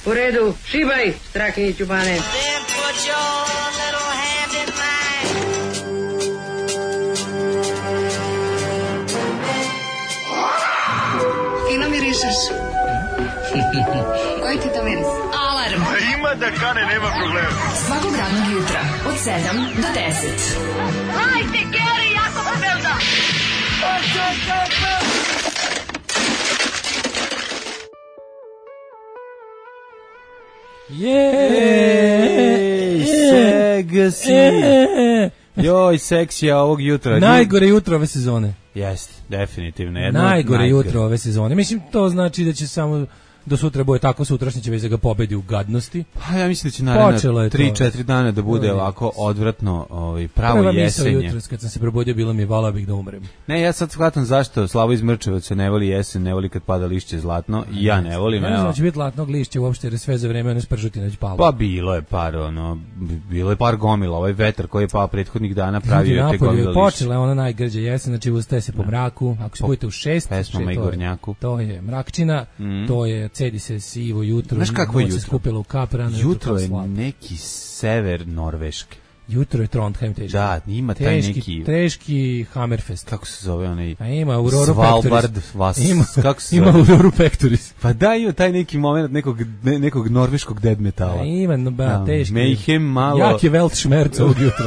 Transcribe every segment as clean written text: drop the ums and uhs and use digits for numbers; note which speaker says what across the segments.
Speaker 1: U redu, šibaj, Strakini Ćubane.
Speaker 2: Fino mirišeš. Koji ti to miris?
Speaker 3: Alarm.
Speaker 4: Ima da kane, nema problema.
Speaker 3: Svakog radnog jutra od 7 do 10.
Speaker 2: Hajde, Geri, jako se velda.
Speaker 5: Seksi. Joj, seksija ovog jutra.
Speaker 6: Najgore jutro ove sezone.
Speaker 5: Jeste, definitivno.
Speaker 6: Najgore jutro ove sezone. Mislim, to znači da će samo do sutra bude tako, sutrašnje će već da ga pobedi u gadnosti.
Speaker 5: Pa ja mislim da će naravno 3-4 dana da bude
Speaker 6: To je
Speaker 5: ovako odvratno, pravo jesenje.
Speaker 6: Prva misao jutros kad sam se probudio bilo mi vala bih da umrem.
Speaker 5: Ne, ja sad shvatam zašto Slavo iz Mrčevaca ne voli jesen, ne voli kad pada lišće zlatno, i ja ne volim.
Speaker 6: Ne znam da će biti latnog lišća uopšte, jer je sve za vreme ono spržutina već palo.
Speaker 5: Pa bilo je par gomila, ovaj vetar koji je pao prethodnih dana pravio je te gomile lišća.
Speaker 6: Počela je ona najgrđa jesen, znači ustaje se po mraku, ako se budete u 6,
Speaker 5: pesmama i gornjaku.
Speaker 6: To je mrakčina, to je cedi se sivo jutro.
Speaker 5: Znaš kako je jutro?
Speaker 6: Se skupilo u kap rano.
Speaker 5: Jutro je neki sever Norveške.
Speaker 6: Jutro je Trondheim teški.
Speaker 5: Da, ima taj neki...
Speaker 6: Teški Hammerfest.
Speaker 5: Kako se zove onaj...
Speaker 6: A ima Aurora
Speaker 5: Svalbard
Speaker 6: Pectoris.
Speaker 5: Kako se
Speaker 6: ima Aurora Pectoris.
Speaker 5: Pa da, ima taj neki moment nekog norveškog dead metala.
Speaker 6: A ima, teški.
Speaker 5: Mayhem malo...
Speaker 6: Jak je Weltschmerz ovog jutra.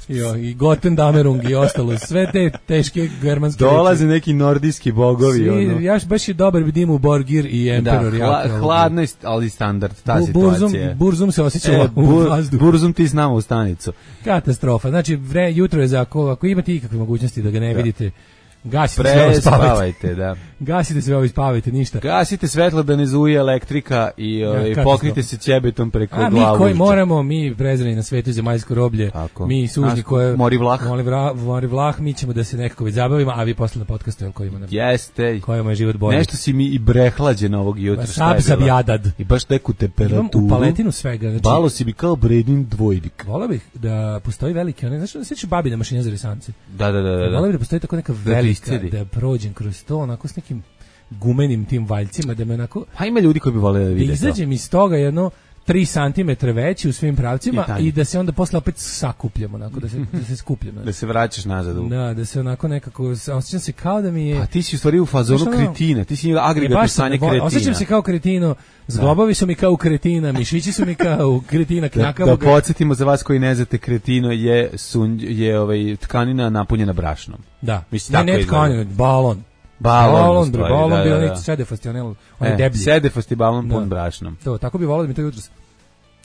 Speaker 6: Jo, i Gotendamerung i ostalo, sve te teške germanske
Speaker 5: dolaze reči. Neki nordijski bogovi.
Speaker 6: Svi, ja baš je dobar vidim u Borgir i Emperor.
Speaker 5: Da, hladno je, ali standard, ta situacija.
Speaker 6: Burzum se osjećala u vazduhu.
Speaker 5: Burzum ti s nama u stanicu.
Speaker 6: Katastrofa, znači jutro je za ako imate ikakve mogućnosti da ga ne vidite, gasite sve ovo
Speaker 5: spavajte, da.
Speaker 6: Gasite sve ovo i spavajte, ništa.
Speaker 5: Gasite svetlo da ne zuje elektrika i pokrite se ćebetom preko glavu.
Speaker 6: A mi koji moramo, mi prezreni na svetu zemaljsko roblje,
Speaker 5: tako.
Speaker 6: Mi sužnji koje...
Speaker 5: Mori
Speaker 6: vlah, mi ćemo da se nekako već zabavimo, a vi posle na podcastu kojima nam...
Speaker 5: Jeste.
Speaker 6: Kojima je život bolje.
Speaker 5: Nešto si mi i brehlađen ovog jutra.
Speaker 6: Sab jadad.
Speaker 5: I baš neku temperaturu.
Speaker 6: Imam u paletinu svega. Znači,
Speaker 5: balo si mi kao Bredin dvojnik.
Speaker 6: Volao bih da postoji veliki, znaš da sećaš babine mašine za risance?
Speaker 5: Da.
Speaker 6: Volao bih da postoji tako neka velika, da prođem kroz to, onako s nekim gumenim tim valjcima, da me onako...
Speaker 5: Pa ima ljudi koji bi voleli da vide to.
Speaker 6: Da izađem iz toga jedno 3 cm veći u svim pravcima i da se onda posle opet sakupljamo, onako, da se skupljamo.
Speaker 5: Da se vraćaš nazad.
Speaker 6: Da se onako nekako, osjećam se kao da mi je...
Speaker 5: Pa ti si u stvari u fazonu kretina, ti si agregat stanje kretina.
Speaker 6: Osjećam se kao kretino, zglobovi su mi kao kretina, mišići su mi kao kretina knjakavog.
Speaker 5: Da podsjetimo za vas koji ne znate, kretino je tkanina napunjena brašnom.
Speaker 6: Da, ne tkanina, balon. Balon, bio sedefast, onaj deblji.
Speaker 5: Sedefast i balon pun brašnom.
Speaker 6: To, tako bi volao da mi to jutros,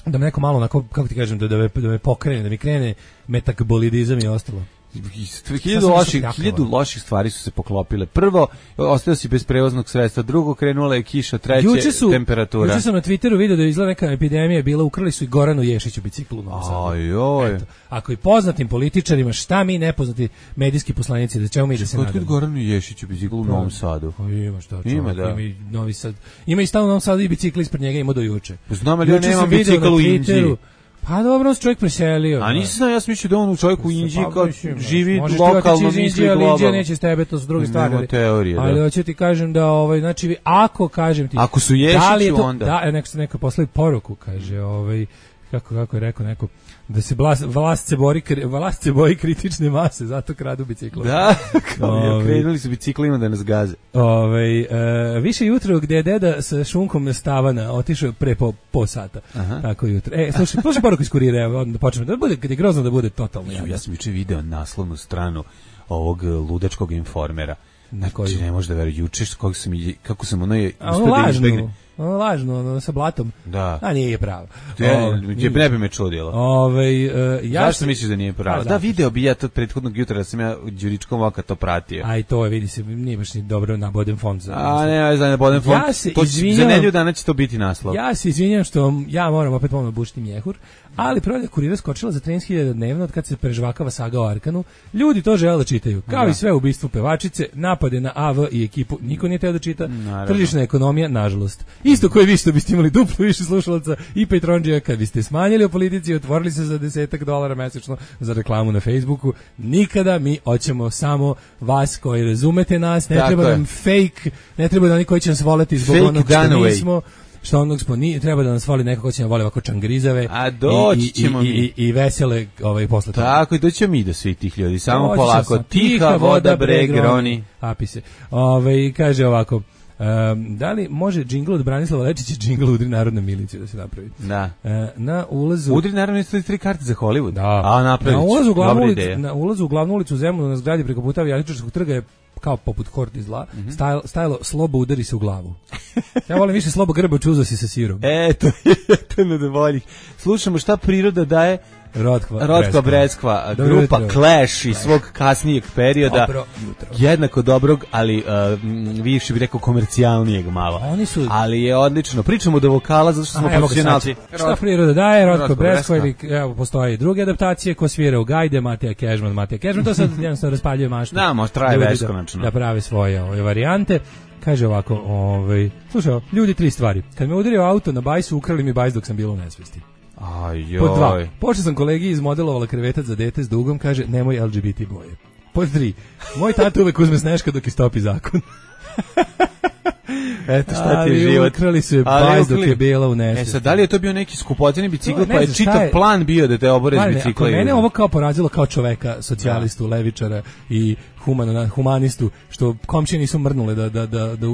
Speaker 6: da me neko malo, onako, kako ti kažem, da me pokrene, da mi krene metabolizam i ostalo.
Speaker 5: 1000 loših stvari su se poklopile. Prvo, ostao si bez prevoznog sredstva, drugo, krenula je kiša, treće, temperatura.
Speaker 6: Juče sam na Twitteru vidio da je izgleda neka epidemija bila, ukrali su i Goranu Ješiću biciklu u Novom Sadu. Ako i poznatim političarima, šta mi nepoznati medijski poslanici, da ćemo mi da se nadamo.
Speaker 5: Kod Goranu Ješiću biciklu u Novom Sadu?
Speaker 6: Ima šta, ima i Novi Sad. Ima i stalno u Novom Sadu i bicikli ispred njega, ima do juče.
Speaker 5: Znam, ali ja nemam bicikl u Inđiji.
Speaker 6: Pa dobro, on se čovjek preselio.
Speaker 5: A nisam, ja sam mislio da on u čovjeku u Inđiji kao živi lokalno, misli globalno.
Speaker 6: Možeš ti neće s tebe, to su druge stvari.
Speaker 5: Nema teorije,
Speaker 6: ali hoću ti kažem da, znači, ako kažem ti...
Speaker 5: Ako su Ješiću, onda...
Speaker 6: Da, neko poslali poruku, kaže, kako je rekao neko, da se vlast se boji kritične mase, zato kradu biciklu.
Speaker 5: Da, krenuli su biciklima da nas gaze.
Speaker 6: Više jutro gdje je deda sa šunkom stavana otišao pre po sata. Tako jutro. Slušaj poruku iz kurira, onda počnemo da bude, kad je grozno da bude totalno.
Speaker 5: Ja sam juče video naslovnu stranu ovog ludačkog Informera. Znači, ne možeš da veruješ, juče kako sam uspio da izbegne.
Speaker 6: Lažno, sa blatom.
Speaker 5: Da.
Speaker 6: A nije pravo.
Speaker 5: Ne bi me čudilo. Zašto misliš da nije pravo? Da, video bi ja to prethodnog jutra da sam ja Đuričkom oka to pratio.
Speaker 6: A i to je, vidi se, nije baš ni dobro na Boden fond.
Speaker 5: Na Boden fond. Za nedelju dana će to biti naslov.
Speaker 6: Ja se izvinjam što ja moram opet bušiti mjehur, ali prodaja kurira skočila za 13.000 dnevno od kad se prežvakava saga o Arkanu. Ljudi to žele da čitaju. Kao i sve ubistvo pevačice, napade na AV i ekipu, niko nije teo da čita. Tržišna ekonomija, nažalost. Isto koji vi što biste imali duplo više slušalaca i Patreonđija kad biste smanjili o politici i otvorili se za $10 mesečno za reklamu na Facebooku. Nikada, mi hoćemo samo vas koji razumete nas, ne treba nam fake, ne treba da oni koji će nas voleti zbog onog što nismo. što onog smo treba da nas voli neko ko će nam voli ovako čangrizave.
Speaker 5: A doći ćemo mi.
Speaker 6: I vesele posle toga.
Speaker 5: Tako, i doći ćemo mi do svih tih ljudi. Samo polako. Tiha voda bre groni.
Speaker 6: Apise. Kaže ovako, da li može džingl od Branislava Lečića džingl Udri narodnu miliciju da se napravi?
Speaker 5: Da.
Speaker 6: Na ulazu...
Speaker 5: Udri narodnu miliciju 3 karte za Hollywood.
Speaker 6: Da.
Speaker 5: A napravit ću.
Speaker 6: Na ulazu u glavnu ulicu u Zemunu na zgradi preko puta Avijatičarskog trga je kao poput horti zla, stajalo Slobo udari se u glavu. Ja volim više Slobo grbe čuzosi sa sirom.
Speaker 5: To je na boljih. Slušamo šta priroda daje Rotkva Breskva, grupa Clash iz svog kasnijeg perioda, jednako dobrog, ali više bih rekao komercijalnijeg malo. Ali je odlično. Pričamo do vokala zato što smo profesionalci.
Speaker 6: Šta priroda daje, Rotkva Breskva, ili evo postoje i druge adaptacije, ko svira u Gajde, Matija Kežman, to sad jednostavno raspaljuje maštu.
Speaker 5: Da, može traje beskonačno.
Speaker 6: Da prave svoje varijante. Kaže ovako, slušaj, ljudi 3 stvari. Kad me udario auto na bajsu, ukrali mi bajs dok sam bila u nesvesti. Pod 2. Počeo sam kolegi izmodelovala krevetac za dete s dugom, kaže nemoj LGBT boje. Pod 3. Moj tata uvek uzme sneška dok istopi zakon. Eto šta ti je život. Ukrali su je bajs dok je bila u nesvesti.
Speaker 5: Sad, da li je to bio neki skupoceni bicikl, pa je čitav plan bio da te obore s bicikla?
Speaker 6: Mene ovo kao porazilo kao čoveka, socijalistu, levičara i humanistu, što komšije nisu mrnule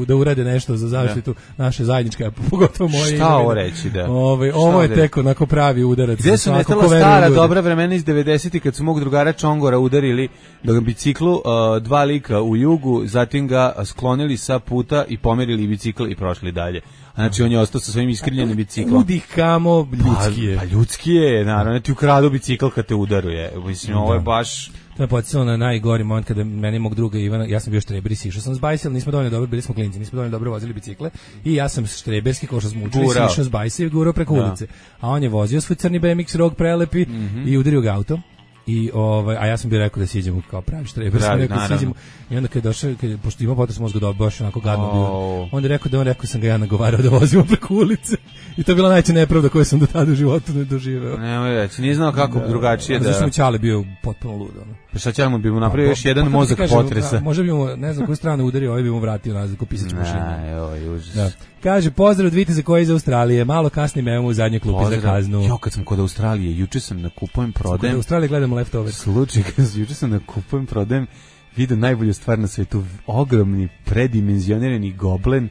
Speaker 6: da urede nešto za zaštitu naše zajedničke, pogotovo moje.
Speaker 5: Šta ovo reći, da?
Speaker 6: Ovo je tek onako pravi udarac.
Speaker 5: Gde su nestala stara dobra vremena iz 90-ih kad su mog drugara Čongora udarili na biciklu 2 lika u Jugu, zatim ga sklonili sa puta i pomerili bicikl i prošli dalje. Znači on je ostao sa svojim iskrivljenim biciklom.
Speaker 6: Udih kamo, ljudski je.
Speaker 5: Pa ljudski je, naravno, ti ukradu bicikl kad te udaruje. Mislim, ovo je baš...
Speaker 6: To je podsjetilo na najgori moment kada meni mog druga Ivana, ja sam bio štreber i sišao sam s bajsel, nismo dovoljno dobro, bili smo klinci, nismo dovoljno dobro vozili bicikle i ja sam štreberski, kao što smo učili, sišao s bajsel i gurao preko ulice. A on je vozio svoj crni BMX rog prelepi i udario ga auto. I a ja sam bio rekao da siđemo kao pravi štreber, sam rekao da siđemo. I onda kad je došao, pošto ima potres mozga da baš onako gadno bio, onda je rekao sam ga ja nagovarao da vozimo preko ulice. I to je bila najveća nepravda koju sam do tada u životu ne doživeo.
Speaker 5: Nemoj reći, nije znao kako drugačije da...
Speaker 6: Zašto mu Ćale bio potpuno lud.
Speaker 5: Pa šta Ćale mu bi mu napravio još jedan mozak potresa?
Speaker 6: Možda bi mu, ne znam koju stranu udario, ovaj bi mu vratio nazad ko pisač mašinu. Kaže, pozdrav od Viteza koji je iz Australije, malo kasnim evo u zadnje klupi za kaznu.
Speaker 5: Jo, kad sam kod Australije, juče sam na kupujem prodajem.
Speaker 6: Kod Australije gledamo Leftover.
Speaker 5: Slučaj, juče sam na kupujem prodajem, vidio najbolju stvar na svetu, ogromni, predimenzionirani goblen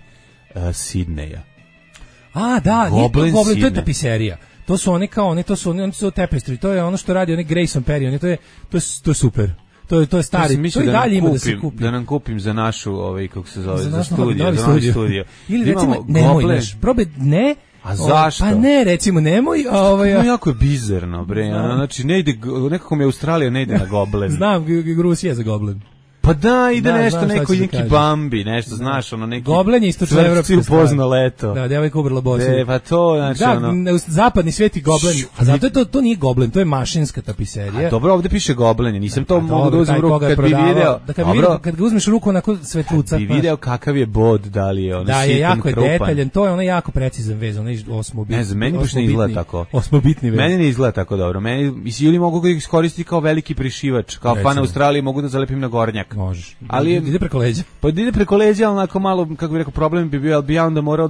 Speaker 5: Sidneja.
Speaker 6: Da, Goblen, to je tapiserija. To su oni oni su tapestry, to je ono što radi onaj Grayson Perry, to je super. To je stari, to i dalje ima da se kupi.
Speaker 5: Da nam kupim za našu, kako se zove, za studio.
Speaker 6: Ili recimo, nemoj naš, probaj, ne.
Speaker 5: A zašto?
Speaker 6: Pa ne, recimo, nemoj.
Speaker 5: Jako je bizarno, bre. Znači, ne ide, nekako mi Australija ne ide na Goblen.
Speaker 6: Znam, Rusija za Goblen.
Speaker 5: Pa da, ide nešto, neko neki Bambi, nešto, znaš, neki...
Speaker 6: Goblen je istočno evropski
Speaker 5: upozno leto.
Speaker 6: Da, devojka ubrala bosu.
Speaker 5: Pa to, znači,
Speaker 6: zapadni svijet i Goblen, a zato je to nije Goblen, to je mašinska tapiserija.
Speaker 5: A dobro, ovde piše Goblen, nisam to mogu da uzmem ruku, kad bi video...
Speaker 6: Kad ga uzmeš ruku onako svetluca...
Speaker 5: Kad bi video kakav je bod, da li je ono sitan, krupan. Da, je jako
Speaker 6: detaljan, to je ono jako precizan vez, ono osmobitni.
Speaker 5: Ne znam, meni baš ne izgleda tako.
Speaker 6: Osmobitni vez.
Speaker 5: Meni ne izgleda tako dobro. Ili mogu ga iskoristiti kao veliki prišivač, kao fan Australije, mogu da zalepim na gornjak.
Speaker 6: Možeš.
Speaker 5: Ali
Speaker 6: ide preko leđa.
Speaker 5: Pa ide preko leđa, ali onako malo, kako bih rekao, problem bi bio, ali bi ja onda morao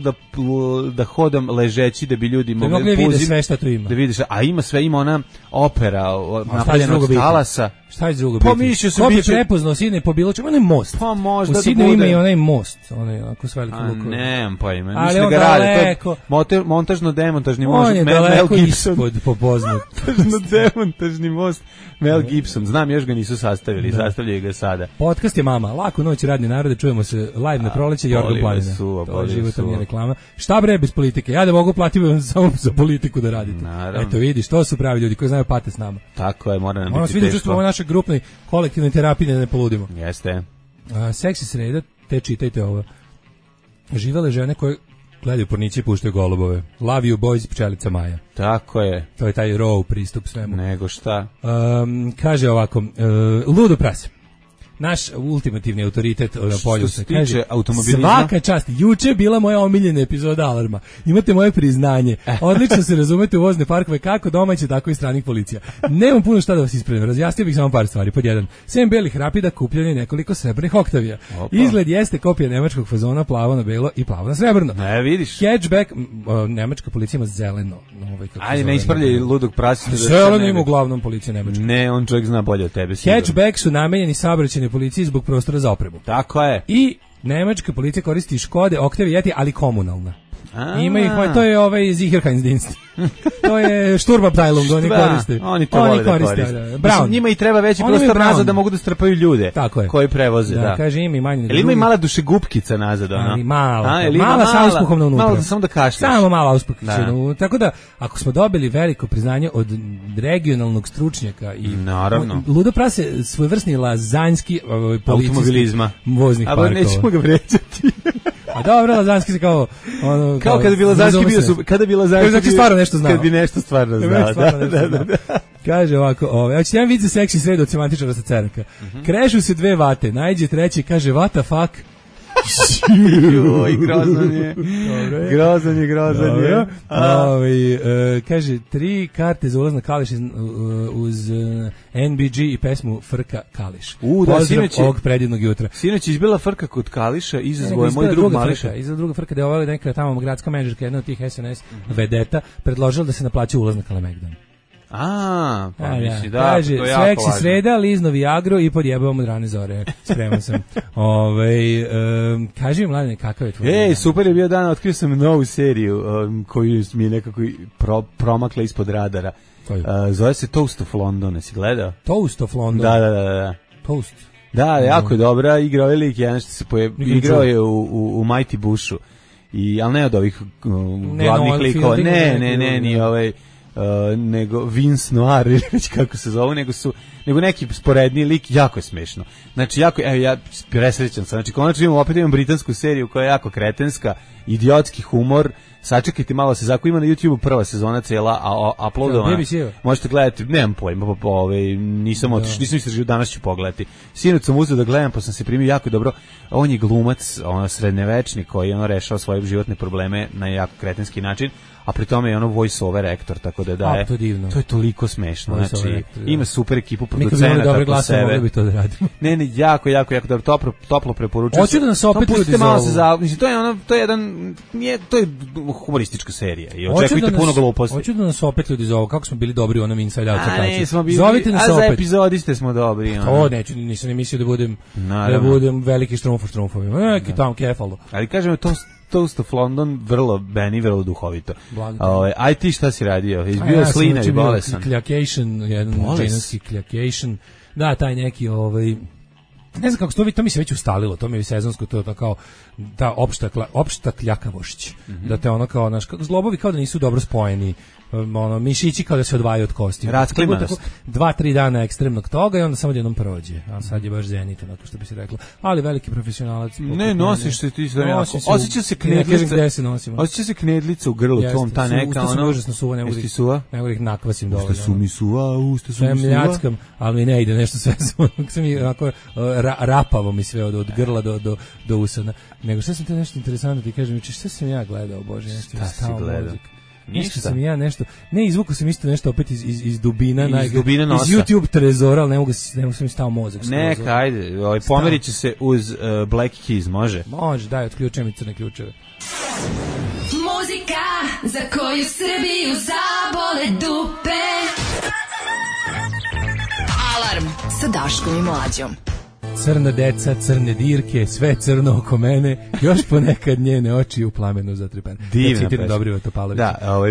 Speaker 5: da hodam ležeći, da bi ljudi mogli
Speaker 6: da vide sve što tu ima.
Speaker 5: Da vidiš, a ima sve, ima ona opera napravljena od talasa.
Speaker 6: Šta je drugo biti? Ko bi prepoznao Sidney po bilo čemu? Onaj most.
Speaker 5: Pa možda
Speaker 6: da bude. U Sidneyu ima i onaj most. Onaj ako s velikim lukom.
Speaker 5: Nemam pojma. Mislim da ga rade. To je montažno-demontažni most.
Speaker 6: On je daleko ispod popoznat.
Speaker 5: Montažno-demontažni most. Mel Gibson. Znam, još ga nisu sastavili. Sastavljaju ga sada.
Speaker 6: Podcast je mama. Laku noć, radni narode. Čujemo se live na proleće. Jorgo Planina. To je životna reklama. Šta bre bez politike? Ja da mogu platiti samo za politiku da radite. Eto vidiš, to su pravi ljudi koji znaju pate s nama.
Speaker 5: Tako je, mora nam biti teško.
Speaker 6: Grupnoj kolektivnoj terapiji da ne poludimo.
Speaker 5: Jeste.
Speaker 6: Seksi sreda, te čitajte ovo. Živele žene koje gledaju porniće i puštaju golubove. Love you boys, pčelica Maja.
Speaker 5: Tako je.
Speaker 6: To je taj raw pristup svemu.
Speaker 5: Nego šta?
Speaker 6: Kaže ovako, ludo prase. naš ultimativni autoritet na polju.
Speaker 5: Što se tiče automobilizma,
Speaker 6: svaka čast. Juče je bila moja omiljena epizoda Alarma. Imate moje priznanje. Odlično se razumete u vozne parkove, kako domaće, tako i stranih policija. Nemam puno šta da vas ispravim. Razjasnio bih samo par stvari. Pod jedan, sem belih rapida kupljanje nekoliko srebrnih Oktavija. Izgled jeste kopija nemačkog fazona, plavo na belo i plavo na srebrno.
Speaker 5: Ne, vidiš.
Speaker 6: Hatchback, nemačka policija ima zeleno.
Speaker 5: Ajde, ne ispravljaj ludog prasita.
Speaker 6: Zeleno ima uglavnom policija nemačka.
Speaker 5: Ne, on čovjek zna bolje od tebe.
Speaker 6: Hatchback su namenjeni saobraćajnoj policiji zbog prostora za opremu.
Speaker 5: Tako je.
Speaker 6: I nemačka policija koristi Škode, Oktave, Yeti, ali komunalna. Ima ih, to je ovaj Sicherheitsdienst. To je Sturmabteilung, oni koriste.
Speaker 5: Oni to vole da koriste. Brown. Njima i treba veći prostor nazad da mogu da strpaju ljude koji prevoze. Da,
Speaker 6: kaže ima i manje.
Speaker 5: Ili ima i mala dušegupkica nazad, ona?
Speaker 6: Ali mala sa uspuhom unutra.
Speaker 5: Malo samo da kašljaš.
Speaker 6: Samo mala uspuhkica. Tako da, ako smo dobili veliko priznanje od regionalnog stručnjaka i ludo prase svojevrsni lazanjski
Speaker 5: automobilizma
Speaker 6: voznih parkova.
Speaker 5: A nećemo ga vređati.
Speaker 6: A dobro, lazanski se kao ono
Speaker 5: kao kada bi lazanski bio super, kada bi lazanski
Speaker 6: stvarno nešto znao.
Speaker 5: Kad bi nešto stvarno znao. Da.
Speaker 6: Kaže ovako, hoćete jedan vid za seksi sred od semantičara sa Ceraka. Krešu se dve vate, najđe treći kaže what the fuck.
Speaker 5: Joj, grozan je.
Speaker 6: Kaže 3 karte za ulaz na Kališ uz NBG i pesmu Frka Kališ. Pozdrav ovog predivnog jutra.
Speaker 5: Sinoć izbila Frka kod Kališa, izazvao je moj drug Mališa.
Speaker 6: Izazvao druga Frka da je ovaj neka tamo gradska menadžerka, jedna od tih SNS vedeta, predložila da se naplaća ulaz na Kalemegdan.
Speaker 5: Misli da,
Speaker 6: kaže, seksi sreda, lizno Viagro i podjebavam od rane zore. Spreman sam. Kaži mi, Mladene, kakav je tvoj?
Speaker 5: Super je bio dan, otkrio sam novu seriju koju mi je nekako promakla ispod radara. Zove se Toast of London, jesi gledao?
Speaker 6: Toast of London?
Speaker 5: Da.
Speaker 6: Toast?
Speaker 5: Da, jako je dobra, igrao je lik, jedan što se igrao je u Mighty Bushu, ali ne od ovih glavnih likova, ne, ni ovaj, nego Vince Noir ili već kako se zove, nego neki sporedni lik, jako je smešno. Znači, ja presrećan sam, znači, konačno imam britansku seriju koja je jako kretenska, idiotski humor, sačekajte malo se zako, ima na YouTube prva sezona cela, a uploadovana, možete gledati, nemam pojma, nisam istražio, danas ću pogledati. Sinoć sam uzeo da gledam, pa sam se primio jako dobro, on je glumac, srednjevečni koji rešao svoje životne probleme na jako kretenski način, a pri tome je ono voice over actor, tako da daje. To je toliko smešno. Znači, ima super ekipu producenata po sebe.
Speaker 6: Mogli bi to da radimo.
Speaker 5: Ne, jako dobro, toplo preporučujem.
Speaker 6: Hoću da nas opet ljudi zovu.
Speaker 5: Mislim, to je humoristička serija i očekujte puno gluposti.
Speaker 6: Hoću da nas opet ljudi zovu, kako smo bili dobri u onom Inside Out
Speaker 5: crtači.
Speaker 6: Zovite nas opet.
Speaker 5: A za epizodiste smo dobri.
Speaker 6: To neću, nisam ni mislio da budem veliki štrumfovima. Neki tamo kefalo.
Speaker 5: Ali kažem, Toast of London, vrlo duhovito. Aj ti šta si radio? Izbio slina i bolesan.
Speaker 6: Kljacation, jedan dženevski kljacation. Da, taj neki, ne znam kako se to mi se već ustalilo, to mi je sezonsko, to je kao ta opšta kljakavošć. Da te ono kao, zglobovi kao da nisu dobro spojeni, mišići kao da se odvajaju od kosti.
Speaker 5: Rasklimanost.
Speaker 6: 2-3 dana ekstremnog toga i onda samo jednom prođe. A sad je baš zenit, onako što bi se reklo. Ali veliki profesionalac.
Speaker 5: Ne, nosiš se ti sve jako. Osjeća se knedlica u grlu tvom, ta neka.
Speaker 6: Usta su mi užasno suva, ne mogu ih nakvasim dovoljno.
Speaker 5: Usta su mi suva.
Speaker 6: Sve mljackam, ali mi ne ide nešto sve sam mi onako rapavo mi sve od grla do usana. Nego šta sam te nešto interesantno ti kažem, šta sam ja gledao, Bože, nešto je stao muzik. Nešto sam ja nešto, ne izvukao sam isto nešto opet iz dubina, iz YouTube trezora, ali ne mogu sam mi stao mozak.
Speaker 5: Neka, ajde, pomerit će se uz Black Keys, može?
Speaker 6: Može, daj, otključujem mi crne ključeve.
Speaker 3: Muzika za koju Srbiju zabole dupe. Alarm sa Daškom i Mlađom.
Speaker 6: Crna deca, crne dirke, sve crno oko mene, još ponekad njene oči u plamenu zatrpane.
Speaker 5: Divna pesma.
Speaker 6: Dobrivo Topalović.
Speaker 5: Da,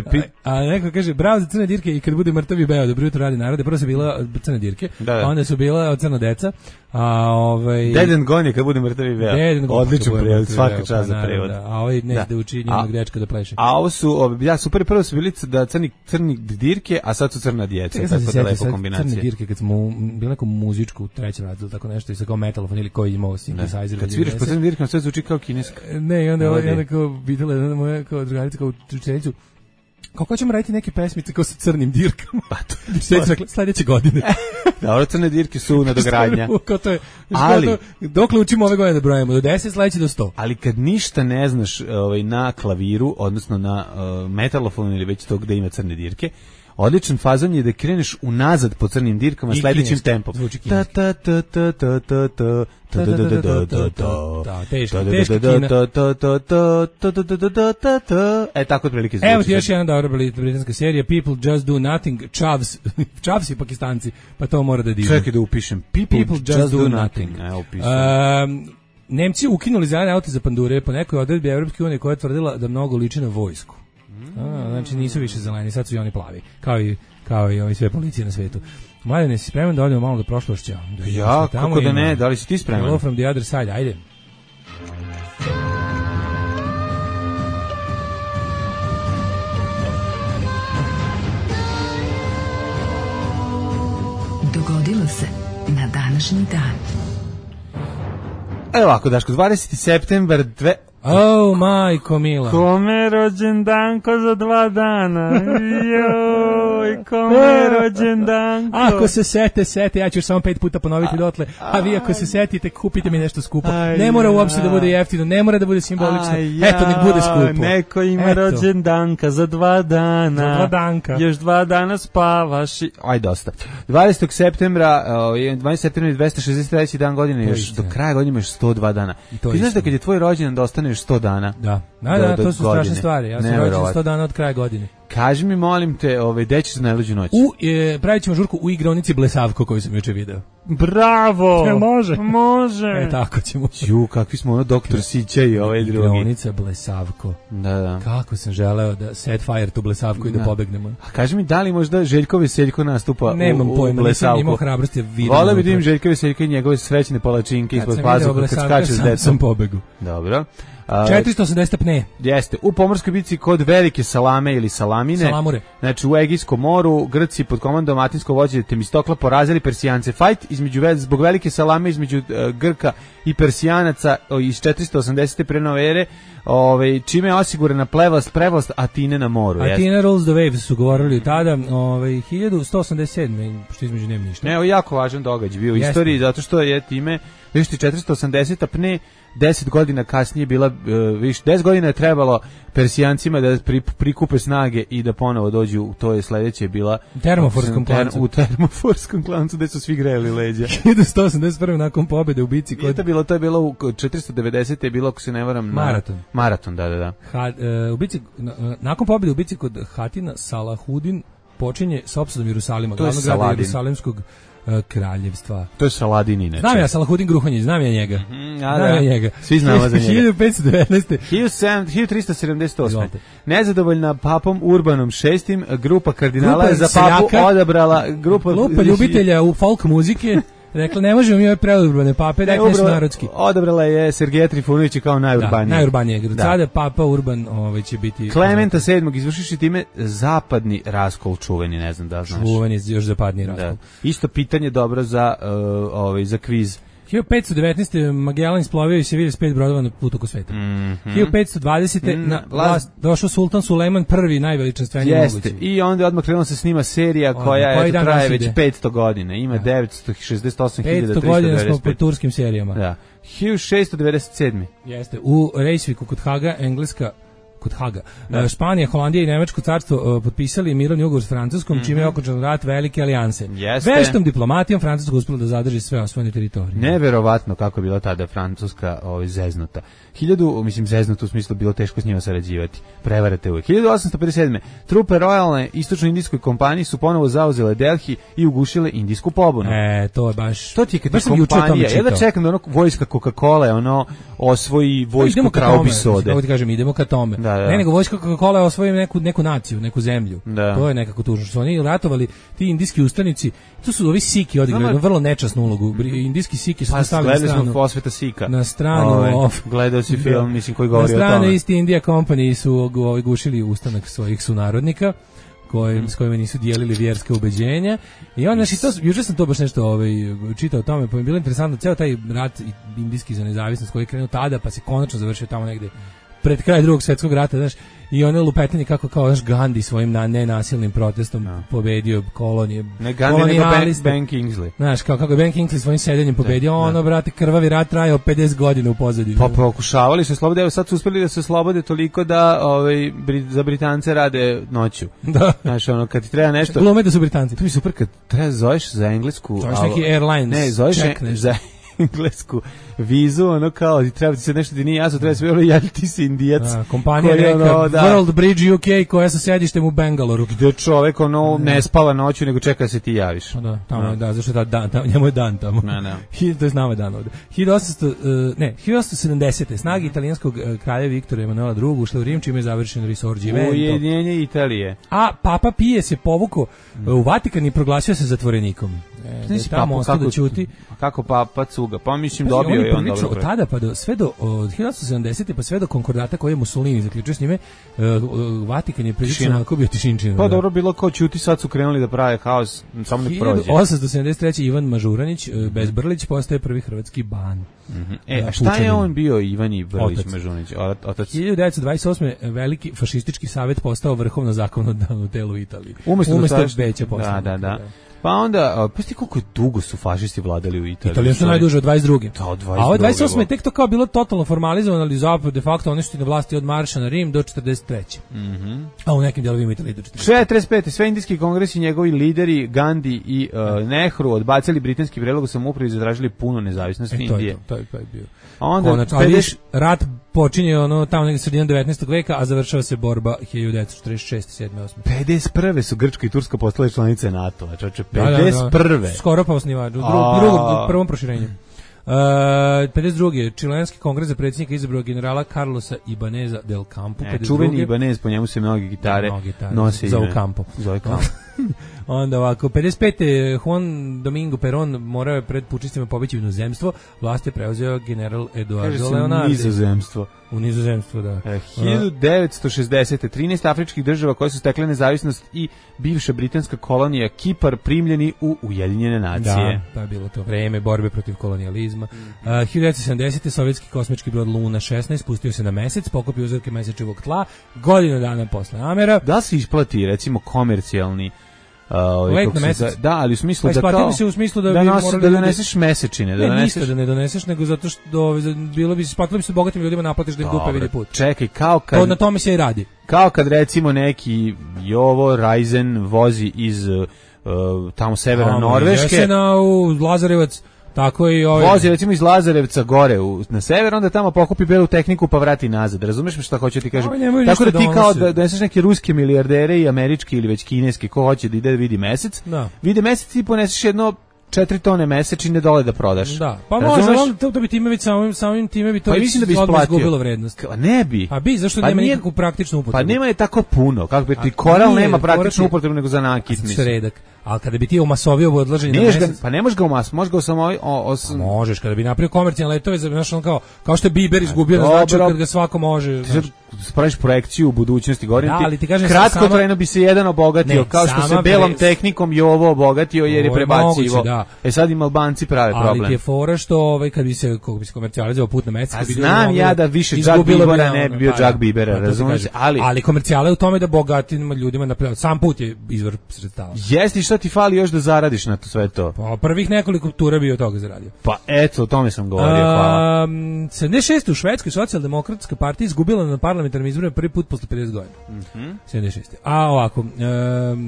Speaker 6: a neko kaže, bravo za crne dirke i kad bude mrtavi beo, dobro jutro radi narode, prvo su bila crne dirke, a onda su bila crna deca,
Speaker 5: Dead and Gone je kad bude mrtavi beo. Odličan prevod, svaka čast za prevod.
Speaker 6: A ovaj ne da uči njenog dečka da pleše.
Speaker 5: A ovo su, super, prvo su bili da crni dirke, a sad su crna djeca. Tako da lepo kombinacija.
Speaker 6: Crne dirke kad smo bili neku muzičku u trećem razredu, tako nešto, i sa kao metalofon ili koji imao synthesizer.
Speaker 5: Kad sviraš po crnim dirkama, sve zvuči kao kineska.
Speaker 6: Ne, i onda kao videla jedna moja kao drugarica kao učenicu, Kako ćemo raditi neke pesmice kao sa crnim dirkama? Pa to je sledeće godine.
Speaker 5: Dobro, crne dirke su nadogradnja.
Speaker 6: Ali dokle učimo ove godine da brojimo? Do 10, sledeće do 100.
Speaker 5: Ali kad ništa ne znaš na klaviru, odnosno na metalofonu ili već to gde ima crne dirke, odličan fazon je da kreneš unazad po crnim dirkama sledećim tempom.
Speaker 6: Ta ta ta ta ta ta ta.
Speaker 5: Tako otprilike zvuči.
Speaker 6: Evo ti još jedna dobra britanska serija, People Just Do Nothing, Chavs i Pakistanci, pa to mora da divno.
Speaker 5: Čekaj da upišem, People Just Do Nothing.
Speaker 6: Nemci ukinuli zelene aute za pandure po nekoj odredbi Evropske unije koja je tvrdila da mnogo liči na vojsku. Znači nisu više zeleni, sad su i oni plavi, kao i ovi sve policije na svetu. Mladene, si spreman da odemo malo do prošlošća?
Speaker 5: Ja, kako da ne, da li si ti spreman?
Speaker 6: Hello from the other side, ajde.
Speaker 3: Dogodilo se na današnji dan.
Speaker 5: Evo ovako, Daško, 20. septembar
Speaker 6: Oh, majko mila.
Speaker 5: Kome rođendanko za 2 dana. Joj, kome rođendanko.
Speaker 6: Ako se sete, ja ću samo 5 puta ponoviti dotle. A vi ako se setite, kupite mi nešto skupo. Ne mora uopšte da bude jeftino, ne mora da bude simbolično. Eto, nek bude skupo.
Speaker 5: Neko ima rođendanka za 2 dana.
Speaker 6: Za 2 danka.
Speaker 5: Još 2 dana spavaš. Aj, dosta. 20. septembra, 20. septembra 263. dan godine, još do kraja godine imaš 102 dana. Ti znaš da kad je tvoj rođendan da ostaneš 100 dana.
Speaker 6: Da, to su strašne stvari. Ja sam rođen 100 dana od kraja godine.
Speaker 5: Kaži mi, molim te, gde ćeš za najluđu noć?
Speaker 6: Pravit ćemo žurku u igraonici Blesavko koju sam juče video.
Speaker 5: Bravo!
Speaker 6: Može. Tako ćemo.
Speaker 5: Ju, kakvi smo doktor Sića i ovaj drugi.
Speaker 6: Igraonica Blesavko.
Speaker 5: Da.
Speaker 6: Kako sam želeo da set fire tu Blesavku i da pobegnemo.
Speaker 5: A kaži mi, da li možda Željko Veseljko nastupa
Speaker 6: Nemam
Speaker 5: u
Speaker 6: pojma,
Speaker 5: Blesavku?
Speaker 6: nisam imao hrabrosti da vidim.
Speaker 5: Vole vidim Željko Veseljko i njegove srećne palačinke ispod pazuha kad skače s decom.
Speaker 6: Sam pobegu.
Speaker 5: Dobro.
Speaker 6: 480 pne.
Speaker 5: Jeste. U pomorskoj bici kod Velike Salame ili Salamine.
Speaker 6: Salamure.
Speaker 5: Znači u Egejskom moru Grci pod komandom atinskog vođe Temistokla porazili Persijance. Fajt zbog Velike Salame između Grka i Persijanaca iz 480. pre nove ere, čime je osigurana prevlast Atine na moru.
Speaker 6: Atina rules the waves su govorili tada, 1187. što između nema ništa.
Speaker 5: Ne, jako važan događaj bio u istoriji, zato što je time, viš ti 480. pne 10 godina kasnije bila, 10 godina je trebalo Persijancima da prikupe snage i da ponovo dođu, to je sledeće bila u termoforskom klancu gde su svi grejali leđa.
Speaker 6: 1181. nakon pobede u bici kod...
Speaker 5: To je bilo u 490. je bilo, ako se ne varam, Maraton, da.
Speaker 6: U bici, nakon pobede u bici kod Hatina, Salahudin počinje s opsadom Jerusalima, glavnog grada Jerusalimskog kraljevstva.
Speaker 5: To je Saladin inače.
Speaker 6: Znam ja Salahudin Gruhonjić, znam ja njega.
Speaker 5: Svi znamo za njega.
Speaker 6: 1519.
Speaker 5: 1378. Nezadovoljna papom Urbanom VI, grupa kardinala je za papu odabrala grupa
Speaker 6: ljubitelja u folk muzike. Rekla, ne možemo mi ove preurbane pape, dajte nešto narodski.
Speaker 5: Odabrala je Sergeja Trifunovića kao najurbanije.
Speaker 6: Najurbanije. Sada papa Urban će biti...
Speaker 5: Klementa VII, izvršiši time zapadni raskol čuveni, ne znam da znaš.
Speaker 6: Čuveni, još zapadni raskol.
Speaker 5: Isto pitanje dobro za kviz.
Speaker 6: 1519. Magellan isplovio i se vidi s 5 brodova na putu oko sveta. 1520. na vlast došao sultan Sulejman I, najveličanstveniji mogući.
Speaker 5: I onda odmah krenula se snima serija koja traje već 500 godina. Ima 968.390.
Speaker 6: 500 godina smo po turskim serijama.
Speaker 5: Da. 1697.
Speaker 6: Jeste. U Reykjaviku kod Haga, Španija, Holandija i Nemačko carstvo potpisali mirovni ugovor s Francuskom, čime je okončan rat Velike alijanse. Veštom diplomatijom Francuska uspela da zadrži sve osvojene teritorije.
Speaker 5: Neverovatno kako je bila tada Francuska zeznuta. Zeznuta u smislu bilo teško s njima sarađivati. Prevarate uvijek. 1857. Trupe rojalne istočno-indijskoj kompaniji su ponovo zauzele Delhi i ugušile indijsku pobunu.
Speaker 6: To je baš...
Speaker 5: To ti je kad je kompanija. Ja da čekam da vojska Coca-Cola osvoji vojsku kraobi sode.
Speaker 6: Kako ti kažem, idemo ka tome. Ne, nego vojska Coca-Cola osvoji neku naciju, neku zemlju. To je nekako tužno. Što oni ratovali, ti indijski ustanici, to su ovi Siki odigrali jednu vrlo nečasnu ulogu. Indijski Siki su stavili na stranu.
Speaker 5: Gledali smo Posveta Sika.
Speaker 6: Na stranu...
Speaker 5: Gledao si film, koji govori o tome.
Speaker 6: Na stranu East India Company su gušili ustanak svojih sunarodnika, s kojima nisu dijelili vjerske ubeđenja. I onda, juče sam to baš nešto čitao o tome, pa mi je bilo interesantno, ceo taj rat indijski za nezavisnost koji je krenuo tada, pa se konačno završio tamo negde pred kraj Drugog svjetskog rata, znaš, i ono lupetanje kako kao naš Gandhi svojim nenasilnim protestom pobedio kolonije.
Speaker 5: Ne Gandhi, nego Ben Kingsley.
Speaker 6: Znaš, kako je Ben Kingsley svojim sedenjem pobedio, ono, brate, krvavi rat trajao 50 godina u pozadini.
Speaker 5: Pa pokušavali se slobode, evo sad su uspeli da se slobode toliko da za Britance rade noću.
Speaker 6: Da.
Speaker 5: Znaš, ono, kad ti treba nešto...
Speaker 6: Glume da su Britanci.
Speaker 5: To mi super kad treba zoveš za englesku...
Speaker 6: Zoveš neki Airlines.
Speaker 5: Ne, zoveš za englesku vizu, ono kao, treba ti se nešto ti nije jasno, treba se bilo, jel ti si Indijac.
Speaker 6: Kompanija neka, World Bridge UK, koja sa sedištem u Bangaloru.
Speaker 5: Gde čovek, ono, ne spava noću, nego čeka da se ti javiš.
Speaker 6: Da, tamo, da, zašto je dan, njemu je dan tamo. To je znamo dan ovde. 1870. Snage italijanskog kralja Viktora Emanuela II. Ušle u Rim, čime je završeno Risorgimento.
Speaker 5: Ujedinjenje Italije.
Speaker 6: A Papa Pije se povukao u Vatikan i proglasio se zatvorenikom. Tamo ostao da ćuti.
Speaker 5: Kako Papa cuga? Pa mislim dobio je on dobro.
Speaker 6: Od tada pa sve do 1870. pa sve do konkordata koje je Mussolini zaključio s njime, Vatikan je prilično onako bio tišinčina.
Speaker 5: Pa dobro, bilo kao ćuti, sad su krenuli da prave haos, samo nek prođe.
Speaker 6: 1873. Ivan Mažuranić, Bezbrlić, postaje prvi hrvatski ban.
Speaker 5: A šta je on bio, Ivan Brlić Mažuranić? Otac.
Speaker 6: 1928. veliki fašistički savjet postao vrhovno zakonodavno telo u Italiji. Umesto veća poslanika.
Speaker 5: Da. Pa onda, pa koliko dugo su fašisti vladali u Italiji?
Speaker 6: Italija su najduže od 22.
Speaker 5: Da, od 22.
Speaker 6: A ovo 28. je tek to kao bilo totalno formalizovano, ali zapravo de facto oni su na vlasti od marša na Rim do 43. A u nekim delovima Italije do 43.
Speaker 5: 45. Sve indijski kongresi, njegovi lideri Gandhi i Nehru odbacili britanski predlog o samoupravi i zatražili punu nezavisnost Indije.
Speaker 6: To je bio.
Speaker 5: A onda
Speaker 6: rat počinje ono tamo negdje sredinom 19. veka, a završava se borba 1946. 7. 8.
Speaker 5: 51. su Grčka i Turska postale članice NATO-a, čoče, 51.
Speaker 6: Da. Skoro pa osnivač, u prvom proširenju. 52. Čilenski kongres za predsjednika izabrao generala Carlosa Ibaneza del Campo.
Speaker 5: Čuveni Ibanez, po njemu se mnogi gitare nose
Speaker 6: za Campo. Onda ovako, 55. Juan Domingo Perón morao je pred pučistima pobeći u inozemstvo, vlast je preuzeo general Eduardo Leonardi. U nizozemstvo, da.
Speaker 5: 1960. 13 afričkih država koje su stekle nezavisnost i bivša britanska kolonija Kipar primljeni u Ujedinjene nacije.
Speaker 6: Da, je bilo to vreme borbe protiv kolonijalizma. 1970. sovjetski kosmički brod Luna 16 spustio se na mesec, pokupio uzorke mesečevog tla, godinu dana posle namera.
Speaker 5: Da se isplati, recimo, komercijalni
Speaker 6: let na mesec.
Speaker 5: Da, ali u smislu
Speaker 6: da kao
Speaker 5: se
Speaker 6: u smislu da
Speaker 5: doneseš mesečine,
Speaker 6: ništa da ne doneseš, nego zato što bilo bi isplatilo bi se bogatim ljudima naplatiš da im dupe vidi put.
Speaker 5: Čekaj, kao kad
Speaker 6: to na tome se i radi.
Speaker 5: Kao kad recimo neki Jovo Raizen vozi iz tamo severa Norveške.
Speaker 6: Jesena u Lazarevac. Tako i
Speaker 5: vozi recimo iz Lazarevca gore na sever, onda tamo pokupi belu tehniku pa vrati nazad. Razumeš me šta hoću ti kažem? Tako da ti kao da doneseš neke ruske milijardere i američki ili već kineski ko hoće da ide da vidi mesec. Vidi mesec i poneseš jedno 4 tone mesečine dole da prodaš.
Speaker 6: Da. Pa može, to bi time već samim time bi to izgubilo vrednost.
Speaker 5: Ne bi.
Speaker 6: A bi, zašto nema nikakvu praktičnu upotrebu?
Speaker 5: Pa nema je tako puno. Kako bi ti koral nema praktičnu upotrebu nego za nakit, mislim.
Speaker 6: Sredak. Ali kada bi ti omasovio odlaženje
Speaker 5: na mesec... Pa ne možeš ga možeš ga samo...
Speaker 6: Možeš, kada bi napravio komercijalne letove, znaš, kao što je Bieber izgubio, znači kad ga svako može...
Speaker 5: Spraviš projekciju u budućnosti, govorim
Speaker 6: ti kažem,
Speaker 5: kratkotrajno bi se jedan obogatio, kao što se belom tehnikom i ovo obogatio jer je prebacivo. Sad im Albanci prave problem.
Speaker 6: Ali ti je fora što kad bi se komercijalizovao put na mesec...
Speaker 5: Znam ja da više Jack Biebera ne bi bio Jack Biebera, razumiješ?
Speaker 6: Ali komercijala je u tome da bogatim ljudima sam put je izvor sredstava.
Speaker 5: Jesi, šta ti fali još da zaradiš na to sve to?
Speaker 6: Pa prvih nekoliko tura bi od toga zaradio.
Speaker 5: Pa eto, o tome sam govorio, hvala.
Speaker 6: 76. u Švedskoj socijaldemokratska partija izgubila na parlamentarnim izborima prvi put posle 50 godina. 76. A ovako,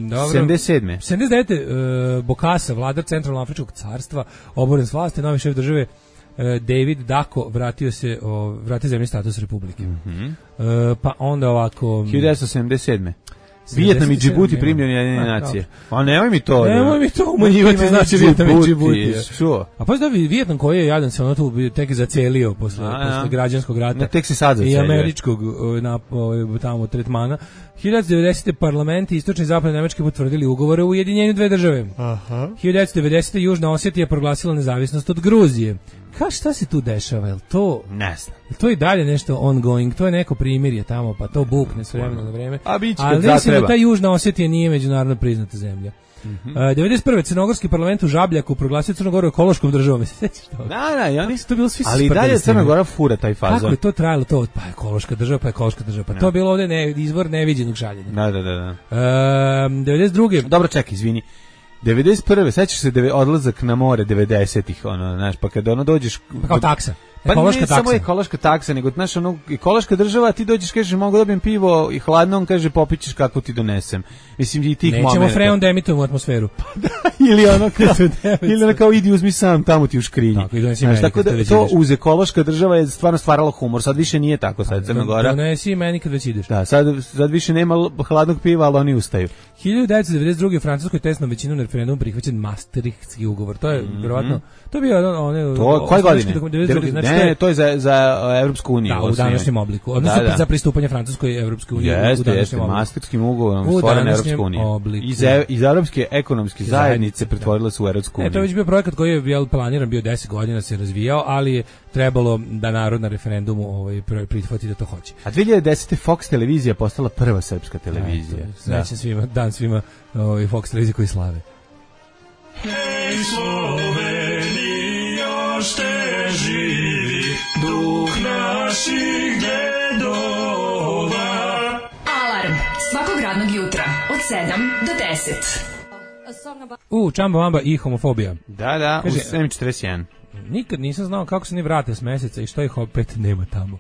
Speaker 6: dobro.
Speaker 5: 77.
Speaker 6: 79. Bokassa, vladar Centralnoafričkog carstva, oboren s vlasti, novi šef države David Dako vratio zemlji status republike. Pa onda ovako...
Speaker 5: 1977. Vijetnam i Džibuti primljeni Ujedinjene nacije. Pa nemoj mi to
Speaker 6: umanjivati, znači Vijetnam i Džibuti. A pa da Vijetnam koji je jadan se ono tu tek zacelio posle građanskog rata.
Speaker 5: Tek se sad zacelio.
Speaker 6: I američkog tamo tretmana. 1990. parlamenti istočne i zapadne Nemačke potvrdili ugovore o ujedinjenju dve države. 1990. Južna Osetija proglasila nezavisnost od Gruzije. šta se tu dešava? Jel to...
Speaker 5: Ne znam.
Speaker 6: To je dalje nešto ongoing, to je neko primirje tamo, pa to bukne s vremena na vreme.
Speaker 5: A biće
Speaker 6: ali
Speaker 5: kad
Speaker 6: mislim
Speaker 5: zatreba.
Speaker 6: da ta Južna Osetija nije međunarodno priznata zemlja. 91. Crnogorski parlament u Žabljaku proglasio Crnu Goru ekološkom državom. Se sećaš toga?
Speaker 5: Da, i oni
Speaker 6: To bilo svi
Speaker 5: ali i dalje Crna Gora fura taj fazon.
Speaker 6: Kako je to trajalo to? Pa ekološka država, pa to je bilo ovde izvor neviđenog žaljenja.
Speaker 5: Da.
Speaker 6: 92.
Speaker 5: Dobro, čekaj, izvini. 91. sećaš se odlazak na more 90-ih, ono, znaš, pa kada ono dođeš...
Speaker 6: Pa kao taksa.
Speaker 5: Pa
Speaker 6: ekološka
Speaker 5: ne
Speaker 6: taksa.
Speaker 5: samo ekološka taksa, nego, znaš, ono, ekološka država, ti dođeš, kažeš, mogu dobijem pivo i hladno, on kaže, popićeš kako ti donesem. Mislim, i tih momenta.
Speaker 6: Nećemo freon da emitujemo u atmosferu.
Speaker 5: ili ono kao idi uzmi sam, tamo ti u škrinji.
Speaker 6: Tako, i donesi
Speaker 5: znaš,
Speaker 6: meni
Speaker 5: tako
Speaker 6: kad
Speaker 5: da
Speaker 6: već
Speaker 5: to
Speaker 6: ideš.
Speaker 5: uz ekološka država je stvarno stvaralo humor, sad više nije tako, sad Crna Gora.
Speaker 6: Donesi meni kad već ideš.
Speaker 5: Da, sad više nema hladnog piva, ali oni ustaju.
Speaker 6: 1992. u Francuskoj tesnom većinom na referendumu prihvaćen Maastrichtski ugovor. To je verovatno, to je bio one
Speaker 5: To koje godine?
Speaker 6: Znači,
Speaker 5: Ne, to je za Evropsku uniju.
Speaker 6: Da, u današnjem obliku. Odnosno za pristupanje Francuskoj Evropskoj uniji u današnjem obliku.
Speaker 5: Maastrichtskim ugovorom stvorena Evropska unija. Iz Evropske ekonomske zajednice pretvorila se u Evropsku uniju.
Speaker 6: To je već bio projekat koji je planiran, bio 10 godina se razvijao, ali je trebalo da narod na referendumu prihvati da to hoće.
Speaker 5: A 2010. Fox televizija postala prva srpska televizija.
Speaker 6: Srećan svima, dan svima Fox televizije koji slave.
Speaker 7: Hej Slovenija, šte živi duh naših dedova.
Speaker 3: Alarm svakog radnog jutra od 7 do 10.
Speaker 6: Čamba Vamba i homofobija.
Speaker 5: Da,
Speaker 6: kaže,
Speaker 5: u 7.41.
Speaker 6: Nikad nisam znao kako se ni vrate s meseca i što ih opet nema tamo.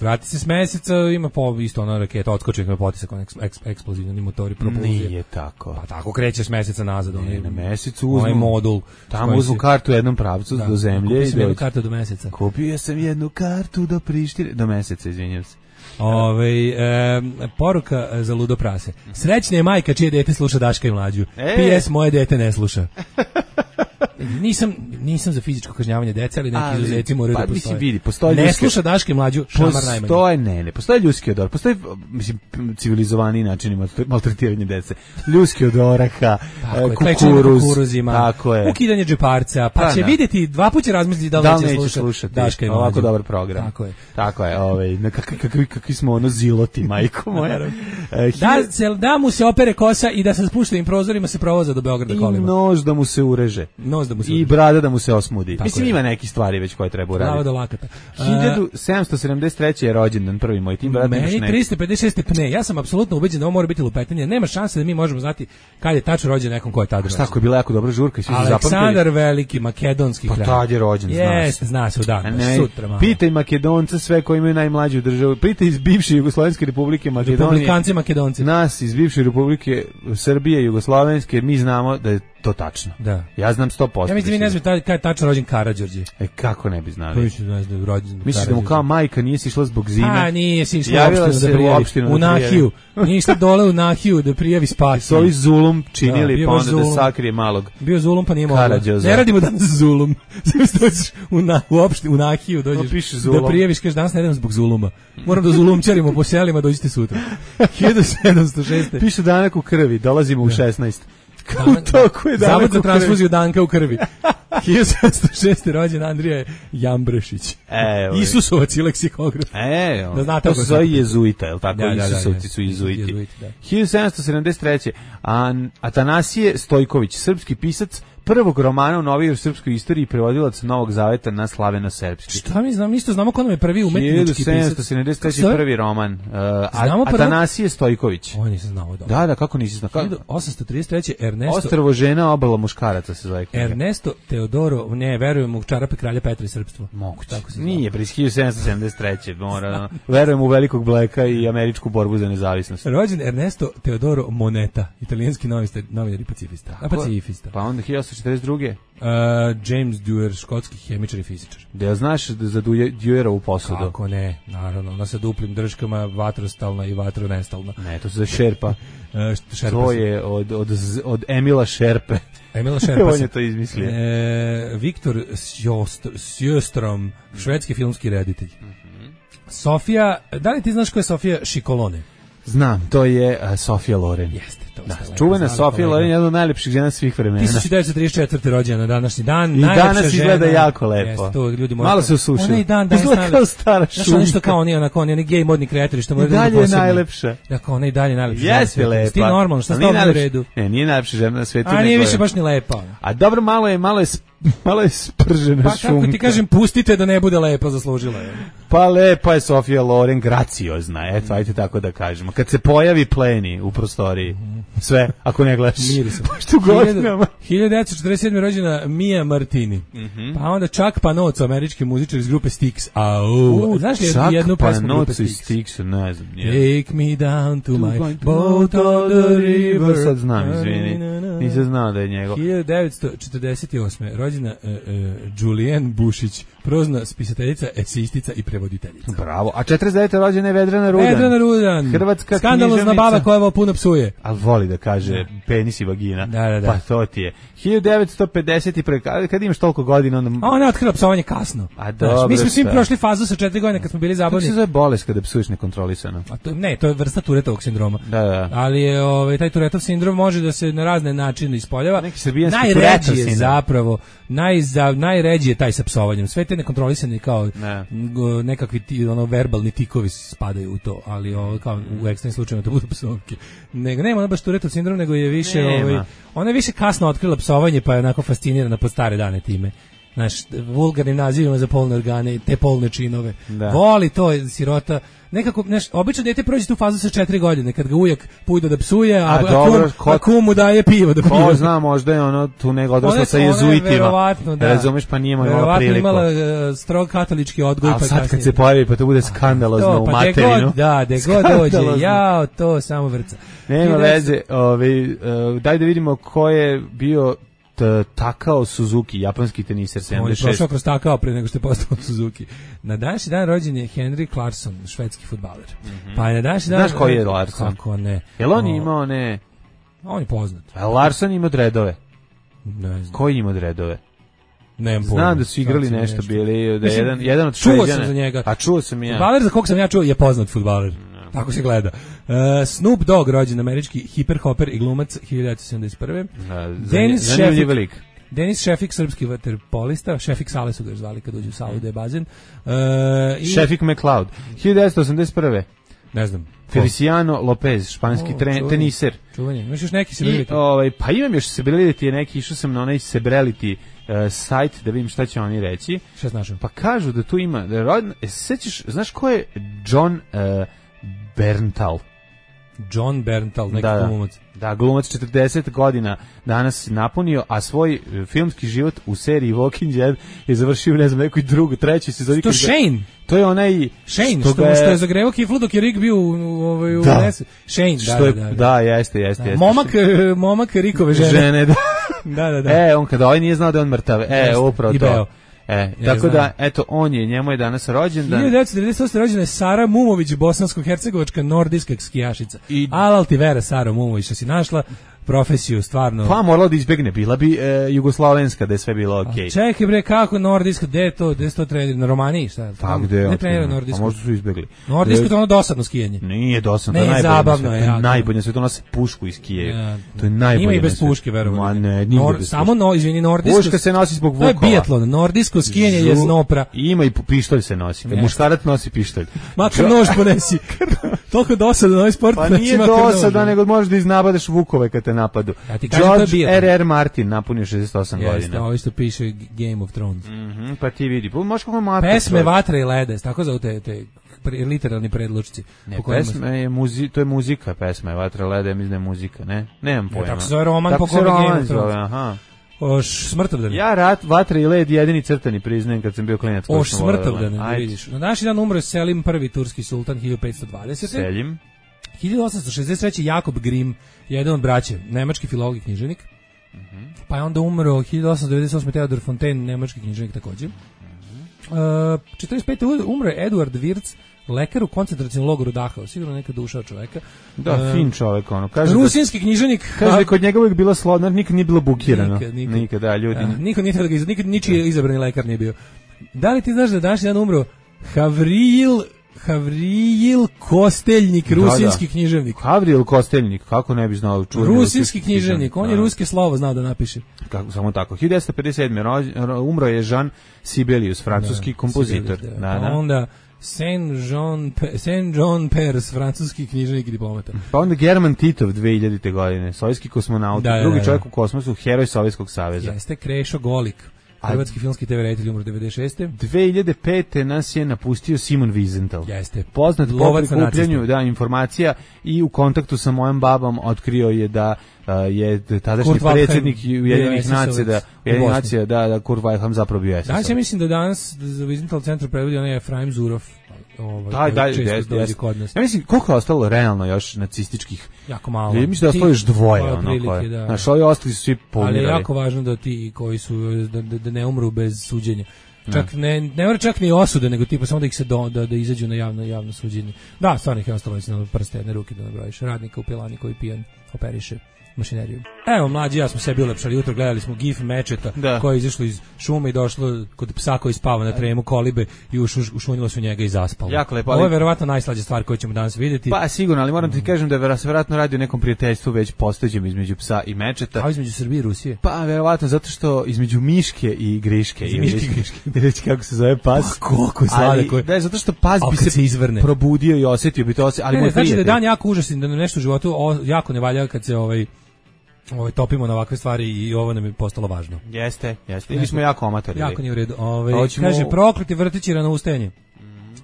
Speaker 6: Vrati se s meseca, ima isto ona raketa, odskoči na potisak, on eksplozivni motori propulzije.
Speaker 5: Nije tako.
Speaker 6: Pa tako kreće s meseca nazad.
Speaker 5: Na mesecu uzmu
Speaker 6: modul.
Speaker 5: Tamo uzmu kartu u jednom pravcu do zemlje.
Speaker 6: Kupio sam jednu kartu do meseca.
Speaker 5: Kupio sam jednu kartu do Prištine. Do meseca, izvinjam se.
Speaker 6: Poruka za ludo prase. Srećna je majka čije dete sluša Daška i Mlađu. PS, moje dete ne sluša. Nisam za fizičko kažnjavanje dece, ali neki izuzeci moraju da postoje.
Speaker 5: Vidi, postoji
Speaker 6: ne sluša Daška i Mlađu, šamar najmanje.
Speaker 5: Ne, postoji ljudski odor, postoji, mislim, civilizovaniji načini maltretiranja dece. Ljudski od oraha, kukuruzima,
Speaker 6: tako je. Ukidanje džeparca, pa će vidjeti, dva puta će razmisliti da li neće slušati Daška i Mlađu.
Speaker 5: Ovako dobar program. Tako je, kakvi smo ono ziloti, majko moja.
Speaker 6: Da mu se opere kosa i da sa spuštenim prozorima se provoza do Beograda kolima.
Speaker 5: I nož da mu se ureže. I brada da mu se osmudi. Mislim, ima neki stvari već koje treba uraditi.
Speaker 6: Glava do lakata.
Speaker 5: 1773. je rođendan prvi moj tim.
Speaker 6: Meni 356. pne. Ja sam apsolutno ubeđen da ovo mora biti lupetanje. Nema šanse da mi možemo znati kad je tačno rođen nekom ko je tad rođen.
Speaker 5: Šta, ko je bila jako dobra žurka i svi su zapamtili?
Speaker 6: Aleksandar Veliki, makedonski kralj.
Speaker 5: Pa tad je rođen,
Speaker 6: zna se u dan. Sutra malo.
Speaker 5: Pitaj Makedonca sve koji imaju najmlađu državu. Pitaj iz bivše Jugoslovenske republike Makedonije.
Speaker 6: Republikanci Makedonci.
Speaker 5: Nas iz bivše republike Srbije, Jugoslovenske, mi znamo da je to tačno.
Speaker 6: Da.
Speaker 5: Ja znam 100%.
Speaker 6: Ja mislim, vi ne znam kada je tačno rođen Karađorđe.
Speaker 5: Kako ne bi znali?
Speaker 6: Misliš
Speaker 5: da mu kao majka nije sišla zbog zime?
Speaker 6: A, nije si išla u opštinu u Nahiju. Nije išla dole u Nahiju da prijavi spas.
Speaker 5: S ovi zulum činili, pa onda da sakrije malog.
Speaker 6: Bio zulum, pa nije mogla. Ne radimo danas zulum. U opštinu, u Nahiju dođeš da prijaviš, kažeš danas ne idem zbog zuluma. Moram da zulumčarimo po selima, dođite sutra. 1706.
Speaker 5: Piše danak u krvi, dolazimo u 16.
Speaker 6: Zavod za transfuziju danka u krvi. 1706. rođen Andrija Jambrešić. Isusovac i leksikograf.
Speaker 5: Da znate, to se zove jezuita, je li tako? Isusovci su jezuiti. 1773. Atanasije Stojković, srpski pisac, prvog romana u novijoj srpskoj istoriji, prevodilac Novog zaveta na slaveno-srpski.
Speaker 6: Šta mi znam, isto znamo ko nam je prvi umetnički pisac.
Speaker 5: 1773. prvi roman. Atanasije Stojković.
Speaker 6: Ovo nisam znao dobro.
Speaker 5: Da, kako nisi znao?
Speaker 6: 1833. Ernesto...
Speaker 5: Ostrvo žena, obala muškaraca se zove.
Speaker 6: Ernesto Teodoro, ne, verujem u čarape kralja Petra i srpstvo.
Speaker 5: Moguće. Nije, pri 1773. Mora, verujem u velikog Bleka i američku borbu za nezavisnost.
Speaker 6: Rođen Ernesto Teodoro Moneta, italijanski novinar i pacifista.
Speaker 5: Pa onda 1942.
Speaker 6: James Dewar, škotski hemičar i fizičar.
Speaker 5: Da znaš za Dewerovu posudu?
Speaker 6: Kako ne, naravno, ona sa duplim držkama, vatrostalna i vatronestalna.
Speaker 5: Ne, to se za Šerpa. To je od Emila Šerpe.
Speaker 6: Emila Šerpa.
Speaker 5: On je to izmislio.
Speaker 6: Viktor Sjöström, švedski filmski reditelj. Sofija, da li ti znaš ko je Sofija Šikolone?
Speaker 5: Znam, to je Sofija Loren.
Speaker 6: Jeste,
Speaker 5: Čuvena Sofija Loren je jedna od najlepših žena svih vremena.
Speaker 6: 1934. rođena na današnji dan.
Speaker 5: I danas izgleda jako lepo.
Speaker 6: To ljudi
Speaker 5: malo se usušila.
Speaker 6: Ona i dan
Speaker 5: izgleda kao stara šunka.
Speaker 6: Znaš, nešto kao oni gej modni kreatori što moraju da budu posebni.
Speaker 5: I dalje je najlepša.
Speaker 6: Dakle, ona i dalje najlepša.
Speaker 5: Jeste lepa.
Speaker 6: Ti normalno, šta stavljamo u redu?
Speaker 5: Ne, nije najlepša žena na svetu.
Speaker 6: A nije više baš ni lepa.
Speaker 5: A dobro, malo je spržena šunka.
Speaker 6: Pa kako ti kažem, pustite da ne bude lepa, zaslužila je.
Speaker 5: Pa lepa je Sofija Loren, graciozna, eto, ajte tako da kažemo. Kad se pojavi pleni u prostoriji, sve, ako ne gledaš.
Speaker 6: Mirisom.
Speaker 5: Što godinama.
Speaker 6: 1947. rođena Mia Martini. Pa onda Chuck Panozzo, američki muzičar iz grupe Styx. Znaš li jednu pesmu grupe
Speaker 5: Styx? Ne znam.
Speaker 6: Take me down to my boat on the river.
Speaker 5: Sad znam, izvini. Nisam znao da je njegov.
Speaker 6: 1948. rođena Julianne Bušić, prozna spisateljica, esistica i prevoditeljica.
Speaker 5: Bravo. A 49. rođena je Vedrana Rudan.
Speaker 6: Vedrana Rudan.
Speaker 5: Hrvatska
Speaker 6: skandalozna baba koja ovo puno psuje.
Speaker 5: Ali voli da kaže penis i vagina.
Speaker 6: Da.
Speaker 5: Pa to ti je. 1950. Kad imaš toliko godina, onda...
Speaker 6: A ona je otkrila psovanje kasno.
Speaker 5: A dobro.
Speaker 6: Mi smo svi prošli fazu sa 4 godine kad smo bili zabavni.
Speaker 5: Kako se zove bolest kada psuješ nekontrolisano?
Speaker 6: A to je vrsta Turetovog sindroma.
Speaker 5: Da.
Speaker 6: Ali je taj Turetov sindrom može da se na razne načine ispoljava.
Speaker 5: Najređi
Speaker 6: je zapravo najređi je taj sa psovanjem. Sve te nekontrolisane kao nekakvi verbalni tikovi spadaju u to, ali kao u ekstremnim slučajevima to budu psovke. Nema baš Turetov sindrom, nego je više ona je više kasno otkrila psovanje, pa je onako fascinirana po stare dane time. Znaš, vulgarnim nazivima za polne organe, te polne činove. Voli to, sirota. Nekako, obično dete prođe tu fazu sa 4 godine, kad ga ujak pujde da psuje, a kum mu daje pivo da pije.
Speaker 5: Ko zna, možda je ono tu nego odrasla sa jezuitima. Razumeš, pa nije imala priliku.
Speaker 6: Verovatno imala strog katolički odgoj.
Speaker 5: Ali sad kad se pojavi, pa to bude skandalozno u materinu.
Speaker 6: De god dođe, to samo vrca.
Speaker 5: Nema veze, daj da vidimo ko je bio Takao Suzuki, japanski teniser 76.
Speaker 6: On je prošao kroz Takao pre nego što je postao Suzuki. Na današnji dan rođen je Henry Clarkson, švedski fudbaler. Pa je na današnji dan...
Speaker 5: Znaš koji je Larsson?
Speaker 6: Kako ne?
Speaker 5: Jel on imao ne...
Speaker 6: On je poznat.
Speaker 5: A Larsson ima dredove.
Speaker 6: Ne znam.
Speaker 5: Koji ima dredove?
Speaker 6: Znam
Speaker 5: da su igrali nešto bili, da je jedan od
Speaker 6: Šveđana. Čuo sam za njega.
Speaker 5: A čuo sam i ja.
Speaker 6: Fudbaler za kog sam ja čuo je poznat fudbaler. Tako se gleda. Snoop Dogg, rođen američki hiperhoper i glumac 1971.
Speaker 5: Zanimljiv lik.
Speaker 6: Denis Šefik, srpski vaterpolista. Šefik Sale su ga zvali kad uđu u salu da je bazen.
Speaker 5: Šefik McLeod. 1981.
Speaker 6: Ne znam.
Speaker 5: Feliciano Lopez, španski teniser.
Speaker 6: Čuvanje. Imaš još neki celebrity?
Speaker 5: Pa imam još celebrity, neki išao sam na onaj celebrity sajt da vidim šta će oni reći.
Speaker 6: Šta znaš?
Speaker 5: Pa kažu da tu ima, sećaš, znaš ko je John Berntal?
Speaker 6: John Berntal, neki glumac.
Speaker 5: Da, glumac 40 godina danas napunio, a svoj filmski život u seriji Walking Dead je završio, ne znam, nekoj drugoj, trećoj sezoni.
Speaker 6: To je Shane.
Speaker 5: To je onaj...
Speaker 6: Shane, što je zagrevao kiflu dok je Rick bio u Shane,
Speaker 5: da, jeste.
Speaker 6: Momak Rickove žene.
Speaker 5: Da. On kada ovaj nije znao da je on mrtav. Upravo to. Tako da, eto, njemu je danas rođendan.
Speaker 6: 1998. rođena je Sara Mumović, bosansko-hercegovačka nordijska skijašica. Alal ti vera, Sara Mumović, što si našla profesiju, stvarno.
Speaker 5: Pa morala da izbegne, bila bi jugoslovenska, da je sve bilo okej.
Speaker 6: Čekaj bre, kako nordijska, gde je to trenira? Na Romaniji, šta?
Speaker 5: Pa gde?
Speaker 6: Ne trenira nordijsku.
Speaker 5: A možda su izbegli.
Speaker 6: Nordijsko to ono dosadno skijanje.
Speaker 5: Nije dosadno, to je najbolje.
Speaker 6: Zabavno je.
Speaker 5: Najbolje, sve to nose pušku iz skije. To je najbolje.
Speaker 6: Ima i bez puške, verovatno.
Speaker 5: Ma ne, nije bez puške.
Speaker 6: Samo, nordijsko.
Speaker 5: Puška se nosi zbog vukova.
Speaker 6: To je biatlon, nordijsko skijanje je znopra.
Speaker 5: Ima i pištolj se nosi. Muškarac nosi pištolj.
Speaker 6: Makar nož ponesi. Toliko dosadan ovaj sport.
Speaker 5: Pa nije dosadan, nego možeš da iznabadeš vukove kad te napadu. George R.R. Martin napunio 68 godina.
Speaker 6: Jeste, ovo isto piše Game of Thrones.
Speaker 5: Pa ti vidi, možeš kako mata.
Speaker 6: Pesme Vatra i lede, tako zove te literalni predlučci.
Speaker 5: To je muzika, pesma je Vatra i lede, mislim da je muzika, ne? Nemam pojma.
Speaker 6: Tako se zove roman po kome Game of Thrones.
Speaker 5: Aha.
Speaker 6: Smrtovdan.
Speaker 5: Ja Vatra i led jedini crtani priznajem kad sam bio klinac.
Speaker 6: Smrtovdan, vidiš. Na današnji dan umro je Selim I, turski sultan, 1520.
Speaker 5: Selim.
Speaker 6: 1863. Jakob Grimm, jedan od braće, nemački filolog i književnik. Pa je onda umro 1898. Theodor Fontaine, nemački književnik također. 45. umro je Eduard Wirz, lekar u koncentracijnom logoru Dachau, sigurno neka duša čoveka.
Speaker 5: Da, fin čovek, ono.
Speaker 6: Rusinski književnik.
Speaker 5: Kaže da kod njega uvijek bila slodna, nikad nije bilo bukirano. Nikad, da, ljudi.
Speaker 6: Niko nije nikad ničiji izabrani lekar nije bio. Da li ti znaš da današnji dan umro Havril Havrijil Kosteljnik, rusinski književnik.
Speaker 5: Havrijil Kosteljnik, kako ne bi znao čuveni
Speaker 6: rusinski književnik, on je ruske slovo znao da napiše.
Speaker 5: Kako, samo tako. 1957. umro je Jean Sibelius, francuski kompozitor.
Speaker 6: Sibelius, da. Onda Saint-Jean Pers, francuski književnik i diplomata.
Speaker 5: Pa onda German Titov 2000. godine, sovjetski kosmonaut, drugi čovjek u kosmosu, heroj Sovjetskog saveza.
Speaker 6: Jeste Krešo Golik. Hrvatski filmski TV reditelj umro 96.
Speaker 5: 2005. nas je napustio Simon Wiesenthal.
Speaker 6: Jeste.
Speaker 5: Poznat po prikupljanju informacija i u kontaktu sa mojom babom otkrio je da je tadašnji predsjednik Ujedinjenih nacija da Kurt Waldheim zapravo bio SS.
Speaker 6: Danas ja mislim da danas za Wiesenthal centru prevodi onaj Efraim Zurov.
Speaker 5: Ja mislim, koliko je ostalo realno još nacističkih?
Speaker 6: Jako malo.
Speaker 5: Ja mislim da je ostalo još dvoje. Znaš, ovi ostali su svi pomirali.
Speaker 6: Ali je jako važno da ti koji su, da ne umru bez suđenja. Čak ne mora čak ni osude, nego tipa samo da ih se da izađu na javno suđenje. Da, stvarno ih je ostalo na prste jedne ruke da nabrojiš. Radnika u pilani koji pijan operiše mašineriju. Evo, mlađi ja smo sebi ulepšali jutro, gledali smo gif mečeta koje je izašlo iz šume i došlo kod psa koji spava na tremu kolibe i ušunilo se u njega i zaspalo.
Speaker 5: Jako lepo.
Speaker 6: Ovo je verovatno najslađa stvar koju ćemo danas vidjeti.
Speaker 5: Pa sigurno, ali moram ti kažem da se verovatno radi o nekom prijateljstvu već postojećem između psa i mečeta.
Speaker 6: A između Srbije i Rusije?
Speaker 5: Pa verovatno zato što između Miške i Griške. Reći kako se zove pas.
Speaker 6: Pa koliko je sladak.
Speaker 5: Da, zato što pas bi se
Speaker 6: izvrne.
Speaker 5: Probudio i osjetio bi to, ali moj
Speaker 6: znači da je dan jako užasan, da nam nešto u životu jako ne valja kad se topimo na ovakve stvari i ovo nam je postalo važno.
Speaker 5: Jeste. Ili smo jako amatori.
Speaker 6: Jako nije u redu. Kaže, prokleti vrtići rano ustajanje.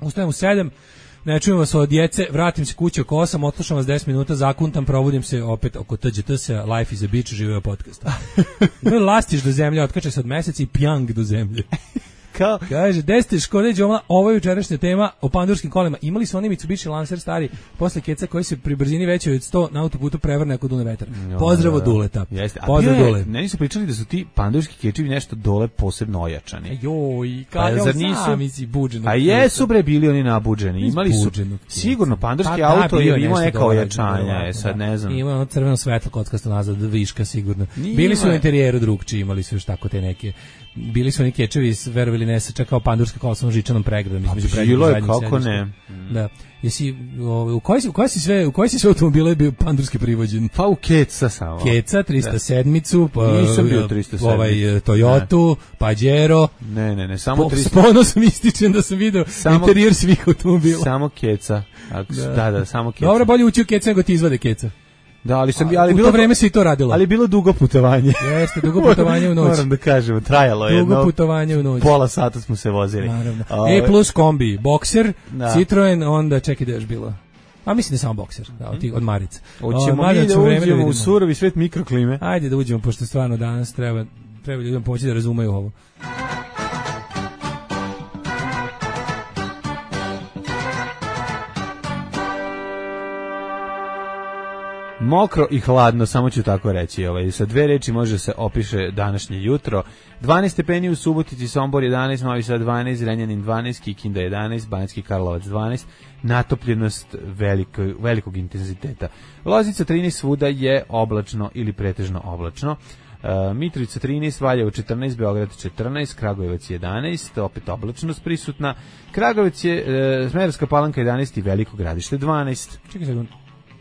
Speaker 6: Ustajem u 7, ne čujem vas od djece, vratim se kući oko 8, odslušam vas 10 minuta, zakuntam, probudim se opet oko TGT-se, Life is a Beach, živeo podcast. Lastiš do zemlje, otkače se od meseca i pjang do zemlje. Kaže, 10 škode Đomla, ovo je jučerašnja tema o pandurskim kolima. Imali su oni Mitsubishi Lancer stari posle keca koji se pri brzini većoj od 100 na autoputu prevrne ako dune vetar. Pozdrav od Duleta. Pozdrav Dule.
Speaker 5: Meni su pričali da su ti pandurski kečevi nešto dole posebno ojačani.
Speaker 6: Joj, kada sami si buđeno.
Speaker 5: A jesu bre bili oni nabuđeni. Imali su sigurno pandurski auto je imao neka ojačanja. Sad ne znam.
Speaker 6: Ima ono crveno svetlo kockasto nazad, viška sigurno. Bili su u interijeru drugčiji, imali su još tako te neke. Bili su oni kečevi, verovali ne se čekao pandurska kola sa žičanom pregradom između
Speaker 5: bilo je kako ne.
Speaker 6: Da. Jesi u koji si sve automobile bio pandurski privođen?
Speaker 5: Pa u Keca samo.
Speaker 6: Keca 307-icu, pa
Speaker 5: nisam bio 307.
Speaker 6: Toyotu, Pajero.
Speaker 5: Ne, samo 300.
Speaker 6: S ponosom ističem da sam video interijer svih automobila.
Speaker 5: Samo Keca. Da, samo Keca.
Speaker 6: Dobro, bolje ući u Keca nego ti izvade Keca.
Speaker 5: Da, ali
Speaker 6: u bilo to vreme se i to radilo.
Speaker 5: Ali bilo dugo putovanje.
Speaker 6: Jeste, dugo putovanje u noć.
Speaker 5: Moram da kažem, trajalo je
Speaker 6: dugo putovanje u noć.
Speaker 5: Pola sata smo se vozili.
Speaker 6: Naravno. Plus kombi, Boxer, Citroen, onda čekaj da je još bilo. A mislim da je samo Boxer, od Marica.
Speaker 5: Hoćemo mi da uđemo u surovi svet mikroklime.
Speaker 6: Ajde da uđemo, pošto stvarno danas treba ljudima pomoći da razumeju ovo.
Speaker 5: Mokro i hladno, samo ću tako reći. Sa dve reči može se opiše današnje jutro. 12 stepeni u Subotici, Sombor 11, Novi Sad 12, Zrenjanin 12, Kikinda 11, Banjski Karlovac 12. Natopljenost velikog intenziteta. Loznica 13, svuda je oblačno ili pretežno oblačno. Mitrovica 13, Valjevo 14, Beograd 14, Kragujevac 11, opet oblačnost prisutna. Kragujevac je Smederevska Palanka 11 i Veliko Gradište 12.
Speaker 6: Čekaj sekund.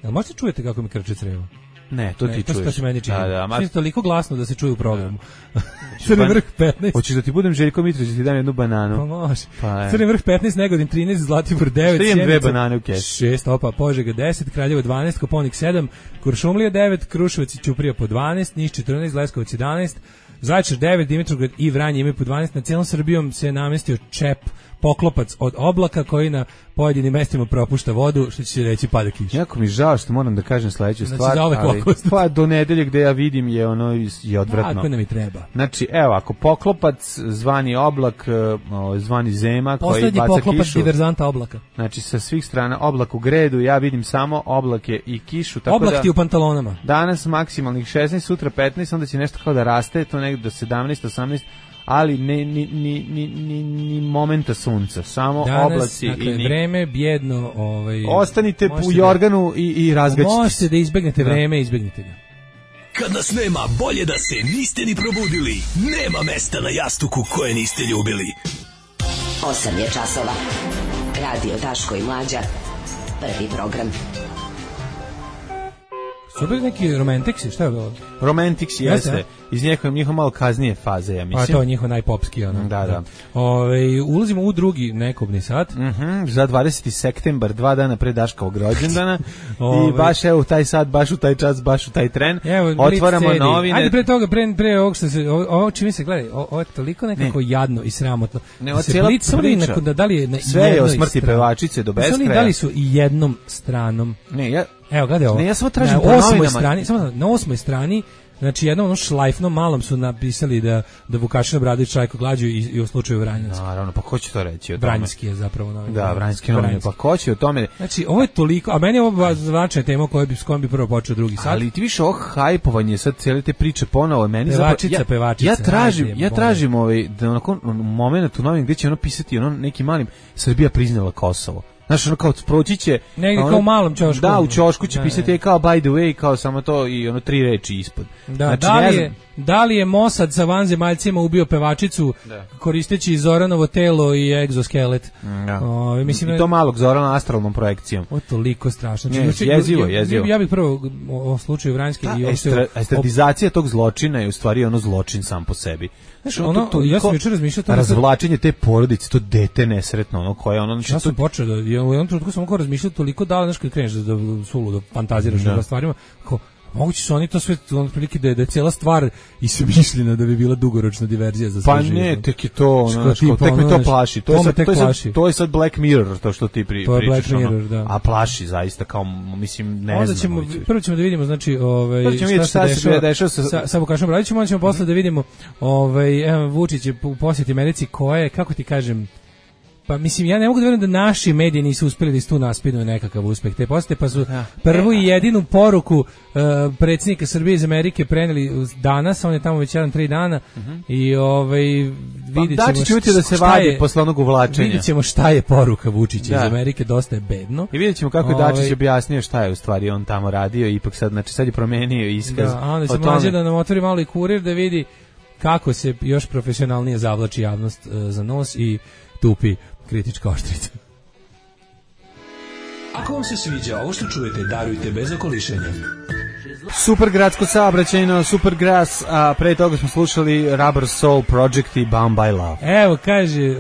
Speaker 6: Jel možete čujete kako mi krče crevo?
Speaker 5: Ne, to ti čuješ.
Speaker 6: To se meni čini. Čini toliko glasno da se čuje u programu. Crni vrh 15.
Speaker 5: Hoćeš da ti budem Željko Mitrović, da ti dam jednu bananu?
Speaker 6: Pa može. Crni vrh 15, Negodin 13, Zlatibor 9,
Speaker 5: Sjenica 2 banane u kesu.
Speaker 6: 6, Opa, Požega 10, Kraljevo 12, Koponik 7, Kuršumlija 9, Kruševac i Ćuprija po 12, Niš 14, Leskovac 11, Zaječar 9, Dimitrovgrad i Vranje imaju po 12. Na cijelom Srbijom se namestio čep, poklopac od oblaka koji na pojedinim mestima propušta vodu, što će se reći pada kiša.
Speaker 5: Jako mi žao što moram da kažem sledeću stvar, ali pa do nedelje gde ja vidim je odvratno.
Speaker 6: Tako nam i treba.
Speaker 5: Znači, evo, ako poklopac, zvani oblak, zvani zema koji baca kišu.
Speaker 6: Poslednji poklopac diverzanta oblaka.
Speaker 5: Znači, sa svih strana oblak u gredu, ja vidim samo oblake i kišu. Tako
Speaker 6: oblak ti u pantalonama.
Speaker 5: Danas maksimalnih 16, sutra 15, onda će nešto kao da raste, to negdje do 17, 18, ali ni momenta sunca, samo
Speaker 6: danas,
Speaker 5: oblaci.
Speaker 6: Dakle, i vreme bjedno.
Speaker 5: Ostanite u jorganu i razgaćite.
Speaker 6: Možete da izbegnete vreme, izbegnite ga.
Speaker 7: Kad nas nema, bolje da se niste ni probudili. Nema mesta na jastuku koje niste ljubili.
Speaker 3: 8 je časova. Radio Daško i Mlađa. Prvi program.
Speaker 6: Su bili neki Romantiksi, šta je bilo?
Speaker 5: Romantics jeste. Iz njihove malo kaznije faze, ja mislim.
Speaker 6: Pa to je njihov najpopski, ono.
Speaker 5: Da.
Speaker 6: Ulazimo u drugi nekobni sat.
Speaker 5: Za 20. septembar, 2 dana pre Daškovog rođendana. I baš evo taj sat, baš u taj čas, baš u taj tren. Otvaramo novine.
Speaker 6: Ajde pre toga, pre ovog što se, ovo čini se, gledaj, ovo je toliko nekako jadno i sramotno.
Speaker 5: Ne, ovo cijela priča.
Speaker 6: Da li je
Speaker 5: sve je o smrti pevačice do beskraja.
Speaker 6: Da li su i jednom stranom?
Speaker 5: Ne,
Speaker 6: evo, gledaj ovo.
Speaker 5: Ne, ja samo tražim po novinama.
Speaker 6: Na 8. strani, znači jednom šlajfnom malom su napisali da Vukašin Obradović štrajku glađu i u slučaju Vranjanski.
Speaker 5: Naravno, pa ko će to reći o tome?
Speaker 6: Vranjanski je zapravo novin.
Speaker 5: Da, Vranjanski novin, pa ko će o tome?
Speaker 6: Znači, ovo je toliko, a meni je ovo značajna tema s kojom bi prvo počeo drugi sat.
Speaker 5: Ali ti više ovo hajpovanje, sad cijele te priče ponovo, meni
Speaker 6: pevačica.
Speaker 5: Ja tražim da onako moment u novin gdje će ono pisati ono nekim malim Srbija priznala Kosovo. Znaš, ono kao proći će...
Speaker 6: Negdje kao u malom ćošku.
Speaker 5: Da, u ćošku će pisati kao by the way, kao samo to i ono 3 reči ispod.
Speaker 6: Da, znači, da li je Mossad sa vanzemaljcima ubio pevačicu koristeći Zoranovo telo i egzoskelet?
Speaker 5: Mislim, i to malog Zorana astralnom projekcijom.
Speaker 6: O, toliko strašno.
Speaker 5: Jezivo.
Speaker 6: Ja bih prvo o slučaju Vranjski...
Speaker 5: Estradizacija tog zločina je u stvari ono zločin sam po sebi.
Speaker 6: Znaš, ja sam jučer razmišljao...
Speaker 5: Razvlačenje te porodice, to dete nesretno, ono koje ono...
Speaker 6: Ja sam počeo da... U jednom trenutku sam mogao razmišljati toliko da, znaš, kad kreneš da suludo fantaziraš o stvarima, kao, moguće su oni to sve, ono prilike da je cijela stvar ismišljena da bi bila dugoročna diverzija za sve
Speaker 5: pa
Speaker 6: živo.
Speaker 5: Pa ne, tek je to, ono, tek me to plaši. To je sad Black Mirror, to što ti pričaš.
Speaker 6: To je Black Mirror, da.
Speaker 5: A plaši zaista, kao, mislim, ne znam.
Speaker 6: Prvo ćemo da vidimo, znači, šta se dešava sa Vukašinom Obradovićem, onda ćemo posle da vidimo, Vučić je u posjeti Americi koje, kako ti kažem, pa mislim, ja ne mogu da verujem da naši mediji nisu uspjeli da tu naspinu nekakav uspeh te posete, pa su prvu i jedinu poruku predsjednika Srbije iz Amerike preneli danas, on je tamo već 3 dana i vidjet ćemo šta je poruka Vučića iz Amerike, dosta je bedno.
Speaker 5: I vidjet ćemo kako je Dačić objasnio šta je u stvari on tamo radio, ipak sad je promenio iskaz.
Speaker 6: Da, a onda će mlađe da nam otvori malo i Kurir da vidi kako se još profesionalnije zavlači javnost za nos i tupi kritička oštrica.
Speaker 7: Ako vam se sviđa ovo što čujete, darujte bez okolišenja.
Speaker 5: Super gradsko saobraćajno, Super Grass, a pre toga smo slušali Rubber Soul Project i Bound by Love.
Speaker 6: Evo, kaže,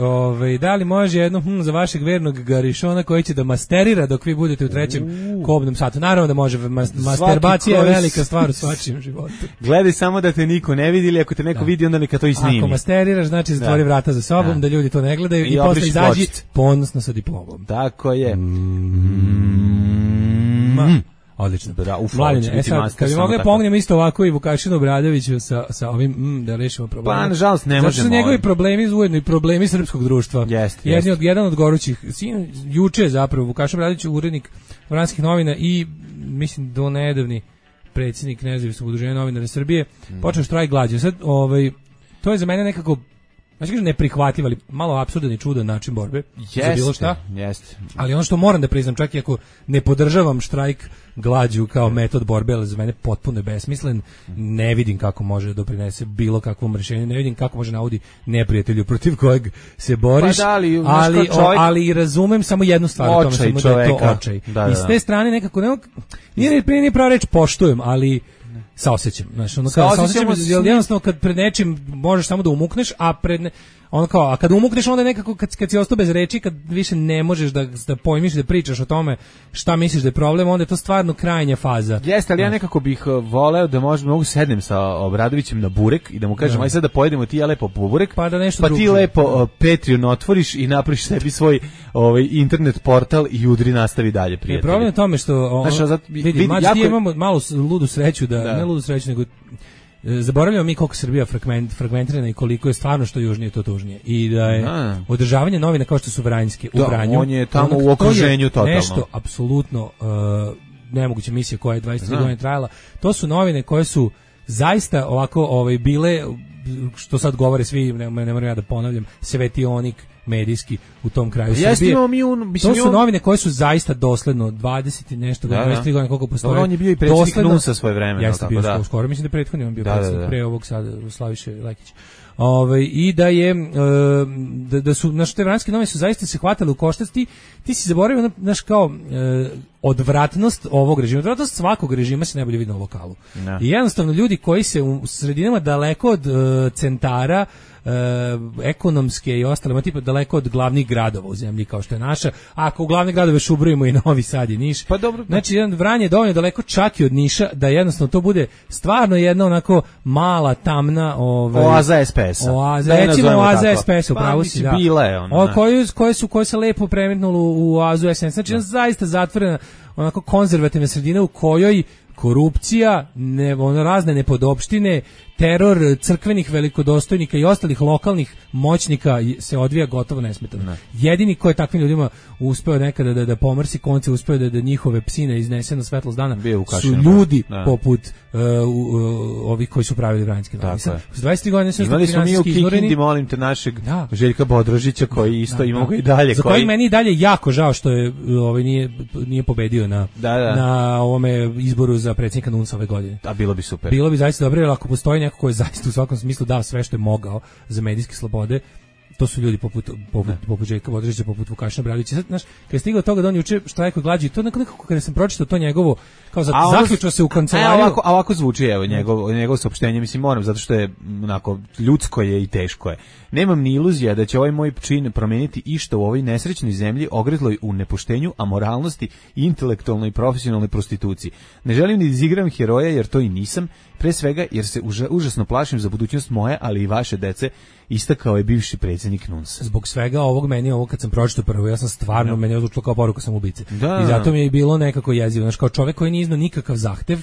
Speaker 6: da li može jedno za vašeg vernog garišona koji će da masterira dok vi budete u 3. kobnom satu? Naravno da može, masterbacija je velika stvar u svačijem životu.
Speaker 5: Gledaj samo da te niko ne vidi, ili ako te neko vidi, onda neka to i snimi.
Speaker 6: Ako masteriraš, znači zatvori vrata za sobom, da ljudi to ne gledaju i posle izađi ponosno sa diplomom.
Speaker 5: Tako je.
Speaker 6: Odlično. Mladine, sad, kad bi mogli pomognemo isto ovako i Vukašinu Obradoviću sa ovim da rešimo probleme.
Speaker 5: Pa, nažalost, ne možemo.
Speaker 6: Zato su njegovi problemi ujedno i problemi srpskog društva. Jedan od gorućih. Juče zapravo Vukašin Obradović, urednik Vranjanskih novina i, mislim, do nedavni predsjednik Nezavisnog udruženja novinara Srbije, počeo štrajk glađu. Sad, to je za mene nekako, znači kažem neprihvatljiv, ali malo apsurdan i čudan način borbe za bilo šta.
Speaker 5: Jeste.
Speaker 6: Ali ono što moram da priznam, čak i ako ne podržavam štrajk glađu kao metod borbe, ali za mene potpuno je besmislen, ne vidim kako može doprinese bilo kakvom rješenju, ne vidim kako može naudi neprijatelju protiv kojeg se boriš, ali razumem samo jednu stvar o tome, samo da je to očaj. I s te strane nekako, nije prava reč poštujem, ali saosećam, znaš, jednostavno kad pred nečim možeš samo da umukneš, a a kad umukneš onda nekako kad si ostao bez reči, kad više ne možeš da pojmiš, da pričaš o tome šta misliš da je problem, onda je to stvarno krajnja faza.
Speaker 5: Jeste, ali ja nekako bih voleo da mogu sednem sa Obradovićem na burek i da mu kažem, aj sad da pojedemo ti ja lepo po burek, pa ti lepo Patreon otvoriš i napraviš sebi svoj internet portal i udri nastavi dalje, prijatelji.
Speaker 6: Problem je tome što ti imamo malu ludu sreću, ne ludu sreću, nego zaboravljamo mi koliko Srbija fragmentirana i koliko je stvarno što južnije to tužnije. I da je održavanje novina kao što su Vranjske u Vranju.
Speaker 5: On je tamo u okruženju totalno.
Speaker 6: Nešto apsolutno nemoguća misija koja je 23 godine trajala. To su novine koje su zaista ovako bile, što sad govore svi, ne moram ja da ponavljam, svetionik medijski u tom kraju Srbije. To su novine koje su zaista dosledno 20 i nešto godina, 23 godine koliko postoje.
Speaker 5: Dobro, on je bio i predsjednik NUNS-a svoje vremena.
Speaker 6: Jeste bio skoro, mislim da prethodni on bio predsjednik pre ovog sada Slaviše Lekić. I da je da su naše te vranjske novine su zaista se hvatale u koštac, ti si zaboravio naš kao odvratnost ovog režima, odvratnost svakog režima se najbolje vidi na lokalu. No. I jednostavno ljudi koji se u sredinama daleko od centara ekonomske i ostale, tipa daleko od glavnih gradova u zemlji kao što je naša, ako u glavne gradove još ubrojimo i Novi Sad i Niš,
Speaker 5: pa dobro,
Speaker 6: znači jedan Vranje je dovoljno daleko čak i od Niša da jednostavno to bude stvarno jedna onako mala tamna
Speaker 5: oaza SPS-a.
Speaker 6: Recimo oaza SPS-a, upravo si, da.
Speaker 5: Bila je ona.
Speaker 6: Koje se lepo premetnulo u oazu SNS, znači jedna zaista zatvorena onako konzervativna sredina u kojoj korupcija, razne nepodopštine, teror crkvenih velikodostojnika i ostalih lokalnih moćnika se odvija gotovo nesmetano. Ne. Jedini ko je takvim ljudima uspeo nekada da pomrsi konce, uspeo da njihove psine iznese na svetlost dana, su ljudi poput ovih koji su pravili vranjske novine. 23 godine su
Speaker 5: imali smo mi u Kikindi, molim te, našeg Željka Bodrožića koji isto imamo ga i dalje.
Speaker 6: Za kojeg meni i dalje jako žao što je nije pobedio na ovome izboru za predsjednika NUNS ove godine.
Speaker 5: A bilo bi super.
Speaker 6: Bilo bi zaista dobro, jer ako postoji neko ko je zaista u svakom smislu dao sve što je mogao za medijske slobode, to su ljudi poput Željka Bodrožića, poput Vukašina Bradovića. Znaš, kad je stigao toga da on juče štrajkuje glađu, to nekako kada sam pročitao to njegovo, kao zaključio se u kancelariju.
Speaker 5: Ovako zvuči, evo, njegovo saopštenje, mislim, moram, zato što je onako ljudsko je i teško je. Nemam ni iluzija da će ovaj moj čin promeniti išta u ovoj nesrećnoj zemlji ogrezloj u nepoštenju, amoralnosti i intelektualnoj i profesionalnoj prostituciji. Ne želim da izigram heroja, jer to i nisam, pre svega jer se užasno plašim za budućnost moje, ali i vaše dece, istakao je bivši predsjednik NUNS.
Speaker 6: Zbog svega ovo kad sam pročitao prvo, ja sam stvarno, meni je odlučilo kao poruka samoubice. I zato mi je bilo nekako jezivo. Znaš, kao čovjek koji nije iznao nikakav zahtev,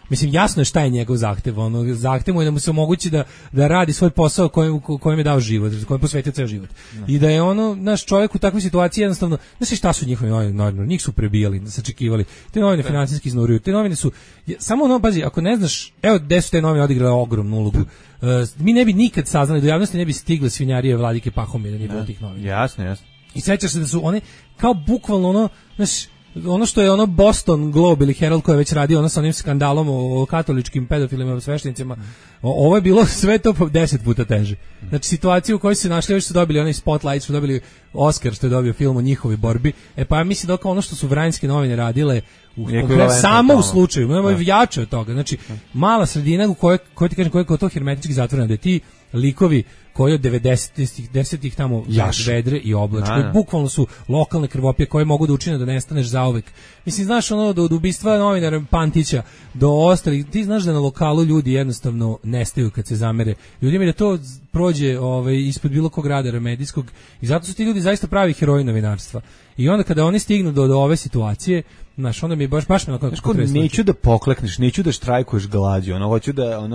Speaker 6: mislim, jasno je šta je njegov zahtev. Zahtev mu je da mu se omogući da radi svoj posao kojem je dao život, kojem je posvetio ceo život. I da je naš čovjek u takvoj situaciji jednostavno, znaš šta su njihovi novinari, njih su prebijali, sačekivali. Te novine finansijski iznuruju, te novine su, samo pazi, ako ne znaš, evo gde su te novine odigrale ogromnu ulogu. Mi ne bi nikad saznali, do javnosti ne bi stigle svinjarije Vladike Pahomija da nije bilo tih novina.
Speaker 5: Jasno.
Speaker 6: I sećaš se da su one, kao bukvalno znaš, ono što je Boston Globe ili Herald koji je već radio sa onim skandalom o katoličkim pedofilima i sveštenicima, ovo je bilo sve to 10 puta teže. Znači situaciju u kojoj su našli, još su dobili onaj spotlight, su dobili Oscar što je dobio film o njihovoj borbi, pa ja mislim da kao ono što su vranjske novine radile samo u slučaju, jače od toga, znači mala sredina u kojoj ti kažem, koja je to hermetički zatvorena, da je ti likovi koji od 90-ih tamo vedre i oblačke, bukvalno su lokalne krvopije koje mogu da učine da nestaneš zauvek. Mislim, znaš, od ubistva novinara Pantića do ostalih, ti znaš da na lokalu ljudi jednostavno nestaju kad se zamere. Ljudima da to prođe ispod bilo kog radara medijskog i zato su ti ljudi zaista pravi heroji novinarstva. I onda kada oni stignu do ove situacije, znaš, onda mi baš me onako
Speaker 5: neću da poklekneš, neću da štrajkuješ glađu, hoću da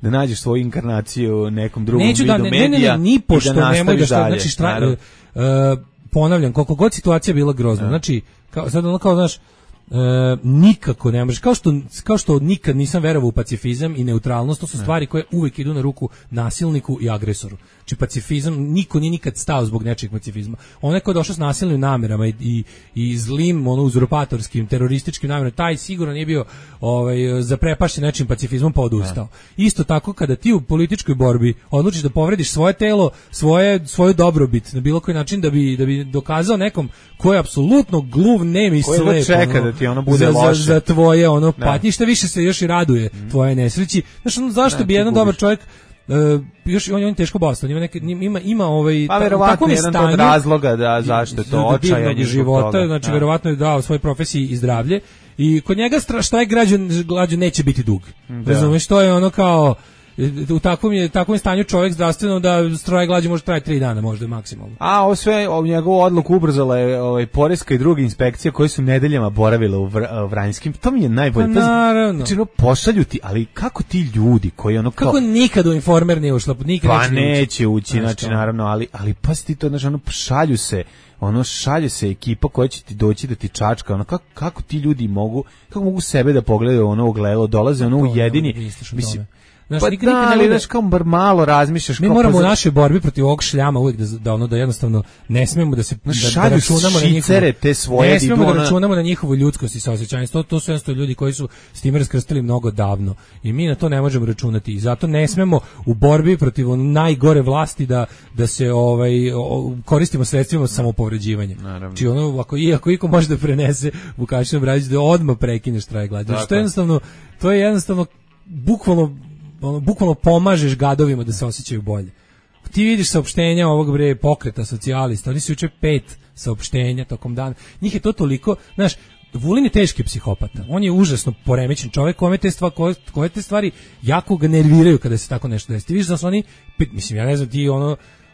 Speaker 5: da nađeš svoju inkarnaciju nekom drugom vidu medija.
Speaker 6: Ni pošto nemoj da znači ponavljam, koliko god situacija bila grozna. Znači, znaš, nikako ne možeš, kao što nikad nisam verovao u pacifizam i neutralnost, to su stvari koje uvijek idu na ruku nasilniku i agresoru. Znači pacifizam, niko nije nikad stao zbog nečeg pacifizma. Onaj ko je došao s nasilnim namerama i zlim, uzurpatorskim, terorističkim namerama, taj sigurno nije bio zaprepašten nečim pacifizmom pa odustao. Isto tako kada ti u političkoj borbi odlučiš da povrediš svoje telo, svoju dobrobit na bilo koji način da bi dokazao nekom ko je apsolutno gluv, nem i slep,
Speaker 5: čeka da ti bude loše
Speaker 6: za tvoje patnje, što više se još i raduje tvoje nesreći. Znaš, zašto bi jedan dobar čovjek još on je teško bolestan, ima
Speaker 5: pa verovatno jedan od razloga da zašto to očajan
Speaker 6: života, znači verovatno je dao svojoj profesiji i zdravlje i kod njega štrajk glađu neće biti dug. Razumeš, to je kao u takvom stanju čovjek zdravstveno da štrajk glađu može trajati 3 dana možda maksimalno.
Speaker 5: A ovo sve, njegovu odluku ubrzala je poreska i druga inspekcija koje su nedeljama boravile u Vranjskim. To mi je najbolje.
Speaker 6: Pa naravno.
Speaker 5: Znači, pošalju ti, ali kako ti ljudi koji
Speaker 6: kako nikad u Informer nije ušla, nikad
Speaker 5: pa neće ući, znači naravno, ali pazi ti to, znači šalje se ekipa koja će ti doći da ti čačka, kako ti ljudi mogu sebe da pogledaju ogledalo, dolaze u jedini, mislim,
Speaker 6: Znaš,
Speaker 5: pa
Speaker 6: nikad
Speaker 5: da, ali znaš kao bar malo razmišljaš.
Speaker 6: Mi moramo u našoj borbi protiv ovog šljama uvijek da jednostavno ne smemo da se da računamo na njihovu,
Speaker 5: te svoje,
Speaker 6: ne smemo da računamo na njihovu ljudskost i saosećanje. To su jednostavno ljudi koji su s time raskrstili mnogo davno i mi na to ne možemo računati i zato ne smemo u borbi protiv najgore vlasti da se koristimo sredstvima samopovređivanja. Znači ako iko može da prenese Vukašinu Bradić da odmah prekine štrajk glađu. To je jednostavno bukvalno pomažeš gadovima da se osjećaju bolje. Ti vidiš saopštenja ovog pokreta socijalista, oni su juče 5 saopštenja tokom dana. Njih je to toliko, znaš, Vulin je teški psihopata. On je užasno poremećen čovjek, koje te stvari jako ga nerviraju kada se tako nešto desi. Ti vidiš da su oni, mislim, ja ne znam, ti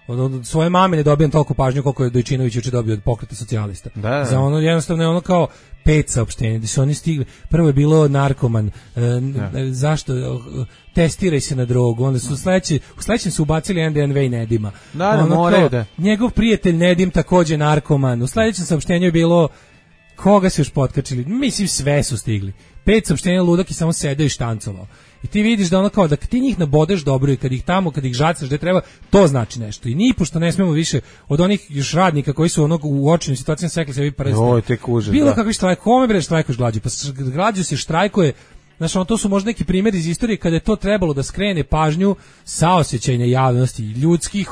Speaker 6: od svoje mame ne dobijam toliko pažnju koliko je Dojčinović juče dobio od pokreta socijalista. Da. Za jednostavno je ono kao 5 saopštenja gdje su oni stigli. Prvo je bilo narkoman, zašto testiraj se na drogu, onda su u sledećem su ubacili NDNV i Nedima. Njegov prijatelj Nedim takođe narkoman. U sledećem saopštenju je bilo koga se još potkačili, mislim sve su stigli. 5 saopštenja, ludak i samo sedeo i štancovao. I ti vidiš da ono kao da ti njih nabodeš dobro i kad ih žacaš gde treba, to znači nešto. I nipošto ne smemo više od onih još radnika koji su u očnim situacijama sekli sebi prste. Bilo kakvi štrajk, kome bre štrajkuješ glađu? Pa glađu se štrajkuje. Znaš, to su možda neki primjeri iz istorije kada je to trebalo da skrene pažnju saosećajne javnosti, ljudskih,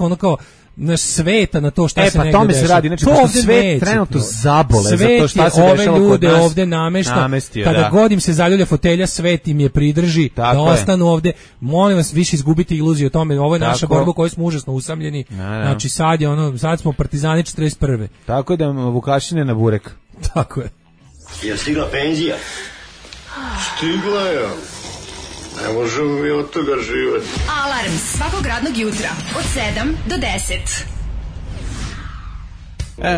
Speaker 6: naš sveta na to šta se negdje
Speaker 5: tome se radi, znači pošto svet trenutno zabole za to šta se dešava kod nas.
Speaker 6: Ovde namešta, kada god im se zaljulja fotelja, svet im je pridrži, da ostanu ovde. Molim vas, više izgubite iluziju o tome, ovo je naša borba koju smo užasno usamljeni, znači sad smo partizani 41.
Speaker 5: Tako da Vukašine na burek.
Speaker 6: Tako je.
Speaker 4: Je stigla penzija? Stigla je. Ne možemo mi od toga živati.
Speaker 3: Alarm svakog radnog jutra od 7 do 10.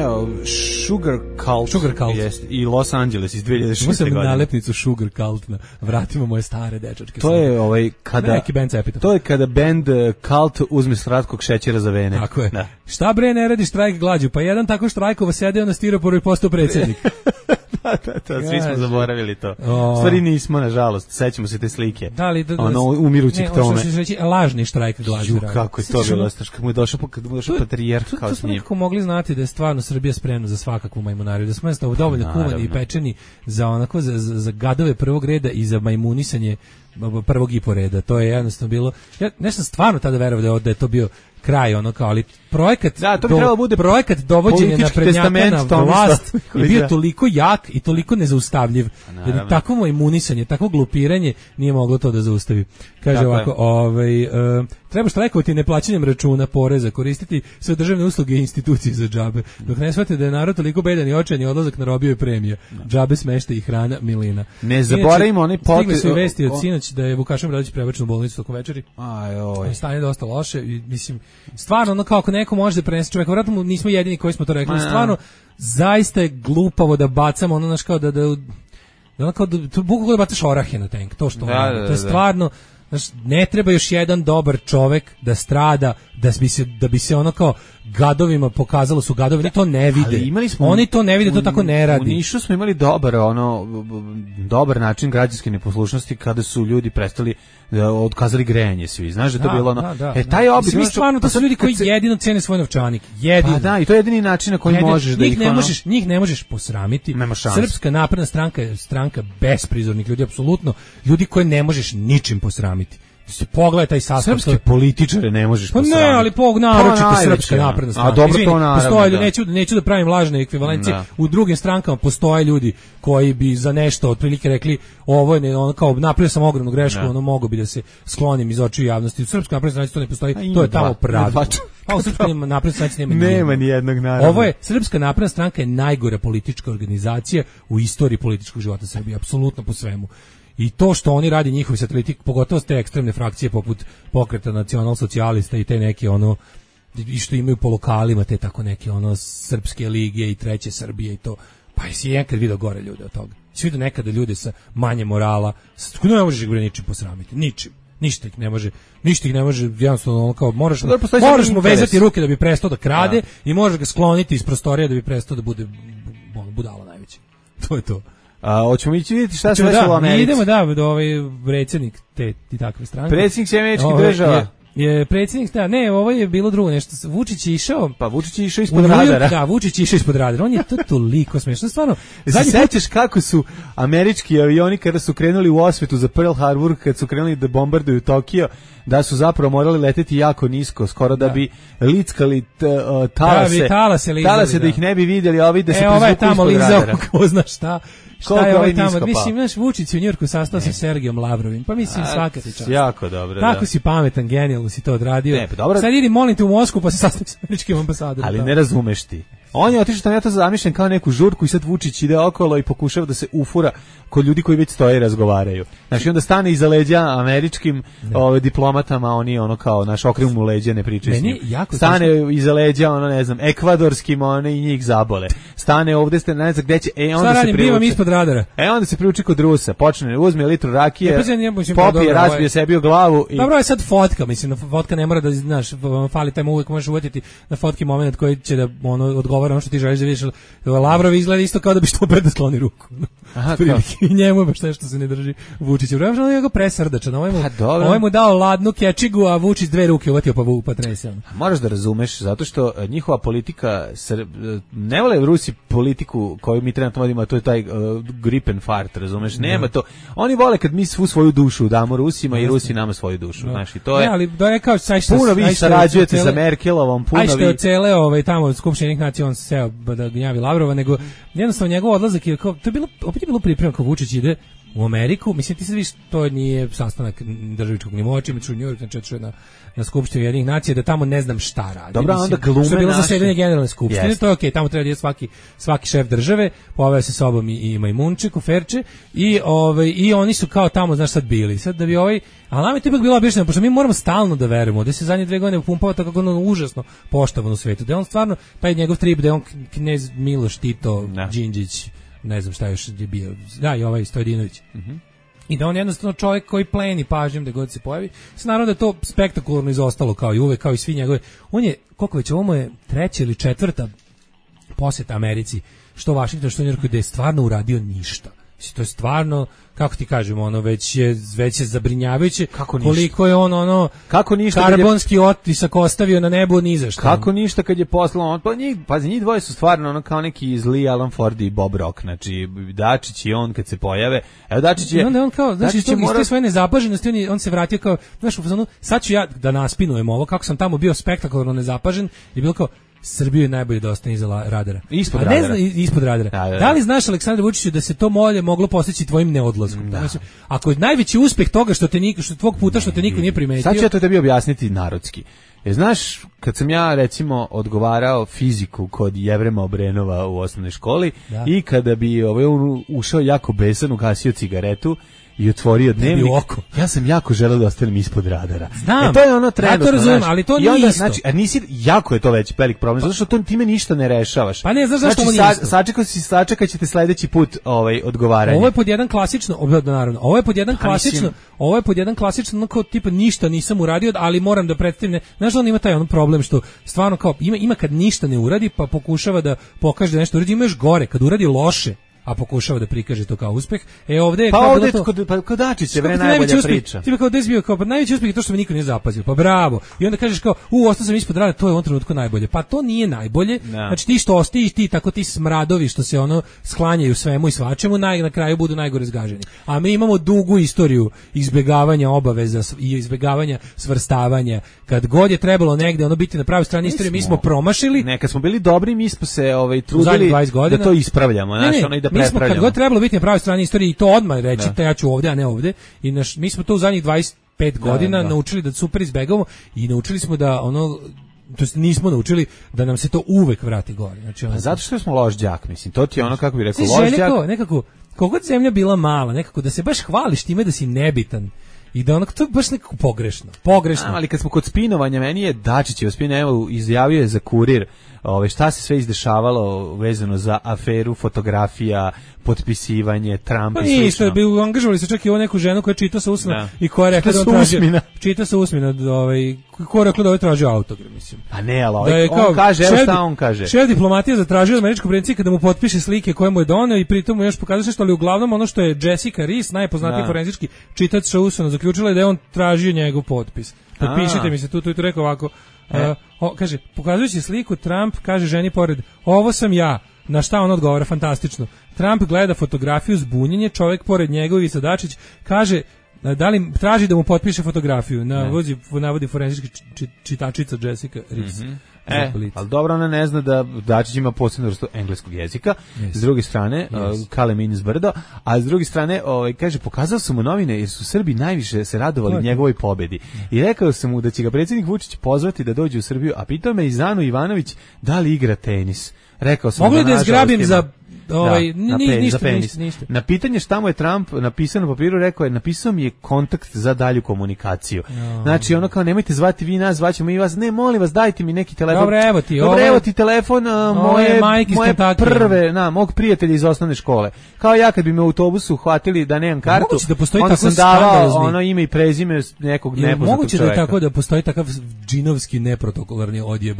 Speaker 5: Evo, Sugar Cult. Jest, i Los Angeles iz 2006.
Speaker 6: Imao sam nalepnicu Sugar Cult na vratima moje stare dečačke.
Speaker 5: To je kada
Speaker 6: neki band Epitaph.
Speaker 5: To je kada band Cult uzme slatkog šećera za vene.
Speaker 6: Tako je. Da. Šta bre ne radi štrajk glađu? Pa jedan tako štrajkova sedeo na stiroporu i postao predsjednik.
Speaker 5: Svi smo zaboravili to. Stvari nismo, nažalost. Sećamo se te slike. Umirućeg Tome.
Speaker 6: Lažni štrajk glađu.
Speaker 5: Kako je to bilo? Kad mu je došao patrijarh kao s njim.
Speaker 6: To smo nekako mogli znati da je stvarno Srbija spremna za svakakvu majmunariju, da smo jednostavno dovoljno kuvani i pečeni za gadove prvog reda i za majmunisanje prvog i poreda. To je jednostavno bilo. Ja nešto stvarno tada verovao da je to bio kraj ali projekat dovođenja naprednjaka na vlast je bio toliko jak i toliko nezaustavljiv da takvo imunisanje, takvo glupiranje nije moglo to da zaustavi. Kaže ovako, treba štrajkovati neplaćanjem računa, poreza, koristiti sve državne usluge i institucije za džabe. Dok ne shvate da je narod toliko bedan i očajan i odlazak na robiju je premija. Džabe, smeštaj i hrana, milina.
Speaker 5: Ne zaboravimo onaj pot.
Speaker 6: Stigli su i vesti od sinoć da je Vukašin Bradić prebačen u bolnicu tokom večeri. Stanje je dosta loše i mislim stvarno kao ako neko može da prenese čovjeka, vjerojatno nismo jedini koji smo to rekli. Stvarno zaista je glupavo da bacamo kao da bukvalno bacaš orahe na tank. To što to je stvarno. Ne treba još jedan dobar čovjek da strada, da bi se kao gadovima pokazalo su gadovi, oni to ne vide. Oni to ne vide, to tako ne radi.
Speaker 5: U Nišu smo imali dobar način građanske neposlušnosti kada su ljudi prestali otkazali grejanje svi. Znaš da to bilo taj oblik.
Speaker 6: Mi stvarno to su ljudi koji jedino cene svoj novčanik. Jedino.
Speaker 5: I to je jedini način na koji možeš da
Speaker 6: njih ne možeš posramiti. Srpska napredna stranka je stranka besprizornih ljudi, apsolutno. Ljudi koje ne možeš ničim posramiti. Se pogledaj taj sastav.
Speaker 5: Srpske političare ne možeš posramiti.
Speaker 6: Ne, ali naročito Srpska napredna stranka.
Speaker 5: A dobro to naravno.
Speaker 6: Neću da pravim lažne ekvivalencije. U drugim strankama postoje ljudi koji bi za nešto otprilike rekli ovo je kao napravio sam ogromnu grešku, mogu bi da se sklonim iz očiju javnosti. U Srpskoj naprednoj stranci to ne postoji. To je tamo pravilo. Pa u Srpskoj naprednoj stranci
Speaker 5: nema ni jednog naravno.
Speaker 6: Ovo je Srpska napredna stranka je najgora politička organizacija u istoriji političkog života Srbije, apsolutno po svemu. I to što oni radi njihovi sateliti, pogotovo te ekstremne frakcije poput pokreta nacional-socijalista i te neke i što imaju po lokalima te tako neke srpske lige i treće Srbije i to. Pa jesi nekad vidio gore ljude od toga? Jesi vidio nekada ljude sa manje morala? Ne možeš ih ničim posramiti, ničim. Ništa ih ne može, jednostavno kao moraš mu vezati ruke da bi prestao da krade i možeš ga skloniti iz prostorija da bi prestao da bude budala najveća. To je to.
Speaker 5: Hoćemo ići vidjeti šta se desilo u Americi.
Speaker 6: Idemo do ovaj predsjednik te i takve stranke.
Speaker 5: Predsjednik američkih država.
Speaker 6: Je predsjednik, ovo je bilo drugo nešto. Vučić je išao.
Speaker 5: Pa Vučić je išao ispod radara.
Speaker 6: Da, Vučić je išao ispod radara. On je to toliko smešno, stvarno.
Speaker 5: Se sećaš kako su američki avioni kada su krenuli u osvetu za Pearl Harbor, kad su krenuli da bombarduju Tokio, da su zapravo morali leteti jako nisko, skoro da bi lickali talase da ih ne bi vidjeli, a ovi da se prizvuku ispod radara.
Speaker 6: Ko zna šta. Šta je ovaj tamo? Mislim, naš Vučić u Njujorku sastao sa Sergijom Lavrovim. Pa mislim, svaka ti čast.
Speaker 5: Jako dobro,
Speaker 6: tako si pametan, genijalno si to odradio.
Speaker 5: Ne, pa dobro.
Speaker 6: Sad idi, molim te, u Moskvu pa se sastavi sa američkim ambasadorom.
Speaker 5: Ali ne razumeš ti. On je otišao tamo, ja to zamišljam kao neku žurku i sad Vučić ide okolo i pokušava da se ufura kod ljudi koji već stoje i razgovaraju. Znači onda stane iza leđa američkim diplomatama, oni ono kao naš okrenu mu leđa, ne pričaju s njim. Stane iza leđa, ono ne znam, ekvadorskim, one i njih zabole. Stane ovde, ne znam gde će, onda se
Speaker 6: priuči. Ispod radara.
Speaker 5: Onda se priuči kod Rusa, počne, uzme litru rakije, popije, razbije sebi u glavu.
Speaker 6: Dobro je sad fotka, mislim, fotka ne mora da, znaš, fali tamo uvek možeš uvatiti na fotki moment koji će da odgovara ono što ti želiš da vidiš. Lavrov izgleda isto kao da bi što pre da skloni ruku.
Speaker 5: Aha,
Speaker 6: i njemu baš nešto se ne drži Vučić. Vremeno je ga presrdačan. Ovaj mu dao ladnu kečigu, a Vučić 2 ruke uvatio pa trese.
Speaker 5: Moraš da razumeš, zato što njihova politika, ne vole Rusi politiku koju mi trenutno vodimo, a to je taj Gripenfart, razumeš? Nema to. Oni vole kad mi svu svoju dušu damo Rusima i Rusi nama svoju dušu. Znaš, i to je...
Speaker 6: ali da je kao...
Speaker 5: Puno vi sarađujete sa Merkelovom, puno vi...
Speaker 6: Ajšte od cele tamo Skupštinih nacija, on se seo da gnjavi Lavrova, nego jednostavno njegov odlazak je kao... To je bilo, opet je bilo pripremno kao Vučić ide u Ameriku, mislim ti sad viš, to nije sastanak državičkog nivoa, čime ću u New York, znači na Skupštini Ujedinjenih nacija, da tamo ne znam šta radi.
Speaker 5: Dobro, onda glume
Speaker 6: što je bilo zasedanje generalne skupštine, to je okej, tamo treba da je svaki šef države, poveo se sobom i Majmunček, Kuferče, i oni su kao tamo, znaš, sad bili. Sad da bi ali nam je to ipak bilo objašnjeno, pošto mi moramo stalno da verujemo, da se zadnje 2 godine upumpava tako ono užasno poštovan u svetu, da je on stvarno, taj njegov trip, da je on knez Miloš Tito, Đinđić, ne znam šta još je bio, da, i ovaj Stojedinović. I da on jednostavno čovjek koji pleni pažnjom da god se pojavi. Naravno da je to spektakularno izostalo kao i uvek, kao i svi njegove. On je, koliko već, ovo mu je 3. ili 4. posjeta Americi, što Vašington, što Njujorku, gde je stvarno uradio ništa. To je stvarno, kako ti kažemo, već je zabrinjavajuće koliko je on
Speaker 5: kako ništa
Speaker 6: karbonski otisak ostavio na nebu ni za šta.
Speaker 5: Kako ništa kad je poslao, njih dvoje su stvarno kao neki zli Alan Ford i Bob Rock, znači Dačić i on kad se pojave, evo Dačić je...
Speaker 6: I onda on kao, znaš, iz te svoje nezapaženosti, on se vratio kao, znaš, u fazonu, sad ću ja da naspinujem ovo, kako sam tamo bio spektakularno nezapažen, i bilo kao, Srbiju je najbolje da ostane iza radara.
Speaker 5: Ispod radara.
Speaker 6: Ispod radara. Da li znaš, Aleksandar Vučiću, da se to moglo postići tvojim neodlaskom? Da. Ako je najveći uspeh toga što tvog puta što te niko nije primetio...
Speaker 5: Sad ću ja to tebi objasniti narodski. Znaš, kad sam ja, recimo, odgovarao fiziku kod Jevrema Obrenova u osnovnoj školi i kada bi ušao jako besan, ugasio cigaretu i otvorio dnevnik, ja sam jako želeo da ostanem ispod radara.
Speaker 6: Znam,
Speaker 5: to je ono trenutno,
Speaker 6: ja to razumem, ali to nije isto.
Speaker 5: Znači, jako je to već velik problem, zato što time ništa ne rešavaš.
Speaker 6: Pa ne, znaš zašto ovo nije isto.
Speaker 5: Sačekat ćete sledeći put odgovaranje.
Speaker 6: Ovo je pod jedan klasično, naravno, ovo je pod jedan klasično, kao tipa ništa nisam uradio, ali moram da predstavim, znaš, on ima taj problem što stvarno kao, ima kad ništa ne uradi, pa pokušava da pokaže da nešto uradi, ima još gore, kad uradi loše, a pokušava da prikaže to kao uspeh. Ovde je kao
Speaker 5: ovde kod Dačić se najbolja priča.
Speaker 6: Ti kao desbio kao najveći uspeh je to što me niko nije zapazio. Pa bravo. I onda kažeš kao ostao sam ispod radara, to je u ovom trenutku najbolje. Pa to nije najbolje. Znači ti što ostajiš, ti smradovi što se sklanjaju svemu i svačemu, na kraju budu najgore zgaženi. A mi imamo dugu istoriju izbegavanja obaveza i izbegavanja svrstavanja. Kad god je trebalo negde biti na pravoj strani istorije, mi smo promašili.
Speaker 5: Kad smo bili dobri, mi smo se trudili da to ispravljamo, i da
Speaker 6: mi smo kad god trebalo biti na pravoj strani istorije i to odmah reći, ja ću ovdje, a ne ovdje. I mi smo to u zadnjih 25 godina naučili da super izbegavamo i naučili smo da to jest nismo naučili da nam se to uvek vrati gore. Znači,
Speaker 5: zato što smo loš đak, mislim, to ti je kako bi rekao, loš đak.
Speaker 6: Nekako, kogod zemlja bila mala, nekako da se baš hvališ time da si nebitan I da to je baš nekako pogrešno.
Speaker 5: Ali kad smo kod spinovanja, meni je Dačićev spin, evo, izjavio je za Kurir šta se sve izdešavalo vezano za aferu fotografija, potpisivanje, Trump i slično.
Speaker 6: Isto, angažovali se čak i neku ženu koja čita sa usmina i koja je rekla da on traži... Čita sa usmina, koja je rekla da ovaj traži autogram, mislim.
Speaker 5: A ne, ali on kaže, evo šta on kaže.
Speaker 6: Šef diplomatije zatražio od američkog predsjednika da mu potpiše slike koje mu je doneo i pritom mu još pokazuje nešto, ali uglavnom ono što je Jessica Rees, najpoznatiji forenzički čitač sa usmina, zaključila je da je on tražio njegov potpis. Potpišite mi se tu i tu rekao ovako. Kaže, pokazujući sliku, Trump kaže ženi pored, ovo sam ja. Na šta on odgovara, fantastično. Trump gleda fotografiju, zbunjenje, čovjek pored njega, Ivica Dačić, kaže, da li traži da mu potpiše fotografiju. Navodi forenzički čitačica Jessica Rees.
Speaker 5: Ali dobro, ona ne zna da Dačić ima posebnu vrstu engleskog jezika. S druge strane, kale mi iz brdo, a s druge strane, kaže, pokazao sam mu novine jer su Srbi najviše se radovali njegovoj pobedi. I rekao sam mu da će ga predsjednik Vučić pozvati da dođe u Srbiju, a pitao me i Zanu Ivanović da li igra tenis. Rekao sam
Speaker 6: mogu da zgrabim za
Speaker 5: ništa. Na pitanje šta mu je Trump napisao na papiru, rekao je, napisao mi je kontakt za dalju komunikaciju. Znači, ono kao, nemojte zvati vi nas, zvaćemo mi vas, ne, molim vas, dajte mi neki telefon.
Speaker 6: Dobro,
Speaker 5: evo ti telefon moje prve, mog prijatelja iz osnovne škole. Kao ja kad bi me u autobusu uhvatili da nemam kartu, onda sam davao ime i prezime nekog nepoznatog čoveka.
Speaker 6: Moguće da je tako da postoji takav džinovski neprotokolarni odjeb,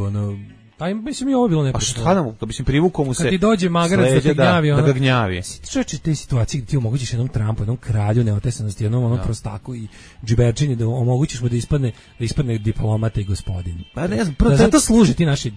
Speaker 6: Pa mislim i ovo bilo nepošteno.
Speaker 5: A šta nam, mislim, privukao mu se...
Speaker 6: Kad ti dođe magarac da te gnjavi,
Speaker 5: da ga gnjavi.
Speaker 6: Čovječe, te situacije gdje ti omogućiš jednom Trumpu, jednom kralju neotesanosti, jednom prostaku i džiberčini, da omogućiš mu da ispadne diplomata i gospodin.
Speaker 5: Pa ne znam,
Speaker 6: zato služe ti naši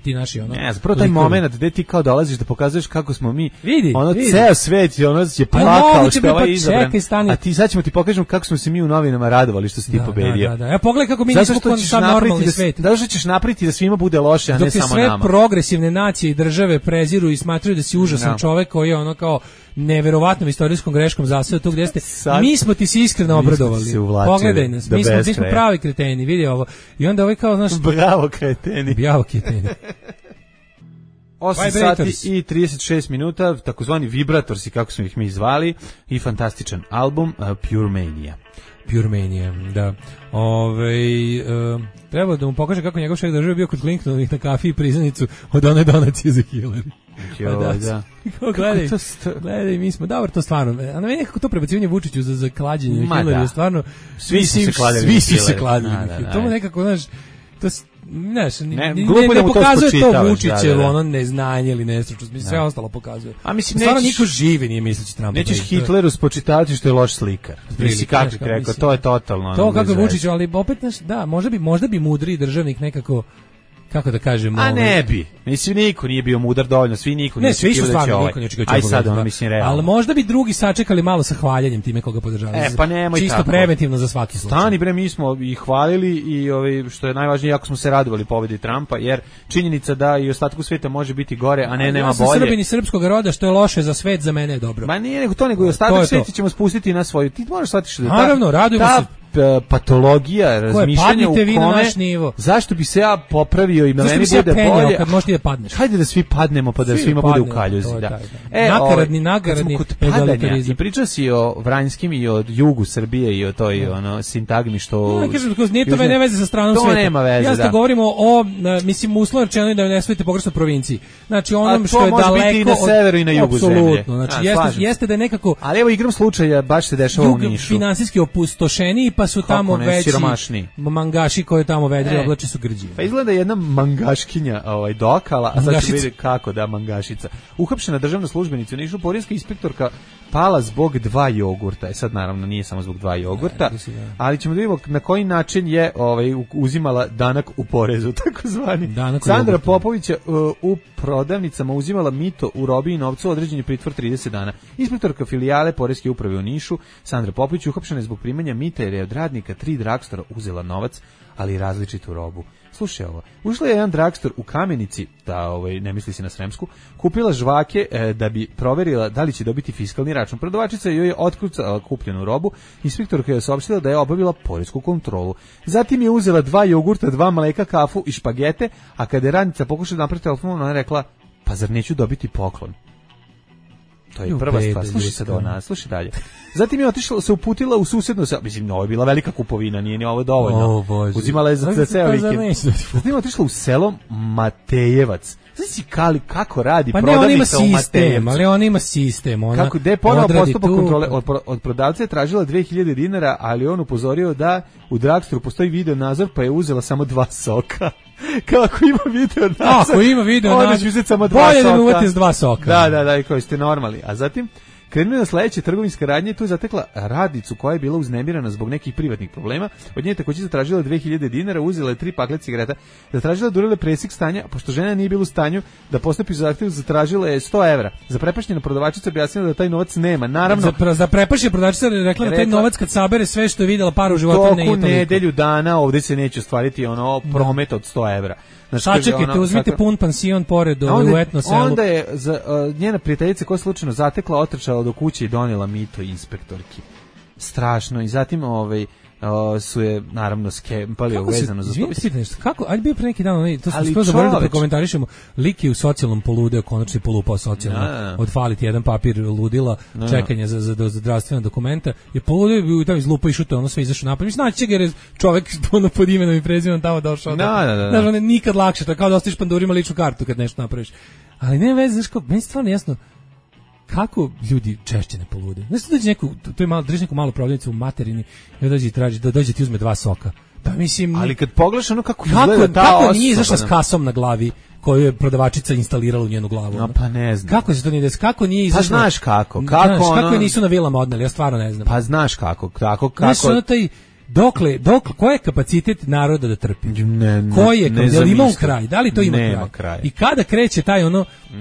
Speaker 5: Ne znam, prvo taj moment gde ti kao dolaziš da pokazuješ kako smo mi,
Speaker 6: vidi.
Speaker 5: Ceo svet je plakao što je ovaj izabran, a ti sad ćemo ti pokažemo kako smo se mi u novinama radovali što si ti pobedio.
Speaker 6: Da. Ja pogledaj kako mi nismo sam normalni svet.
Speaker 5: Da što ćeš napraviti da svima bude loše, a ne samo nama.
Speaker 6: Progresivne nacije i države preziru i smatraju da si užasan čovjek koji je ono kao neverovatnom istorijskom greškom zaseo tu gdje ste. Mi smo ti se iskreno obradovali. Pogledaj nas, mi smo pravi kreteni, vidi ovo. I onda ovaj kao, znaš...
Speaker 5: Bravo kreteni. 8 sati i 36 minuta, takozvani vibratorsi, kako smo ih mi zvali, i fantastičan album Pure Mania, da. Treba da mu pokaže kako njegov šef države bio kod Clintonovih na kafi i priznanicu od one donacije za Hillary. Gledaj, mi smo, dobro, to stvarno, a na meni nekako to prebacivanje Vučiću za klađenje Hillary je stvarno, svi su se kladili.
Speaker 6: To mu nekako, znaš, to ne pokazuje to Vučićevo ono neznanje ili nestručnost, mislim sve ostalo pokazuje.
Speaker 5: A mislim
Speaker 6: stvarno niko živi nije misleći Trumpa.
Speaker 5: Nećeš Hitleru spočitavati što je loš slikar. Mislim kako ti rekao, to je totalno.
Speaker 6: To kako Vučić, ali opet da, možda bi mudri državnik nekako, kako da kažemo,
Speaker 5: a ne bi. Mislim niko nije bio mudar dovoljno, niko nije očekivao da će ovaj. Aj sad on mislim realno.
Speaker 6: Ali možda bi drugi sačekali malo sa hvaljenjem time koga podržavaju.
Speaker 5: Pa nemoj
Speaker 6: čisto
Speaker 5: tako.
Speaker 6: Preventivno za svaki slučaj.
Speaker 5: Stani bre, mi smo ih hvalili i što je najvažnije, jako smo se radovali pobedi Trumpa, jer činjenica da i ostatku sveta može biti gore, a ne nema bolje. Ja sam
Speaker 6: Srbin iz srpskog roda, što je loše za svet, za mene je dobro.
Speaker 5: Ma nije nego to, nego i ostatak sveta ćemo spustiti na svoju. Ti možeš shvatiti da
Speaker 6: naravno, radujemo se.
Speaker 5: Patologija, razmišljanje u kome, zašto bi se ja popravio i na meni bude bolje,
Speaker 6: kad možeš da padneš.
Speaker 5: Hajde da svi padnemo pa da svima bude u kaljuzi.
Speaker 6: Nakaradni egalitarizam.
Speaker 5: I pričao si o Vranjskim i o jugu Srbije i o toj sintagmi što...
Speaker 6: Ne, kažem, nije to ne veze sa stranom sveta.
Speaker 5: To nema veze,
Speaker 6: ja govorimo o, mislim, uslovno rečeno da ne svojite pogrešno provinciji. Znači, onom što je daleko... A to može biti i
Speaker 5: na severu i na jugu zemlje.
Speaker 6: Apsolutno, znači, jeste da je nekako...
Speaker 5: Ali evo igram slučaja, baš se dešava u Nišu.
Speaker 6: Jug finansijski opustošeniji, pa su tamo veći mangaši koji tamo vedri oblači su grđi.
Speaker 5: Pa izgleda jedna mangaškinja dokala, a sad ću vidjeti kako da mangašica. Uhapšena državna službenica u Nišu, poreska inspektorka pala zbog 2 jogurta. Sad naravno nije samo zbog 2 jogurta, ali ćemo da vidimo na koji način je uzimala danak u porezu, takozvani. Sandra Popović u prodavnicama uzimala mito u robi i novcu, određen je pritvor 30 dana. Inspektorka filijale poreske uprave u Nišu, Sandra Popović, uhapšena je zbog primanja mita jer je od radnika 3 dragstora uzela novac, ali i različitu robu. Slušaj ovo, ušla je jedan dragstor u Kamenici, ne misli se na Sremsku, kupila žvake da bi proverila da li će dobiti fiskalni račun. Prodavačica joj je otkucala kupljenu robu, inspektorka je saopštila da je obavila poresku kontrolu. Zatim je uzela 2 jogurta, 2 mleka, kafu i špagete, a kada je radnica pokušala napraviti telefon, ona je rekla, pa zar neću dobiti poklon? To je prva stvar. Slušaj sad ona, slušaj dalje. Zatim je otišla, se uputila u susedno selo. Mislim, ovo je bila velika kupovina, nije ni ovo dovoljno. Uzimala je za ceo vikend. Zatim je otišla u selo Matejevac. Znači kako radi prodavnica u Matejevac.
Speaker 6: Ali on ima sistem.
Speaker 5: Kako, gde je ponovo postupak kontrole. Od prodavca je tražila 2000 dinara, ali on upozorio da u drugstoru postoji video nadzor, pa je uzela samo 2 soka. Kako ima video nadzor?
Speaker 6: Ako ima video nadzor, bolje da mi uvati s 2 soka.
Speaker 5: Da, i koji ste normalni. A zatim krenuli na sledeće trgovinske radnje i tu je zatekla radnicu koja je bila uznemirana zbog nekih privatnih problema. Od nje takođe zatražila 2000 dinara, uzela je 3 pakle cigareta, zatražila durile presek stanja, pošto žena nije bila u stanju da postupi zahtev, zatražila je 100 evra. Zaprepašćena prodavačica objasnila da taj novac nema. Naravno,
Speaker 6: zaprepašena prodavačica rekla da taj novac kad sabere sve što je videla para u životu ne je toliko.
Speaker 5: Nedelju dana ovde se neće ostvariti promet od 100 evra.
Speaker 6: Sačekajte, uzmite pun pansion pored u etno selu.
Speaker 5: Onda je njena prijateljica koja je slučajno zatekla, otrčala do kuće i donela mito inspektorki. Strašno. I zatim su je naravno skempali uvezano za to.
Speaker 6: Kako? Ajde bio pre neki dan, to smo skoro zaboravili da prokomentarišemo. Lik je u socijalnom poludeo, konačno polupao socijalno. Odfaliti jedan papir ludila, čekanje za zdravstvena dokumenta. Je poludeo i tamo izlupa i šuto, ono sve izašao napad. Mislim, naći će ga jer je čovek pod imenom i prezimenom tamo došao. Znaš, on je nikad lakše, to je kao da ostaviš Pandurima ličnu kartu kad nešto napraviš. Ali ne veze, znaš kao, meni stvarno jasno kako ljudi češće ne polude. Znaš, dođe neku, to je malo, drži neku malu prodavnicu u materini i dođe i traži, da dođe ti uzme 2 soka. Pa mislim...
Speaker 5: Ali kad pogledaš ono kako izgleda ta osoba...
Speaker 6: Kako nije izašla s kasom na glavi koju je prodavačica instalirala u njenu glavu?
Speaker 5: No, pa ne znam.
Speaker 6: Kako se to nije desilo? Kako nije izašla?
Speaker 5: Pa znaš kako.
Speaker 6: Kako je nisu na vilama odneli? Ja stvarno ne znam.
Speaker 5: Pa znaš kako.
Speaker 6: Znaš, ono taj... Dokle, koji je kapacitet naroda da trpi? Koji je, da li ima kraj? Da li to ima kraj? I kada kreće taj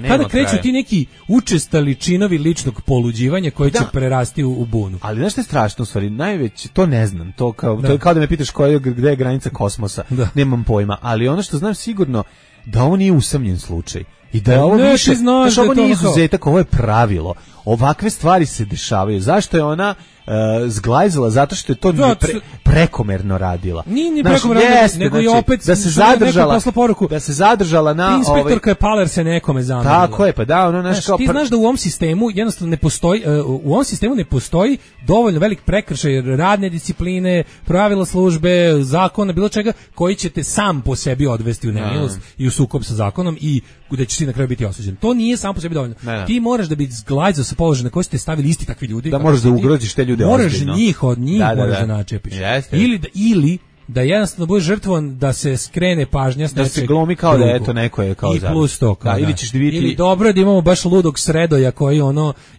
Speaker 6: kada kreću ti neki učestali činovi ličnog poluđivanja koji će prerasti u bunu?
Speaker 5: Ali znaš što je strašno u stvari? Najveće, to ne znam, to je kao da me pitaš gde je granica kosmosa. Nemam pojma, ali ono što znam sigurno da ovo nije usamljen slučaj. I da je ovo više, znaš, ovo nije izuzetak, ovo je pravilo. Ovakve stvari se dešavaju. Zašto je ona zglajzala? Zato što je to prekomerno radila.
Speaker 6: Nije prekomerno, nego i opet
Speaker 5: da se zadržala na...
Speaker 6: Inspektorka je Paler se nekome zamerila.
Speaker 5: Tako je, pa da, ono naš kao...
Speaker 6: Ti znaš da u ovom sistemu jednostavno ne postoji, u ovom sistemu ne postoji dovoljno velik prekršaj radne discipline, pravila službe, zakona, bilo čega, koji će te sam po sebi odvesti u nemilost i u sukob sa zakonom i gde ćeš ti na kraju biti osuđen. To nije sam po sebi dovoljno. Ti moraš da bi zglajzao sa položaja na koji ste stavili isti takvi ljudi.
Speaker 5: Da možeš da ugroziš te ljude.
Speaker 6: Moraš njih od njih moraš da načepiš. Ili da jednostavno budeš žrtvovan da se skrene pažnja s
Speaker 5: nečeg. Da se glumi kao da eto neko je kao
Speaker 6: i plus to.
Speaker 5: Ili ćeš vidjeti...
Speaker 6: Ili dobro je da imamo baš ludog Sredoja koji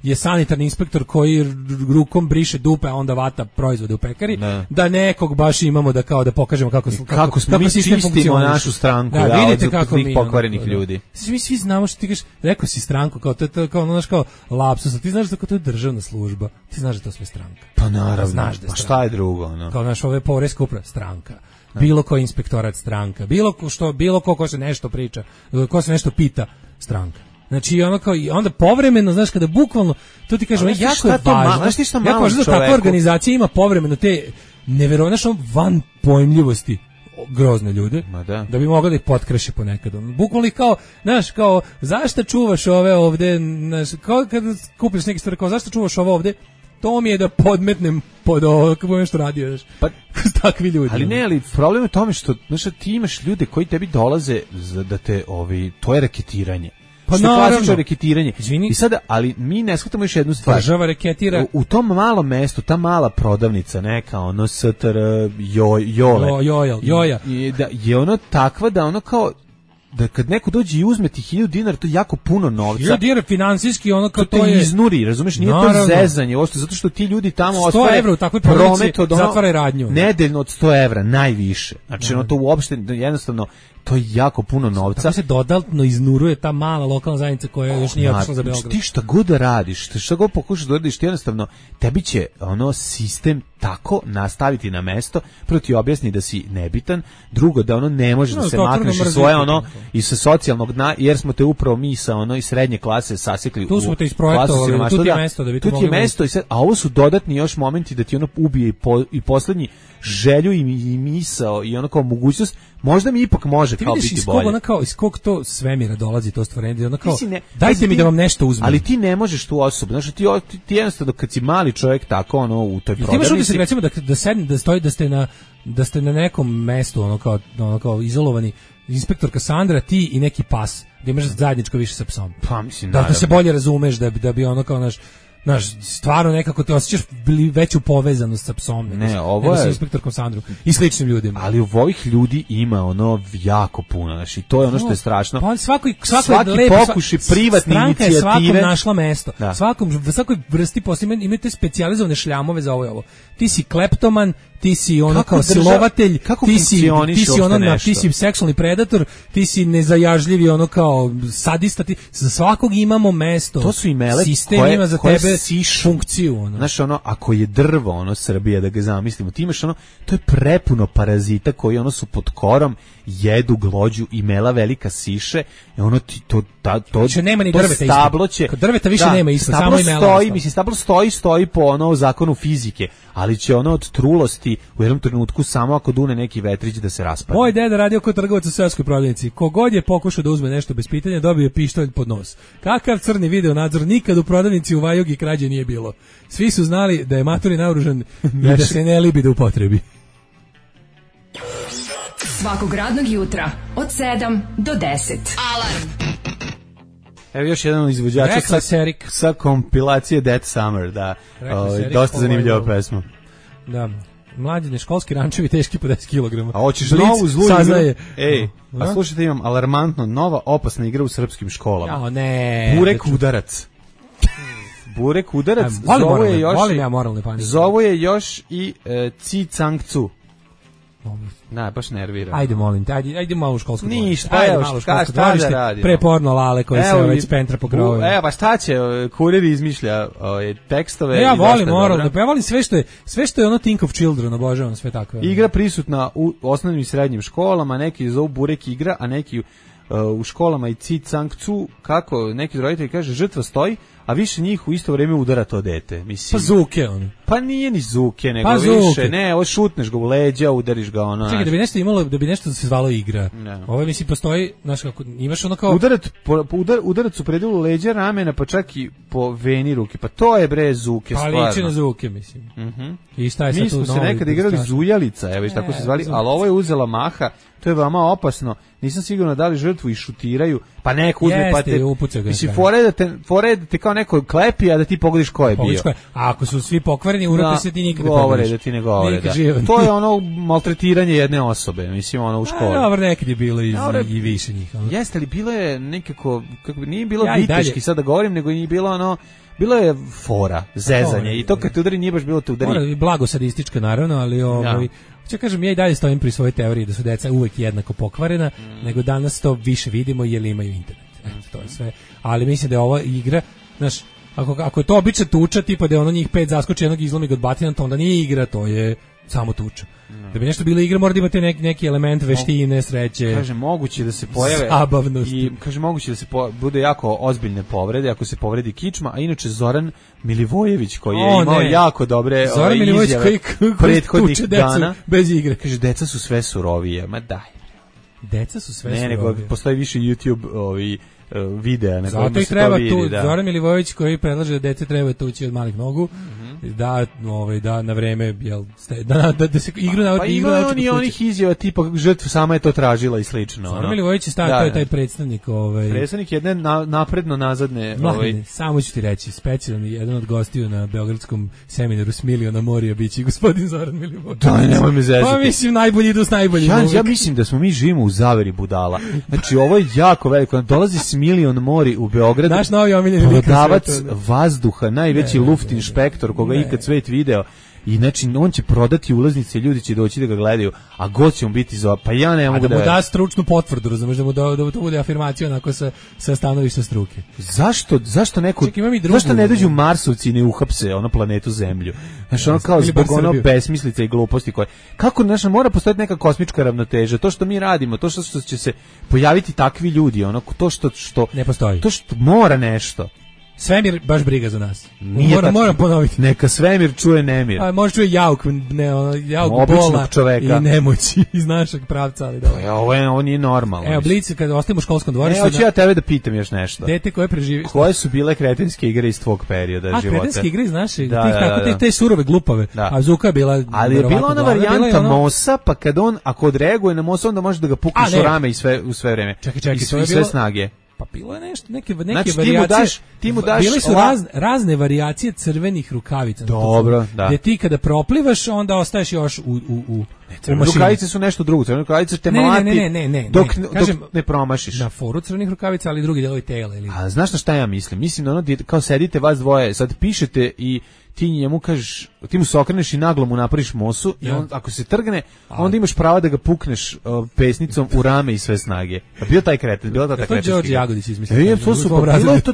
Speaker 6: je sanitarni inspektor koji rukom briše dupe, a onda vata proizvode u pekari. Da nekog baš imamo da kao da pokažemo kako
Speaker 5: smo mi čistimo našu stranku
Speaker 6: vidite kako mi
Speaker 5: pokvarenih ljudi.
Speaker 6: Mi svi znamo što ti kažeš, rekao si stranku kao lapsus, ti znaš da to je državna služba. Ti znaš da to sve stranka.
Speaker 5: Pa naravno, pa šta je drugo?
Speaker 6: Kao naš ove poreska uprava, stranka. Bilo koji inspektorat, stranka. Bilo ko se nešto priča, ko se nešto pita, stranka. Znači onda povremeno, znaš, kada bukvalno, to ti kažem, jako je važno. Jako važno da takva organizacija ima povremeno te neverovatno van pojmljivosti grozne ljude, da bi mogla da ih potkreše ponekad. Bukvalno kao, znaš, kao, zašto čuvaš ove ovde, kao kad kupiš neke stvari, kao, zašto čuvaš ovo ovde, to mi je da podmetnem pod ovo, kako nešto radio, znaš, pa, takvi ljudi.
Speaker 5: Ali problem je tome što, znaš, ti imaš ljude koji tebi dolaze da te, to je reketiranje. Pa naravno, reketiranje. I sada, ali mi ne shvatamo još jednu stvar.
Speaker 6: Država reketira.
Speaker 5: U tom malom mestu, ta mala prodavnica, neka, STR, Joja, je ono takva da ono kao, da kad neko dođe i uzme ti 1000 dinara, to je jako puno novca.
Speaker 6: 1000 dinara finansijski, ono kao
Speaker 5: to je iznuri, razumeš, nije to zezanje, zato što ti ljudi tamo
Speaker 6: 100 evra u takvoj prodavnici zatvara radnju.
Speaker 5: Nedeljno od 100 evra, najviše. Znači, ono to uopšte, jednostavno, to je jako puno novca.
Speaker 6: Tako se dodatno iznuruje ta mala lokalna zajednica koja još nije otišla za Beograd.
Speaker 5: Ti šta god da radiš, šta god pokušaš da radiš, ti jednostavno, tebi će sistem tako nastaviti na mesto, prvo ti objasni da si nebitan, drugo da ne može da se makneš iz svoje i sa socijalnog dna, jer smo te upravo mi sa iz srednje klase sasekli.
Speaker 6: Tu smo te isprojektovali, tu ti je mesto da bi to mogli.
Speaker 5: A ovo su dodatni još momenti da ti ubije i poslednji želju i misao i ono kao mogućnost, možda mi ipak može kao biti bolje.
Speaker 6: Iz kog to svemira dolazi to stvorenje, ono kao, dajte mi da vam nešto uzmem.
Speaker 5: Ali ti ne možeš tu osobu, znači ti jednostavno kad si mali čovjek tako ono u toj prodavnici.
Speaker 6: Ti imaš utisak recimo da ste na nekom mestu ono kao izolovani, inspektor Kassandra, ti i neki pas, da imaš zajedničko više sa psom.
Speaker 5: Pa mislim
Speaker 6: da se bolje razumeš, da bi ono kao naš stvarno nekako te osjećaš veću povezanost sa psom.
Speaker 5: Ne, ovo je
Speaker 6: sa inspektorkom Sandrom i sličnim ljudima.
Speaker 5: Ali u ovih ljudi ima ono jako puno, znači to je ono što je strašno.
Speaker 6: Pa svaki
Speaker 5: pokušaj privatne inicijative.
Speaker 6: Je svakom našla mesto. Svakoj vrsti posla imate specijalizovane šljamove za ovo i ovo. Ti si kleptoman, ti si ono kao silovatelj, ti si seksualni predator, ti si nezajažljivi ono kao sadista, za svakog imamo mesto.
Speaker 5: To su imele
Speaker 6: sistem ima za tebe funkciju ono.
Speaker 5: Znaš ono, ako je drvo ono Srbija, da ga zamislimo, ti imaš ono, to je prepuno parazita koji ono su pod korom, jedu glođu, imela velika siše, i ono ti to
Speaker 6: nema ni drveta
Speaker 5: stablo će,
Speaker 6: kod drveta više nema isto, samo imela.
Speaker 5: Stablo stoji po ono zakonu fizike, ali će ono od trulosti u jednom trenutku samo ako dune neki vetrić da se raspadne.
Speaker 6: Moj deda radio kao trgovac u seoskoj prodavnici. Kogod je pokušao da uzme nešto bez pitanja, dobio je pištolj pod nos. Kakav crni video nadzor, nikad u prodavnici u Vajugi krađe nije bilo. Svi su znali da je matori naoružan i da se ne libi da upotrebi.
Speaker 3: Svakog radnog jutra od 7 do 10.
Speaker 2: Alarm.
Speaker 5: Evo još jedan izvođača sa kompilacije Dead Summer, da, dosta zanimljiva pesma.
Speaker 6: Da, mlađine, školski rančevi teški po 10 kg.
Speaker 5: A hoćeš novu zlu igru? Ej, a slušajte, imam alarmantno, nova opasna igra u srpskim školama.
Speaker 6: Jao, ne.
Speaker 5: Burek udarac. Burek udarac, zovu je još i Ci Cang Cu. Ne, baš nervira.
Speaker 6: Ajde, molim te, ajde malo u školsku dvorište.
Speaker 5: Ništa, šta da radi?
Speaker 6: Pre porno lale koji se već pentra po grovima.
Speaker 5: Evo, pa šta će, kurir izmišlja tekstove.
Speaker 6: Ja volim moralno, pa ja volim sve što je ono Think of Children, obožavam sve tako.
Speaker 5: Igra prisutna u osnovnim i srednjim školama, neki zovu Burek igra, a neki u školama i Ci Cang Cu, kako neki roditelji kaže, žrtva stoji, a više njih u isto vrijeme udara to dete. Mislim,
Speaker 6: pa zuke on.
Speaker 5: Pa nije ni zuke, nego
Speaker 6: pa
Speaker 5: više. Ne, ovo šutneš ga u leđa, udariš ga ono.
Speaker 6: Čekaj, da bi nešto imalo, da bi nešto se zvalo igra. Ovo mislim postoji, znaš kako, imaš ono kao
Speaker 5: udarac u predelu leđa, ramena, pa čak i po veni ruke. Pa to je bre zuke, stvarno.
Speaker 6: Pa liči na zuke, mislim. I šta je sad tu?
Speaker 5: Mi smo se nekad igrali zujalica, evo tako se zvali, ali ovo je uzela maha. To je veoma opasno. Nisam sigurno da li žrtvu i šutiraju, pa neko uzme pa te mislim fore da te kao neko klepi, a da ti pogodiš ko je bio.
Speaker 6: A ako su svi pokvareni, urate se ti nikad ne pogodiš.
Speaker 5: Da ti ne govore. To je ono maltretiranje jedne osobe, mislim ono u školi.
Speaker 6: Dobro, nekad je bilo i više njih.
Speaker 5: Jeste li bilo je nekako, kako bi nije bilo viteški sad da govorim, nego i bilo ono, bilo je fora, zezanje i to kad te udari nije baš bilo te udari.
Speaker 6: Blago sadistička naravno, ali ja kažem, ja i dalje stojim pri svojoj teoriji da su deca uvek jednako pokvarena, nego danas to više vidimo jer imaju internet. To je sve. Ali mislim da je ova igra, znaš, ako je to obična tuča, tipa da je ono njih 5 zaskoči, jednog izlomi ga od batina, to onda nije igra, to je samo tuča. Da bi nešto bilo igra, mora da imate neki element veštine, sreće.
Speaker 5: Kaže, moguće da se pojave
Speaker 6: zabavnosti.
Speaker 5: I kaže, moguće da se bude jako ozbiljne povrede, ako se povredi kičma, a inače Zoran Milivojević koji je imao jako dobre
Speaker 6: Zoran Milivojević koji
Speaker 5: prethodnih dana
Speaker 6: bez igre.
Speaker 5: Kaže, deca su sve surovije. Ma daj.
Speaker 6: Deca su sve surovije.
Speaker 5: Nego postoji više YouTube videa na kojima
Speaker 6: se to vidi. Zoran Milivojević koji predlaže da dece treba tući od malih nogu, da na vreme da se igru nauči.
Speaker 5: Pa ima onih izjava tipa žrtva sama je to tražila i slično.
Speaker 6: Zoran Milivojević je to je taj predstavnik.
Speaker 5: Predstavnik jedne napredno nazadne.
Speaker 6: Samo ću ti reći, specijalni jedan od gostiju na beogradskom seminaru s miliona morija biće gospodin Zoran Milivojević.
Speaker 5: Daj, nemoj me zezati.
Speaker 6: Pa mislim, najbolji idu s najboljim.
Speaker 5: Ja mislim da smo mi živimo u zaveri budala. Znači, ovo je jako veliko. Dolazi s milion mori u Beograd.
Speaker 6: Naš novi omiljeni
Speaker 5: prodavac vazduha, najveći luft inšpektor koga ikad svet video. I znači on će prodati ulaznice, ljudi će doći da ga gledaju, a god će mu biti pa ja ne mogu
Speaker 6: da mu da stručnu potvrdu, razumeš, da to bude afirmacija onako sa stanovišta struke.
Speaker 5: Zašto neko zašto ne dođu Marsovci i ne uhapse ono planetu Zemlju? Znači ono kao zbog ono besmislica i gluposti koje. Kako znači mora postojati neka kosmička ravnoteža, to što mi radimo, to što će se pojaviti takvi ljudi, ono to što
Speaker 6: ne postoji.
Speaker 5: To što mora nešto.
Speaker 6: Svemir baš briga za nas. Moram ponoviti.
Speaker 5: Neka svemir čuje nemir.
Speaker 6: A može čuje jauk bola čoveka i nemoći iz našeg pravca, ali dobro.
Speaker 5: Ovo nije normalno.
Speaker 6: Evo, Blic, kada ostavimo u školskom dvorištu...
Speaker 5: Hoću ja tebe da pitam još nešto.
Speaker 6: Dete koje preživi...
Speaker 5: Koje su bile kretenske igre iz tvog perioda života?
Speaker 6: Kretenske igre iz našeg, te surove glupave. A Zuka je bila...
Speaker 5: Ali je bila ona varijanta Mosa, pa kad on, ako odreaguje na Mosa, onda može da ga pukneš u rame i sve vreme.
Speaker 6: Čekaj,
Speaker 5: i sve snage.
Speaker 6: Pa bilo je nešto, neke varijacije.
Speaker 5: Ti mu daš
Speaker 6: bile su razne varijacije crvenih rukavica.
Speaker 5: Dobro, da.
Speaker 6: Gde ti kada proplivaš, onda ostaješ još u
Speaker 5: mašini. Rukavice su nešto drugo. Crvene rukavice te mlati dok ne promašiš.
Speaker 6: Na foru crvenih rukavica, ali drugi delovi tela.
Speaker 5: A znaš na šta ja mislim? Mislim da ono kao sedite vas dvoje, sad pišete i ti njemu kažeš, ti mu se okreneš i naglo mu napraviš Mosu i on, ako se trgne, onda imaš pravo da ga pukneš pesnicom u rame i sve snage. Bio taj kreten, bila ta kretenska.
Speaker 6: To je Đorđe Jagodić izmislio.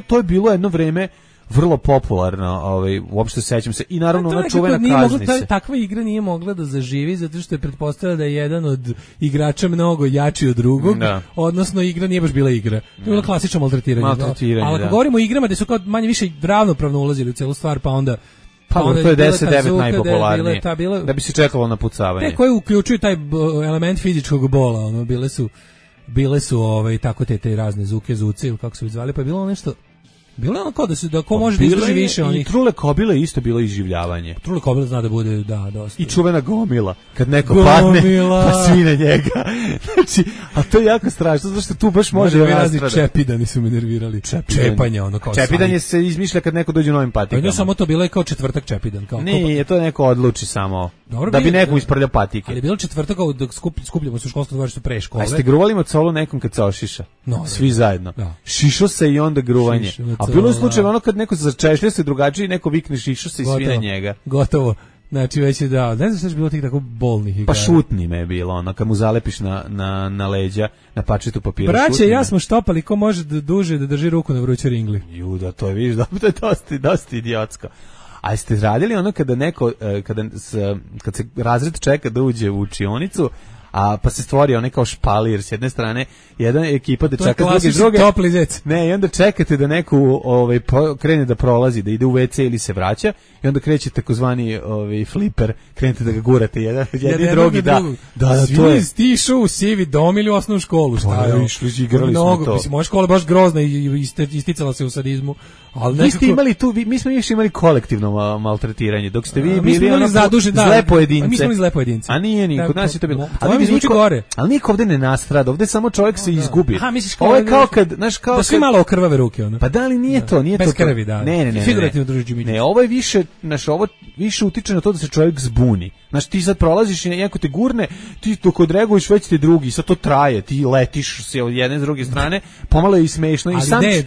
Speaker 5: To je bilo jedno vreme vrlo popularno, uopšte sećam se. I naravno ona čuvena kaznice.
Speaker 6: Takva igra nije mogla da zaživi zato što je pretpostavljala da je jedan od igrača mnogo jači od drugog, odnosno igra nije baš bila igra. To je bilo klasično maltretiranje. Ali ako govorimo o igrama gde su kao manje više ravnopravno ulazili u celu stvar, pa onda
Speaker 5: to je 10-9 najpopularnije. Da bi se čekalo na pucavanje.
Speaker 6: Te koje uključuju taj element fizičkog bola, bile su tako te razne zuke, zuce ili kako su ih zvali, pa je bilo nešto. Bilo je ono kao da ko može da izdrži više onih.
Speaker 5: I Trule Kobile isto bilo iživljavanje.
Speaker 6: Trule Kobile zna da bude, dosta.
Speaker 5: I čuvena gomila, kad neko padne, pa svi na njega. Znači, a to je jako strašno, zato što tu baš može da
Speaker 6: razni čepidani su me nervirali. Čepanje, ono kao
Speaker 5: čepidanje se izmišlja kad neko dođe u novim patikama.
Speaker 6: Ne samo to, bilo je kao četvrtak čepidan.
Speaker 5: Nije, to neko odluči samo. Da bi nekom isprljao patike.
Speaker 6: Ali je bilo četvrtak dok skupljamo se u školskom dvorištu pre škole.
Speaker 5: A ste gruvali mocolu nekom kad se ošiša? Svi zajedno. Šišo se i onda gruvanje. A bilo je slučaj ono kad neko začešlja se drugačije i neko vikne šišo se i svi na njega.
Speaker 6: Gotovo. Znači već je ne znam što je bilo tih tako bolnih igara.
Speaker 5: Pa šutni me je bilo, ono, kad mu zalepiš na leđa, na pačetu papira.
Speaker 6: Braće, ja smo štopali, ko može duže da drži ruku na vrućoj ringli.
Speaker 5: Juda, to je, vidiš, to je dosta idiotsko. A jeste radili ono kada neko, kad se razred čeka da uđe u učionicu, pa se stvori onaj kao špalir s jedne strane, jedna ekipa da čeka s druge. Ne, i onda čekate da neko krene da prolazi, da ide u WC ili se vraća i onda kreće takozvani fliper, krenete da ga gurate jedan i drugi, da to je.
Speaker 6: Svi ti išao u sivi dom ili u osnovnu školu, šta je?
Speaker 5: Igrali smo to.
Speaker 6: Mislim, moja škola je baš grozna i isticala se u sadizmu.
Speaker 5: Vi ste imali tu, mi smo još imali kolektivno maltretiranje, dok ste vi bili ono zle pojedince.
Speaker 6: Mi smo imali zle pojedince.
Speaker 5: A nije niko, nas je to bilo.
Speaker 6: Ali
Speaker 5: niko ovde ne nastrada, ovde samo čovjek se izgubi.
Speaker 6: Ovo
Speaker 5: je kao kad, znaš, kao
Speaker 6: da svi malo okrvave ruke, ono.
Speaker 5: Pa da li nije to, nije to.
Speaker 6: Bez krvi, da.
Speaker 5: Ne.
Speaker 6: Figurativno drži Đimić.
Speaker 5: Ne, ovo je više, znaš, ovo više utiče na to da se čovjek zbuni. Znaš, ti sad prolaziš i neko te gurne, ti dok odreaguješ već te drugi, sad to traje, ti letiš se od jedne s druge strane, pomalo je i smešno.
Speaker 6: Ali ne,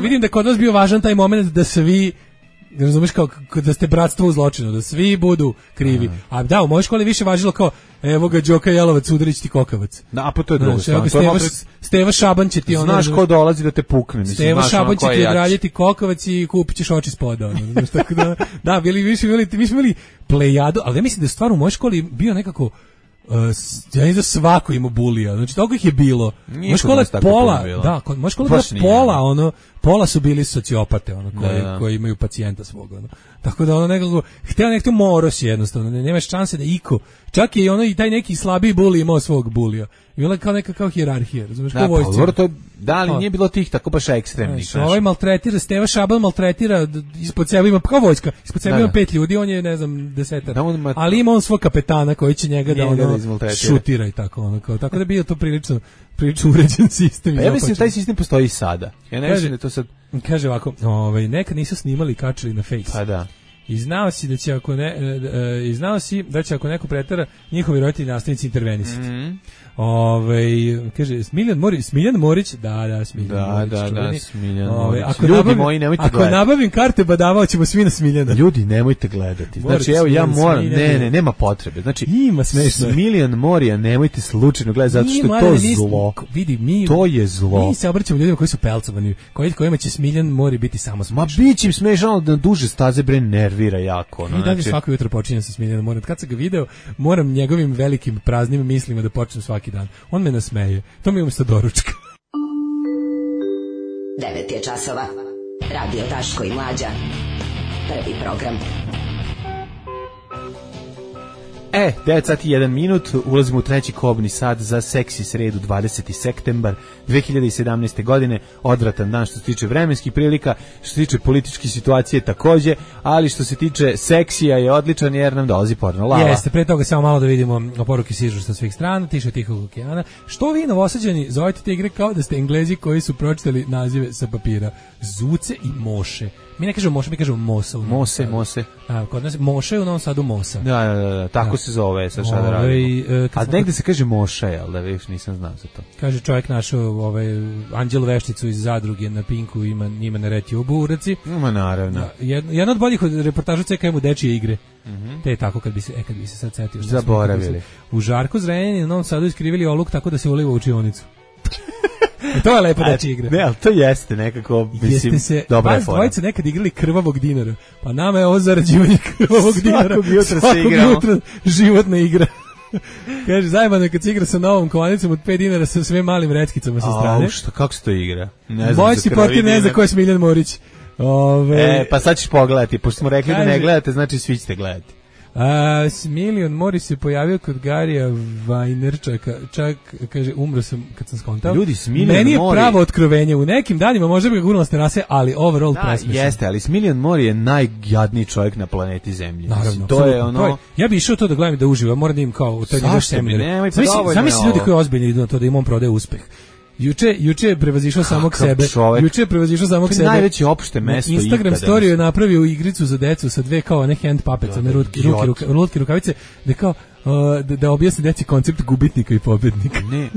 Speaker 6: vidim da kod nas bio važan taj moment da svi, razumiješ, kao da ste bratstvo u zločinu, da svi budu krivi. A da, u mojoj školi više važilo kao, evo ga Đoka Jelovac, udarić ti kokavac.
Speaker 5: A pa to je drugo.
Speaker 6: Steva Šaban će ti ono...
Speaker 5: Znaš ko dolazi da te pukne.
Speaker 6: Steva Šaban će ti odraljiti kokavac i kupit ćeš oči spoda. Da, mi smo imali plejadu, ali ja mislim da je stvar u mojoj školi bio nekako... ja ne znam svako ima bulija, znači toliko ih je bilo. Moja škola je pola, moja škola je pola, pola su bili sociopate, koji imaju pacijenta svog, Tako da ono nekako, htjela nekako moros jednostavno, nemaš šanse da iko, čak je i taj neki slabiji buli imao svog bulija. I bila je kao neka kao hijerarhija, razumiješ, kao vojsci.
Speaker 5: Ali nije bilo tih tako baš ekstremnih.
Speaker 6: Ovaj maltretira, Steva Šaban maltretira, ispod sebe ima, kao vojska, ispod sebe ima 5 ljudi, on je, ne znam, 10. Ali ima on svog kapetana koji će njega da šutira i tako, tako da bi to prilično uređen sistem.
Speaker 5: Ja mislim da taj sistem postoji i sada. Ja ne mislim da to sad...
Speaker 6: Kaže ovako, nekad nisu snimali i kačili na Face.
Speaker 5: Pa da.
Speaker 6: I znao si da će ako neko pretera, njihovi roditelji nastavnici intervenisati. Kaže Smiljan Morić, da, Smiljan Morić.
Speaker 5: Ljudi moji, nemojte gledati.
Speaker 6: Ako nabavim karte badavao ćemo svi na Smiljana.
Speaker 5: Ljudi, nemojte gledati. Znači, evo, ja moram, nema potrebe. Znači,
Speaker 6: ima smešno.
Speaker 5: Smiljan Morija nemojte slučajno gledati, zato što je to zlo. To je zlo.
Speaker 6: Mi se obraćamo ljudima koji su pelcovani, kojima će Smiljan Mori biti samo smešno.
Speaker 5: Ma bit će im smešno da duže staze nervira jako.
Speaker 6: I dalje svako jutro počinjem sa Smiljanom Morijom. Kad sam ga video, moram njegovim velikim praznim mislima da počnem svaki dan. On me nasmeje. To mi je umjesto doručka.
Speaker 3: 9 je časova. Radio Daško i Mlađa. Prvi program.
Speaker 5: 9 sati 1 minut, ulazimo u treći kobni sat za seksi sredu 20. septembar 2017. godine, odvratan dan što se tiče vremenskih prilika, što se tiče političke situacije takođe, ali što se tiče seksija je odličan jer nam dolazi porno lava.
Speaker 6: Jeste, pre toga samo malo da vidimo poruke sižu sa svih strana, tiše Tihog okeana. Što vi Novosađani zovete te igre kao da ste Englezi koji su pročitali nazive sa papira? Zuce i moše. Mi ne kažemo moše, mi kažemo mosa.
Speaker 5: Mose.
Speaker 6: A, kod nas moše u Novom Sadu mosa.
Speaker 5: Da, tako se zove, sad šta da radimo. A negde se kaže moša, jel da viš, nisam znao za to.
Speaker 6: Kaže čovjek našao Anđelu Vešticu iz Zadruge na Pinku, ima na Retiobu u Uraci.
Speaker 5: Ima naravno.
Speaker 6: Da, jedna od boljih reportaža CKM u dečije igre. Te je tako kad bi se sad setio.
Speaker 5: Zaboravili.
Speaker 6: U Žarku Zrenjaninu u Novom Sadu iskrivili oluk tako da se uliva u učionicu. To je lepo dečija igra.
Speaker 5: Ne, ali to jeste nekako, mislim, dobra je fora.
Speaker 6: Dvojice nekad igrali krvavog dinara, pa nama je ovo zarađivanje krvavog dinara.
Speaker 5: Svakog
Speaker 6: jutra životna igra. Kaže, zajebano kad se igra sa novom kovanicom od 5 dinara sa sve malim reckicama sa strane.
Speaker 5: Kako se to igra?
Speaker 6: Moj si potir ne zna ko je Smiljan Morić.
Speaker 5: Pa sad ćeš pogledati, pošto smo rekli da ne gledate, znači svi ćete gledati.
Speaker 6: Smiljan Mori se pojavio kod Garija Vajnerčaka, čak kaže umro sam kad sam skontao.
Speaker 5: Ljudi, Smiljan Mori.
Speaker 6: Meni je pravo otkrovenje, u nekim danima možda bi ga gurnula s terase, ali overall presmešan.
Speaker 5: Jeste, ali Smiljan Mori je najjadniji čovjek na planeti Zemlji.
Speaker 6: Naravno,
Speaker 5: to je ono.
Speaker 6: Ja bih išao to da gledam i da uživam, moram da im kao to je njegov seminar. Zamisli ljudi koji ozbiljno idu na to da im on prodaje uspeh. Juče je prevazišao samog sebe. To je
Speaker 5: najveće opšte mesto ikada.
Speaker 6: Instagram story je napravio igricu za decu sa dve kao ne hand puppets, one lutke rukavice, da kao da objasni deci koncept gubitnika i pobednika.
Speaker 5: Ne,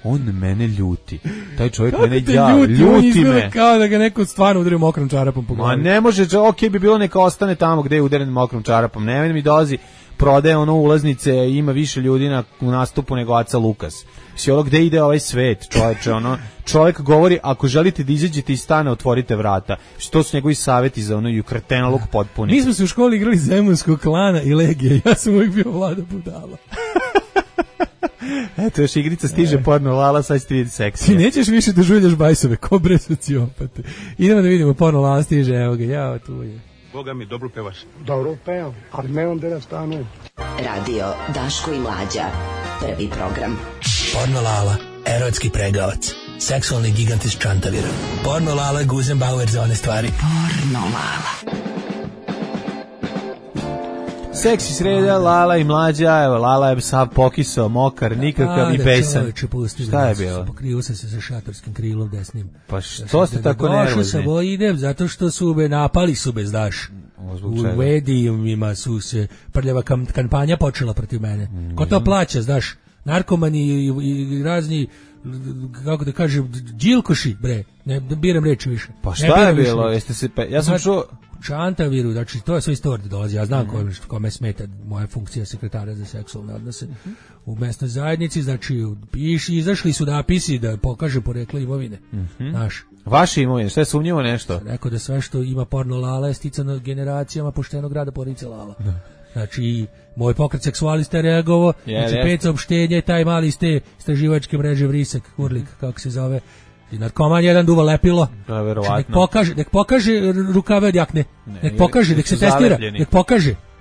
Speaker 5: on mene ljuti. Taj čovjek mene ljuti me.
Speaker 6: Kao da ga neko stvarno udario mokrom čarapom po glavi.
Speaker 5: Ma ne može, okej bi bilo neka ostane tamo gde je udaren mokrom čarapom. Ne mi dolazi, prodaje ono ulaznice, ima više ljudi u nastupu nego Aca Lukas. Si ono gde ide ovaj svet, čovječe, ono, čovjek govori, ako želite da izađete iz stana, otvorite vrata. Što su njegovi savjeti za ono kretenalog potpuni.
Speaker 6: Mi smo se u školi igrali Zemunskog klana i Legije, ja sam uvijek bio Vlada budala.
Speaker 5: Eto, još igrica stiže porno lala, sad ćete vidjeti seksije.
Speaker 6: Ti nećeš više da žuljaš bajsove, ko bre sociopate. Idemo da vidimo, porno lala stiže, evo ga, jao, tu je.
Speaker 8: Boga mi, dobro pevaš.
Speaker 9: Dobro pevam, ali ne onda da stanujem.
Speaker 3: Radio Daško i Mlađa. Prvi program.
Speaker 7: Porno lala, erotski pregavac. Seksualni gigant iz Čantavira. Porno lala, Guzenbauer za one stvari.
Speaker 3: Porno lala.
Speaker 5: Seksi sreda, Lala i Mlađa, evo, Lala je sav pokisao, mokar, nikakav i besan. Šta je bilo?
Speaker 6: Pokrio sam se sa šatorskim krilom desnim.
Speaker 5: Pa što ste tako nervozni?
Speaker 6: Došao sam, idem, zato što su me napali su me, znaš. U medijima su se prljava kampanja počela protiv mene. Ko to plaća, znaš? Narkomani i razni, kako da kažem, džilkoši, bre. Ne biram reči više.
Speaker 5: Pa šta je bilo? Jeste se ja sam čuo
Speaker 6: Čantaviru, znači to je sve isto ovdje dolazi. Ja znam kome smeta moja funkcija sekretara za seksualne odnose u mesnoj zajednici, znači izašli su napisi da pokaže poreklo imovine. Znaš.
Speaker 5: Vaše imovine, šta je sumnjivo nešto?
Speaker 6: Rekao da sve što ima porno lala je sticano generacijama poštenog rada porodice lala. Znači, moj pokret seksualista je reagovao, znači 5 saopštenja, taj mali iz te istraživačke mreže Vrisak, Kurlik, kako se zove, i narkoman jedan duva lepilo.
Speaker 5: Da, verovatno.
Speaker 6: Nek pokaže rukave od jakne. Nek pokaže, nek se testira.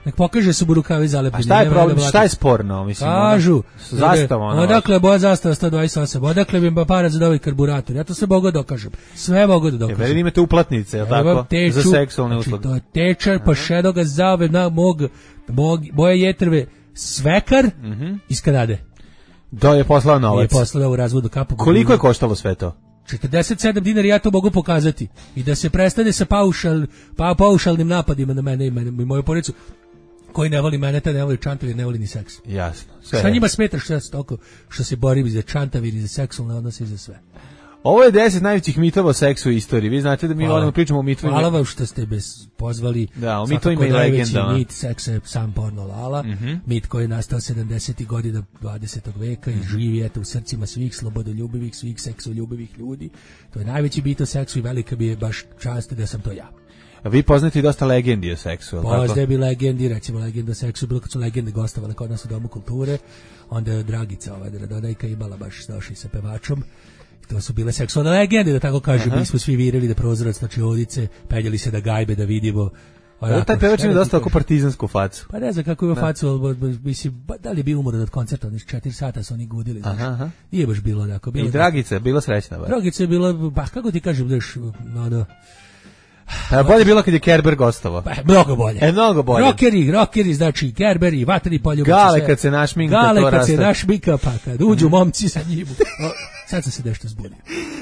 Speaker 6: Nek pokaže su rukave zalepljeni.
Speaker 5: A šta je problem, šta je sporno? Mislim,
Speaker 6: kažu,
Speaker 5: zastava ono.
Speaker 6: Odakle boja zastava 128, odakle bi im parac za novi karburator. Ja to sve mogu da dokažem. Sve mogu da dokažem.
Speaker 5: Veli imate uplatnice, je tako? Za seksualne usluge.
Speaker 6: To je tečar, pa šedoga zave na moje jetrve svekar iz Kanade.
Speaker 5: Da je poslao novac.
Speaker 6: Je poslao u razvodu kapu.
Speaker 5: Koliko je koštalo sve to?
Speaker 6: 47 dinara, ja to mogu pokazati. I da se prestane sa paušalnim napadima na mene i moju porodicu. Koji ne voli mene, taj ne voli Čantavir, ne voli ni seks.
Speaker 5: Jasno.
Speaker 6: Šta njima smeta što se borim za Čantavir i za seksualne odnose i za sve.
Speaker 5: Ovo je 10 najvećih mitova o seksu u istoriji. Vi znate da mi volimo pričamo o mitovima.
Speaker 6: Hvala vam što ste pozvali.
Speaker 5: Da, o mitovima i legendama.
Speaker 6: Mit seksa je sam porno lala. Mit koji je nastao 70. godina 20. veka i živi u srcima svih slobodoljubivih, svih seksoljubivih ljudi. To je najveći bit o seksu i velika bi je baš čast da sam to ja.
Speaker 5: A vi poznate i dosta legendi o seksu, ali tako?
Speaker 6: Poznaje bi legendi, recimo legenda o seksu, bilo kad su legende gostovale kod nas u Domu kulture, onda je Dragica, Radonajka, imala baš došli sa pevačom To su bile seksualne legende, da tako kažem, mi smo svi virili da prozirac na čeodice, peljali se da gajbe da vidimo.
Speaker 5: Taj pevač ima dosta oko partizansku facu.
Speaker 6: Pa ne znam kako ima facu, ali mislim, da li je bio umoran od koncerta, oni 4 sata su oni gudili, znaš. Nije baš bilo tako.
Speaker 5: I Dragica je bila srećna.
Speaker 6: Dragica je bila, pa kako ti kažem, daš,
Speaker 5: bolje bilo kad je Kerber gostovao.
Speaker 6: Mnogo bolje.
Speaker 5: Mnogo bolje.
Speaker 6: Rockeri, znači Kerberi, vatri poljubac.
Speaker 5: Gale kad se našminka, to
Speaker 6: Gale kad se našminka, pa kad uđu momci sa njim. Sad sam se nešto zbudio.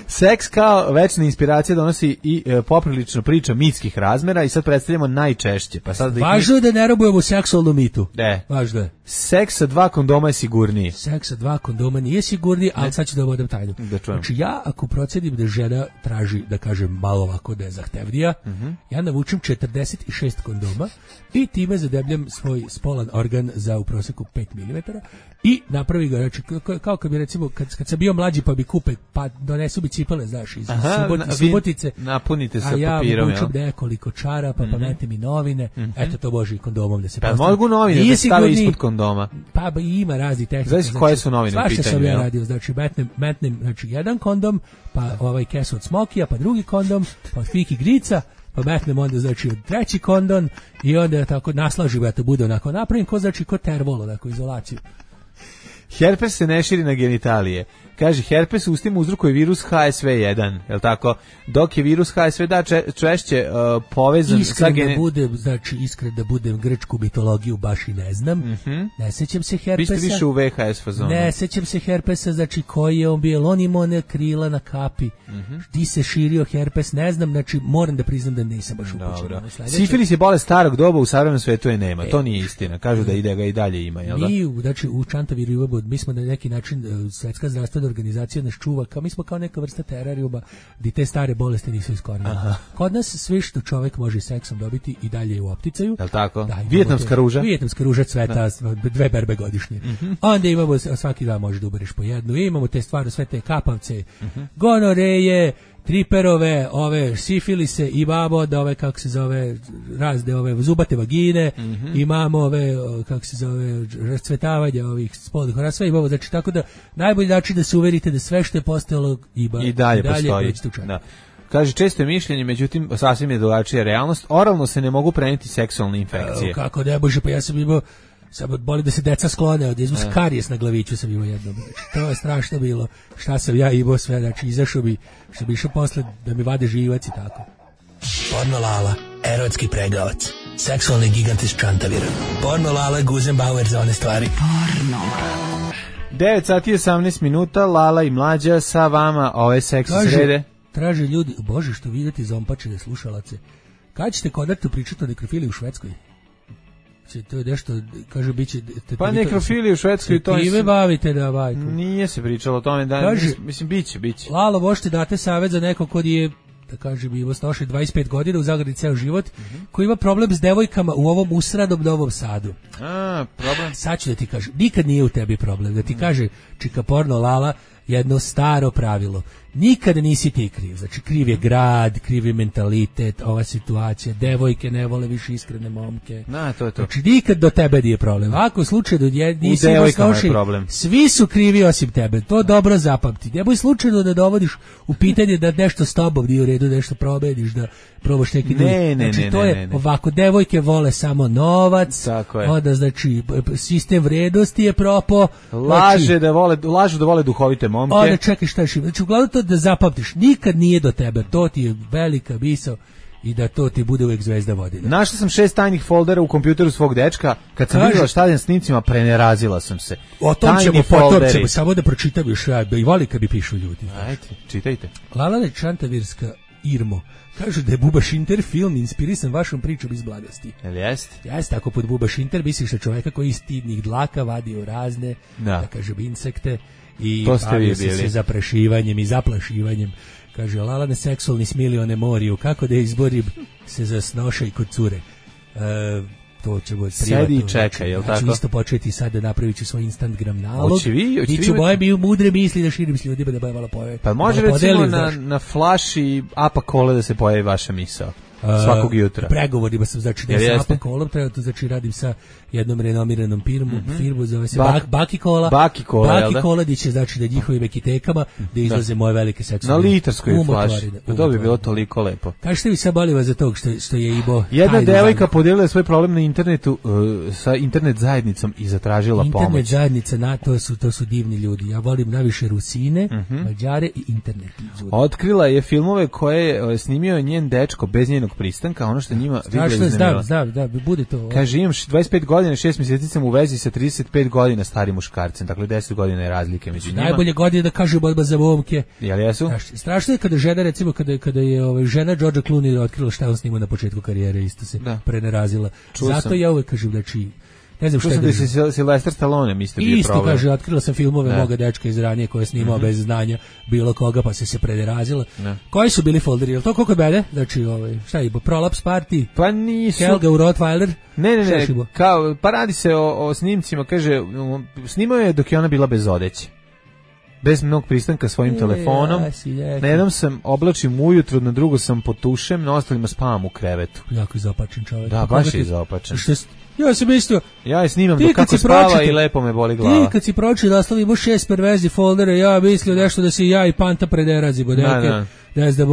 Speaker 5: Seks kao večna inspiracija donosi i poprilično priča mitskih razmera i sad predstavljamo najčešće. Pa sad
Speaker 6: važno je da ne robujemo seksualnu mitu. Važno je.
Speaker 5: Seks sa 2 kondoma je sigurniji.
Speaker 6: Seks sa 2 kondoma nije sigurniji, ali sad ću da vodem tajnu. Znači ja ako procenim da žena traži, da kažem malo ovako da je zahtevnija, ja navučem 46 kondoma i time zadebljam svoj spolan organ za u proseku 5 mm i napravi ga, znači kao kad bi recimo, kad sam bio mlađi pa bi kupe, pa donesu bi cipele, znaš, iz Subotice,
Speaker 5: napunite sa
Speaker 6: papirom,
Speaker 5: a ja
Speaker 6: vučem nekoliko čarapa, pa metem i novine, eto to može i kondomom da se
Speaker 5: postavi. Pa mogu novine da stave ispod kondoma.
Speaker 6: Pa ima razni tehnika.
Speaker 5: Znači koje su novine u pitanju?
Speaker 6: Svašta sam ja radio, znači metnem znači jedan kondom, pa ovaj kesu od smokija, pa drugi kondom, pa od fiki grica, pa metnem onda znači treći kondom i onda tako naslažim da to bude onako napravim ko znači ko tervolo, onako izolaciju.
Speaker 5: Herpes se ne širi na genitalije. Kaže, herpes u ustima uzrokuje virus HSV1, je li tako? Dok je virus HSV češće povezan sa
Speaker 6: iskren da budem grčku mitologiju baš i ne znam. Ne sećam se herpesa.
Speaker 5: Vi ste više u VHS fazonu.
Speaker 6: Ne sećam se herpesa, znači koji je on bio, on imao one krila na kapi. Di se širio herpes, ne znam, znači moram da priznam da nisam baš upućen.
Speaker 5: Sifilis je bolest starog doba, u savremenom svetu je nema. To nije istina. Kažu da ga i dalje ima, jel da?
Speaker 6: Znači u Čantaviru mi smo na neki način Svetska zdravstvena organizacija nas čuva, mi smo kao neka vrsta terarijuma gdje te stare bolesti nisu iskorenjene. Kod nas sve što čovjek može seksom dobiti i dalje je u opticaju.
Speaker 5: Jel tako? Vijetnamska ruža?
Speaker 6: Vijetnamska ruža cveta 2 berbe godišnje. Onda imamo, svaki dan možeš da ubereš po jednu, imamo te stvari, sve te kapavce, gonoreje, triperove, ove sifilise, imamo da ove, kako se zove, razne ove zubate vagine, imamo ove, kako se zove, rascvetavanje ovih spolnih organa, sve imamo, znači tako da najbolji način da se uverite da sve što je postojalo i dalje postoji. Da.
Speaker 5: Kaže, često je mišljenje, međutim, sasvim je drugačija realnost, oralno se ne mogu prenijeti seksualne infekcije.
Speaker 6: Kako ne može, pa ja sam imao, samo boli da se deca sklone od izmus karijes na glaviću sam imao jednom. Znači, to je strašno bilo. Šta sam ja imao sve, znači izašao bi, što bi išao posle da mi vade živac i tako.
Speaker 7: Porno Lala, erotski pregavac, seksualni gigant iz Čantavira. Porno Lala, Guzenbauer za one stvari. Porno Lala.
Speaker 5: 9 sati 18 minuta, Lala i Mlađa sa vama ove seksi srede.
Speaker 6: Traže ljudi, bože što vidjeti zompačene slušalace. Kad ćete konačno pričati o nekrofiliji u Švedskoj? To je nešto, kaže, biće...
Speaker 5: Pa nekrofilije u Švedskoj to je...
Speaker 6: Time bavite da bajku.
Speaker 5: Nije se pričalo o tome, da, kaže, mislim, biće.
Speaker 6: Lalo, možete date savjet za neko kod je, da kažem, ima snoši 25 godina u zagradi ceo život, koji ima problem s devojkama u ovom usradom Novom Sadu.
Speaker 5: Problem?
Speaker 6: Sad ću da ti kažem, nikad nije u tebi problem, da ti kaže čika porno Lala jedno staro pravilo. Nikada nisi ti kriv. Znači, kriv je grad, kriv je mentalitet, ova situacija, devojke ne vole više iskrene momke.
Speaker 5: To je to.
Speaker 6: Znači, nikad do tebe nije problem. Ako u slučaju da nisi noši, svi su krivi osim tebe. To dobro zapamti. Nemoj slučajno da dovodiš u pitanje da nešto s tobom nije u redu, da nešto promeniš, da probaš neki drugi. Znači, to je ovako, devojke vole samo novac, onda, znači, sistem vrednosti je propo.
Speaker 5: Lažu da vole duhovite momke.
Speaker 6: Onda čekaj šta još ima. Znači, uglavnom to da zapamtiš, nikad nije do tebe, to ti je velika misao i da to ti bude uvijek zvezda vodilja.
Speaker 5: Našla sam 6 tajnih foldera u kompjuteru svog dečka, kad sam vidjela šta je na snimcima, prenerazila sam se.
Speaker 6: O tom ćemo potom, samo da pročitam još, i voli kad bi pišu ljudi.
Speaker 5: Ajde, čitajte.
Speaker 6: Lala Čantavirska Irmo, kažu da je Buba Šinter film inspirisan vašom pričom iz Blagosti.
Speaker 5: Jel jest?
Speaker 6: Jeste, tako pod Buba Šinter misliš na čoveka koji iz stidnih dlaka vadio razne, da kažem, insekte i bavio se zaprašivanjem i zaplašivanjem. Kaže, Lalane seksualni smilione moriju, kako da izborim se za snošaj kod cure. To će biti privatno.
Speaker 5: Sedi i čeka, jel tako?
Speaker 6: Znači, isto početi sad da napravit ću svoj Instagram nalog.
Speaker 5: Hoće vi?
Speaker 6: I ću moje mudre misli da širim s ljudima, da boje malo pojave.
Speaker 5: Pa može recimo na flaši apa kole da se pojavi vaša misao. svakog jutra.
Speaker 6: Pregovorima sam, znači da je sa kolom, trenutno znači radim sa jednom renomiranom firmu zove se Baki Kola. Baki Kola, gdje će znači da njihovim ekitekama da izlaze moje velike seksualne.
Speaker 5: Na litarskoj flaši. To bi bilo toliko lepo.
Speaker 6: Kažete vi sad boli vas za tog što je imao.
Speaker 5: Jedna devojka podijelila svoj problem na internetu sa internet zajednicom i zatražila pomoć.
Speaker 6: Internet zajednica, to su divni ljudi. Ja volim najviše Rusine, Mađare i internet ljudi.
Speaker 5: Otkrila je filmove koje je snimio njen dečko bez njenog pristanka, ono što njima vidjeli iznemilo.
Speaker 6: Znam, bude to.
Speaker 5: Kaže, imam 25 godina, 6 mjeseci sam u vezi sa 35 godina starim muškarcem, dakle 10 godina je razlike među njima.
Speaker 6: Najbolje godine da kaže borba za momke.
Speaker 5: Jel jesu?
Speaker 6: Strašno je kada žena, recimo, kada je žena Georgea Clooney otkrila šta on snimao na početku karijere, isto se prenerazila. Zato ja uvek kažem, znači, ne znam šta je
Speaker 5: da se Sylvester Stallone mislite bio
Speaker 6: isto problem. Kaže, otkrila sam filmove moga dečka iz ranije koje je snimao bez znanja bilo koga, pa se prenerazila. Koji su bili folderi? Je to koliko bede? Znači, šta je, Prolaps Party?
Speaker 5: Pa nisu.
Speaker 6: Helga u Rottweiler?
Speaker 5: Ne, kao, pa radi se o snimcima, kaže, snimao je dok je ona bila bez odeće. Bez mnog pristanka svojim telefonom. Na jednom sam oblačim ujutru, na drugo sam potušem, na ostalima spavam u krevetu.
Speaker 6: Jako izopačen čovjek.
Speaker 5: Da, baš je izopačen.
Speaker 6: Ja sam isto.
Speaker 5: Ja je snimam dok kako spava i lepo me boli glava.
Speaker 6: Ti kad si pročio da oslovimo 6 perverzi foldere, ja mislio nešto da si ja i Panta prederazi bodeke. Ne znam,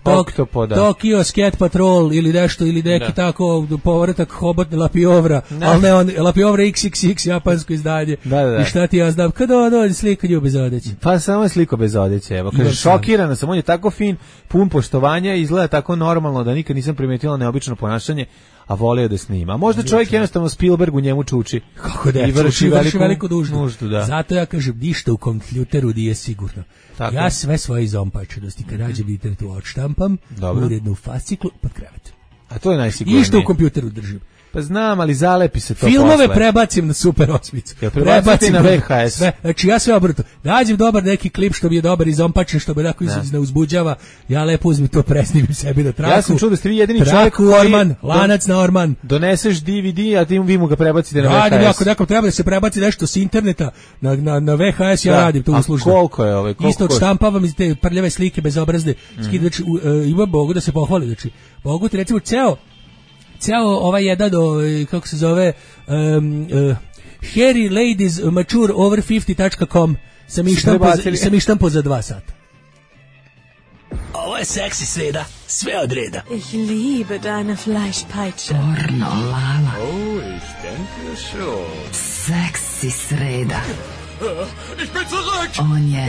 Speaker 6: Tokyo Scat Patrol ili nešto, ili neki tako povratak Hobotne Lapiovra, ali ne on, Lapiovra XXX, japansko izdanje. I šta ti ja znam, kada on slika nju bez odeće?
Speaker 5: Pa samo je sliko bez odeće, evo. Kaže, šokirana sam, on je tako fin, pun poštovanja, izgleda tako normalno da nikad nisam primetila neobično ponašanje, a volio da snima. Možda čovjek jednostavno Spielberg u njemu čuči.
Speaker 6: Kako da,
Speaker 5: i vrši
Speaker 6: veliku nuždu. Zato ja kažem, ništa u kompjuteru nije sigurno. Tako. Ja sve svoje izompačenosti kad nađem internetu odštampam, uredno u fasciklu pod krevet.
Speaker 5: A to je najsigurnije.
Speaker 6: Ništa u kompjuteru držim.
Speaker 5: Pa znam, ali zalepi se to
Speaker 6: filmove posle. Prebacim na Super 8.
Speaker 5: Prebacim na VHS.
Speaker 6: Sve. Znači ja sve obrnuto. Nađem dobar neki klip što mi je dobar izompačen, što me onako ne uzbuđava. Ja lepo uzmem to, presnimim sebi na traku.
Speaker 5: Ja sam čuo da ste vi jedini čovjek koji
Speaker 6: Orman, lanac na Orman.
Speaker 5: Doneseš DVD, a vi mu ga prebacite na VHS.
Speaker 6: Radim, ako nekom treba da se prebaci nešto s interneta na VHS, ja radim to uslužno.
Speaker 5: A koliko je ove?
Speaker 6: Isto odštampavam iz te prljave slike bezobrazne. Znači, ima Bogu da se pohvali. Znači, Bogu ti recimo ceo ovaj jedan, kako se zove, Hairy Ladies Mature Over 50.com sam ištampo za 2 sata.
Speaker 7: Ovo je seksi sreda, sve od reda.
Speaker 8: Ich liebe deine Fleischpeitsche.
Speaker 3: Pornolala.
Speaker 4: Oh, ich denke schon.
Speaker 3: Seksi sreda.
Speaker 2: Ich bin zurück!
Speaker 3: On je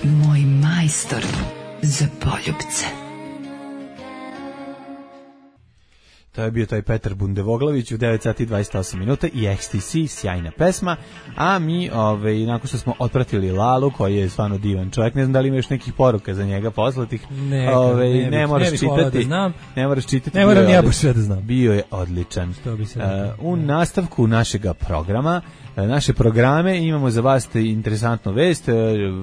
Speaker 3: moj majstor za poljubce.
Speaker 5: To je bio taj Petar Bundevoglavić u 9 sati 28 minuta i XTC, sjajna pesma, a mi, nakon što smo otpratili Lalu, koji je stvarno divan čovjek, ne znam da li ima još nekih poruka za njega poslatih, ne moraš čitati, ne moraš čitati,
Speaker 6: ne moram ja baš sve da znam.
Speaker 5: Bio je odličan. U nastavku našega programa, naše programe imamo za vas interesantnu vest.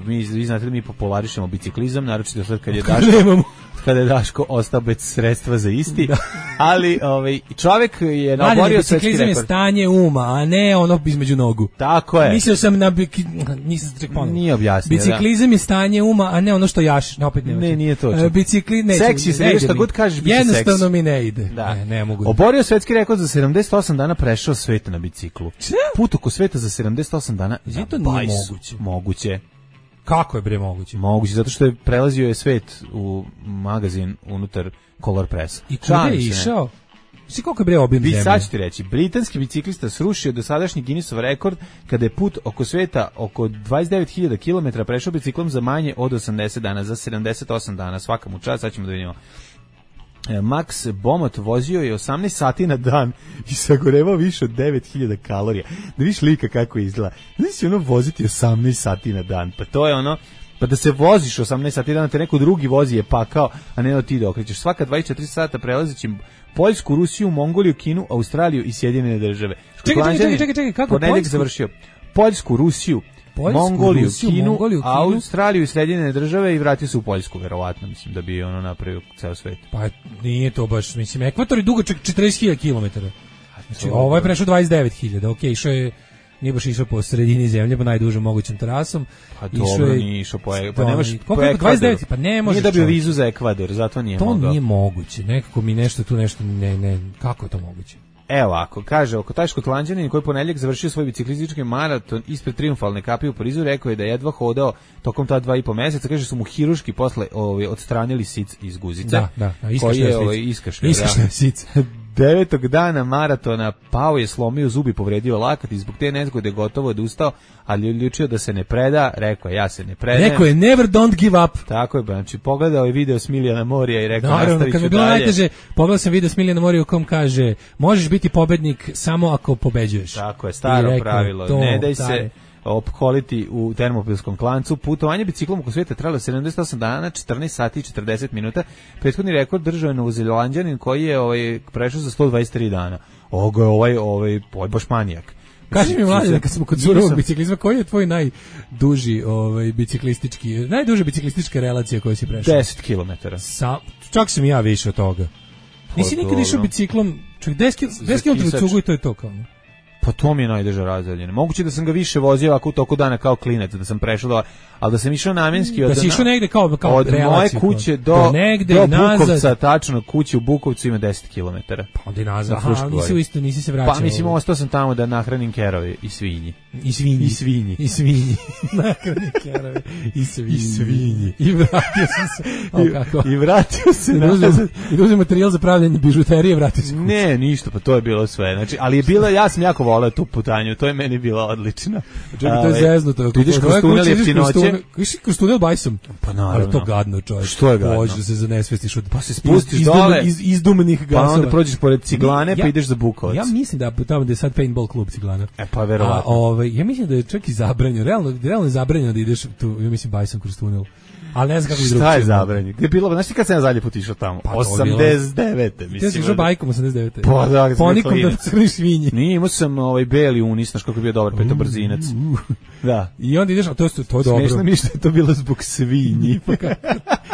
Speaker 5: Vi znate da mi popularišemo biciklizam, naročito sad kada je Daško ostao bez sredstva za isti, ali čovjek je naborio svetski rekord.
Speaker 6: Biciklizam je stanje uma, a ne ono između nogu.
Speaker 5: Tako je.
Speaker 6: Mislio sam nisam se ponovno.
Speaker 5: Nije objasnio.
Speaker 6: Biciklizam je stanje uma, a ne ono što jaš. Opet
Speaker 5: ne, nije to.
Speaker 6: Seksi
Speaker 5: se, šta god kažeš, biće seksi.
Speaker 6: Jednostavno mi ne ide. Ne mogu.
Speaker 5: Oborio svetski rekord za 78 dana, prešao svet na biciklu. Put oko sveta za 78 dana.
Speaker 6: To nije
Speaker 5: moguće.
Speaker 6: Kako je bre moguće?
Speaker 5: Moguće, zato što je prelazio je svet u magazin unutar Color Pressa.
Speaker 6: I kuda je išao? Svi koliko je bre obim zemlje?
Speaker 5: Sad ću ti reći, britanski biciklista srušio dosadašnji Guinnessov rekord kada je put oko sveta oko 29.000 km prešao biciklom za manje od 80 dana, za 78 dana, svaka mu čast, sad ćemo da vidimo. Max Bomot vozio je 18 sati na dan i sagorevao više od 9000 kalorija. Da vidiš lika kako izgleda. Znači ono voziti 18 sati na dan, pa to je ono, pa da se voziš 18 sati na dan, te neko drugi vozi je pakao, a ne da ti da okrećeš. Svaka 24 sata prelazeći Poljsku, Rusiju, Mongoliju, Kinu, Australiju i Sjedinjene države.
Speaker 6: Čekaj, kako
Speaker 5: Poljsku? Završio. Poljsku, Rusiju, Mongoliju, Kinu, Australiju i Sjedinjene države i vratio se u Poljsku, verovatno, mislim da bi ono napravio ceo svet.
Speaker 6: Pa nije to baš, mislim, ekvator je dugo 40.000 km. Znači, ovo je prešao 29.000, okej, išao je nije baš išao po sredini zemlje, po najdužom mogućem terasom.
Speaker 5: Pa dobro, nije išao pa nemaš po Ekvadoru.
Speaker 6: 29, pa ne može.
Speaker 5: Nije dobio vizu za Ekvador, zato nije mogao.
Speaker 6: To nije moguće, nekako mi nešto tu nešto, ne, kako je to moguće?
Speaker 5: Evo ako kaže, oko taj Škotlanđanin koji ponedeljak završio svoj biciklistički maraton ispred Triumfalne kapije u Parizu, rekao je da je jedva hodao tokom ta 2,5 meseca, kaže su mu hiruški posle odstranili sic iz guzice.
Speaker 6: Da, iskašljao sic.
Speaker 5: 9. dana maratona pao je, slomio zub i povredio lakat i zbog te nezgode gotovo odustao, ali odlučio da se ne preda, rekao je ja se ne predajem.
Speaker 6: Rekao je never don't give up.
Speaker 5: Tako je, znači pogledao je video Smiljana Morija i rekao nastavit ću dalje.
Speaker 6: Kad mi je bilo najteže, pogledao sam video Smiljana Morija u kom kaže možeš biti pobednik samo ako pobeđuješ.
Speaker 5: Tako je, staro pravilo, ne daj se opkoliti u termopilskom klancu. Putovanje biciklom oko svijeta trajalo 78 dana, 14 sati i 40 minuta. Prethodni rekord držao je Novozelanđanin koji je prešao za 123 dana. Ovo je baš manijak.
Speaker 6: Kaži mi, Mlađe, kad smo kod surovog biciklizma, koji je tvoj najduži najduža biciklistička relacija koju si prešao?
Speaker 5: 10 km.
Speaker 6: Čak sam i ja više od toga. Nisi nikad išao biciklom, čak 10 km cugu i to je to kao.
Speaker 5: Pa to mi je najdeža razdaljina. Moguće da sam ga više vozio ovako u toku dana kao klinac, da sam prešao ali da sam išao namjenski
Speaker 6: da si išao negde kao
Speaker 5: od
Speaker 6: relaciju,
Speaker 5: moje kuće do Bukovca, tačno kuće u Bukovcu ima 10 km.
Speaker 6: Pa onda i nazad. Aha, nisi se vraćao.
Speaker 5: Pa mislim, ostao sam tamo da nahranim kerove i svinji.
Speaker 6: I svinji. Nahranim kerove i svinji. I vratio sam se.
Speaker 5: I vratio se.
Speaker 6: I uzem materijal za pravljanje bižuterije, vratio se.
Speaker 5: Ne, ništa, pa to je bilo sve. Znači, ali je bila, ja sam jako voleo tu putanju, to je meni bilo odlično.
Speaker 6: Čekaj, to je zeznuto.
Speaker 5: Ti ideš kroz tunel jeftinoće.
Speaker 6: Išli kroz tunel bajsom.
Speaker 5: Pa naravno.
Speaker 6: Ali to gadno, čovječ.
Speaker 5: Što je gadno?
Speaker 6: Hoćeš da se zanesvestiš
Speaker 5: pa se spustiš dole.
Speaker 6: Iz izdumnih gasova.
Speaker 5: Pa onda prođeš pored Ciglane, pa ideš za Bukovac.
Speaker 6: Ja mislim da tamo da je sad paintball klub Ciglana.
Speaker 5: Pa verovatno.
Speaker 6: Ja mislim da je čak i zabranjeno. Realno je zabranjeno da ideš tu, ja mislim, bajsom kroz tunel. Ali ne znam kako bi drugo.
Speaker 5: Šta je zabranjeno? Gde je bilo? Znaš ti kad sam ja zadnji put išao tamo? 89. mislim.
Speaker 6: Ti si išao bajkom 89.
Speaker 5: Pa da,
Speaker 6: ponikom da crni svinji.
Speaker 5: Nije, imao sam beli unis, znaš kako je bio dobar petobrzinac. Da.
Speaker 6: I onda ideš, a to je dobro.
Speaker 5: Smešno mi što je to bilo zbog svinji.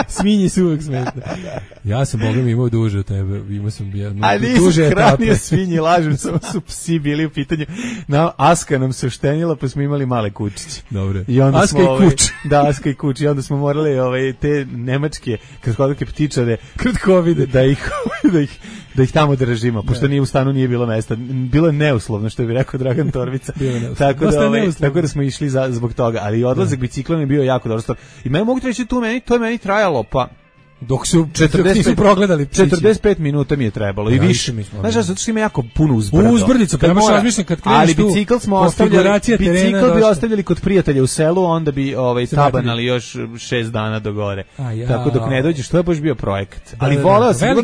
Speaker 6: Svinji su uvijek smešne. Ja sam, Boga mi, imao duže od tebe. Imao sam
Speaker 5: duže etape. A nisam svinji, lažem, samo su psi bili u pitanju. Aska nam se oštenila, pa smo imali male kučiće.
Speaker 6: Dobre.
Speaker 5: Aska i kuć. Da, Aska i kuć. I onda smo morali te nemačke kratkovidke ptičare
Speaker 6: kratkovide
Speaker 5: da ih tamo držimo, pošto nije u stanu nije bilo mesta. Bilo je neuslovno, što bi rekao Dragan Torbica. Tako da smo išli zbog toga, ali odlazak biciklom je bio jako dobro. I mogu reći to je meni trajalo pa
Speaker 6: dok su 45 progledali
Speaker 5: 45 minuta mi je trebalo i više. Znaš, zato što ima jako puno uzbrdo.
Speaker 6: Uzbrdica, pa imaš razmišljam kad kreneš
Speaker 5: ali bicikl smo ostavljali kod prijatelja u selu, onda bi tabanali još 6 dana do gore. Tako dok ne dođeš, to je baš bio projekat. Ali voleo sam,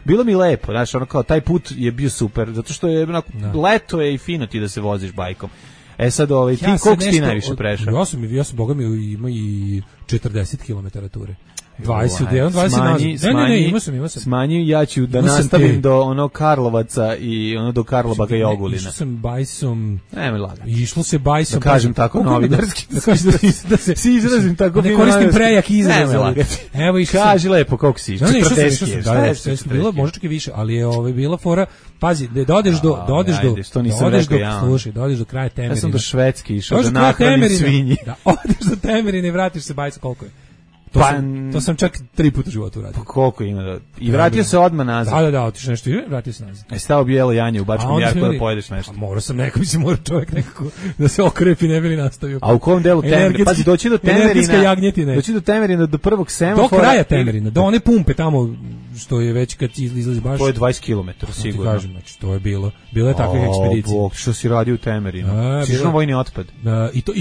Speaker 5: bilo mi lepo, znaš, ono kao taj put je bio super, zato što je leto je i fino ti da se voziš bajkom. Sad ti koliko si najviše prešao?
Speaker 6: Ja sam Boga mi ima i 40 km ture. 20 Ne, imao sam.
Speaker 5: Smanji, ja ću da nastavim do ono Karlovaca i ono do Karlobaga i Ogulina.
Speaker 6: Išao sam bajsom.
Speaker 5: Nema laga.
Speaker 6: Išlo se bajsom.
Speaker 5: Da kažem tako novinarski.
Speaker 6: Da se izrazim tako. Ne koristim prejak izraz. Evo išao sam.
Speaker 5: Kaži lepo koliko si.
Speaker 6: 40. Bilo možda čak i više, ali je bila fora. Pazi, da odeš do kraja Temerina.
Speaker 5: Ja sam do Švedske išao da nahranim svinji.
Speaker 6: Da odeš do Temerina i vratiš se bajsom, koliko je? To sam čak 3 puta u životu uradio.
Speaker 5: Pa koliko ima? I vratio se odmah nazad.
Speaker 6: Da, otišao nešto i vratio se nazad.
Speaker 5: Stao bijelo janje u Bačkom Jarku da pojedeš nešto.
Speaker 6: Morao sam mora čovjek nekako da se okrepi, ne bi li nastavio.
Speaker 5: A u kom delu Temerina? Pazi, doći do Temerina, do prvog semafora.
Speaker 6: Do kraja Temerina, do one pumpe tamo, što je već kad izlazi baš.
Speaker 5: To je 20 km, sigurno.
Speaker 6: Kažem, znači, to je bilo je takvih ekspedicija.
Speaker 5: Bog, što si radio u Temerinu? Si išao na vojni otpad?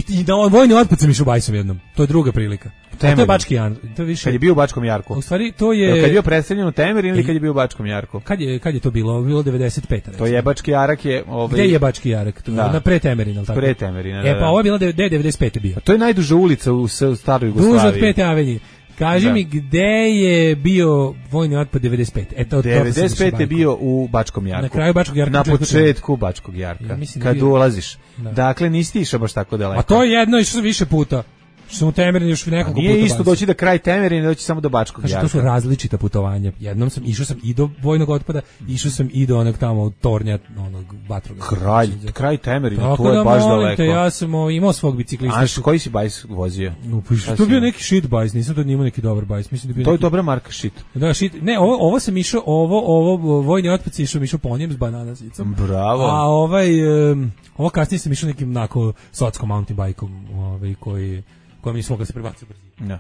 Speaker 6: I na vojni otpad sam išao bajsom jednom. To je druga prilika. To je Bački Jan, to je više.
Speaker 5: Kad je bio u Bačkom Jarku.
Speaker 6: U stvari to je
Speaker 5: kad je bio predstavljen u Temerin ili kad je bio u Bačkom Jarku.
Speaker 6: Kad je to bilo? Bilo 95. Recimo.
Speaker 5: To je Bački Jarak je
Speaker 6: Gde je Bački Jarak? Na pre Temerin, al tako.
Speaker 5: Pre Temerina.
Speaker 6: Pa ovo je bilo 95. bio.
Speaker 5: A to je najduža ulica u staroj Jugoslaviji.
Speaker 6: Duža od 5. avenije. Kaži mi gde je bio vojni otpad 95.
Speaker 5: 95 je bio u Bačkom Jarku.
Speaker 6: Na kraju Bačkog Jarka.
Speaker 5: Na početku Bačkog Jarka. Kad ulaziš. Dakle, nisi išao baš tako daleko.
Speaker 6: A to je jedno išao više puta. Što u Temerin još nekoliko puta.
Speaker 5: Nije isto doći do kraj Temerina, doći samo do Bačkog Jarka.
Speaker 6: To su različita putovanja. Jednom išao sam i do vojnog otpada, išao sam i do onog tamo tornja, onog vatroga.
Speaker 5: Kraj Temerina, to je baš daleko.
Speaker 6: Ja sam imao svog biciklista.
Speaker 5: A koji si bajs vozio?
Speaker 6: To je bio neki shit bajs, nisam to imao neki dobar bajs. Mislim da bio.
Speaker 5: To je dobra marka shit.
Speaker 6: Da, shit. Ne, ovo sam išao, ovo vojni otpad išao po njem s bananasicom.
Speaker 5: Bravo.
Speaker 6: A ovo kasnije sam išao nekim onako sotskom mountain bajkom, koji mi nismo mogli se prebaciti brzo.
Speaker 5: Da.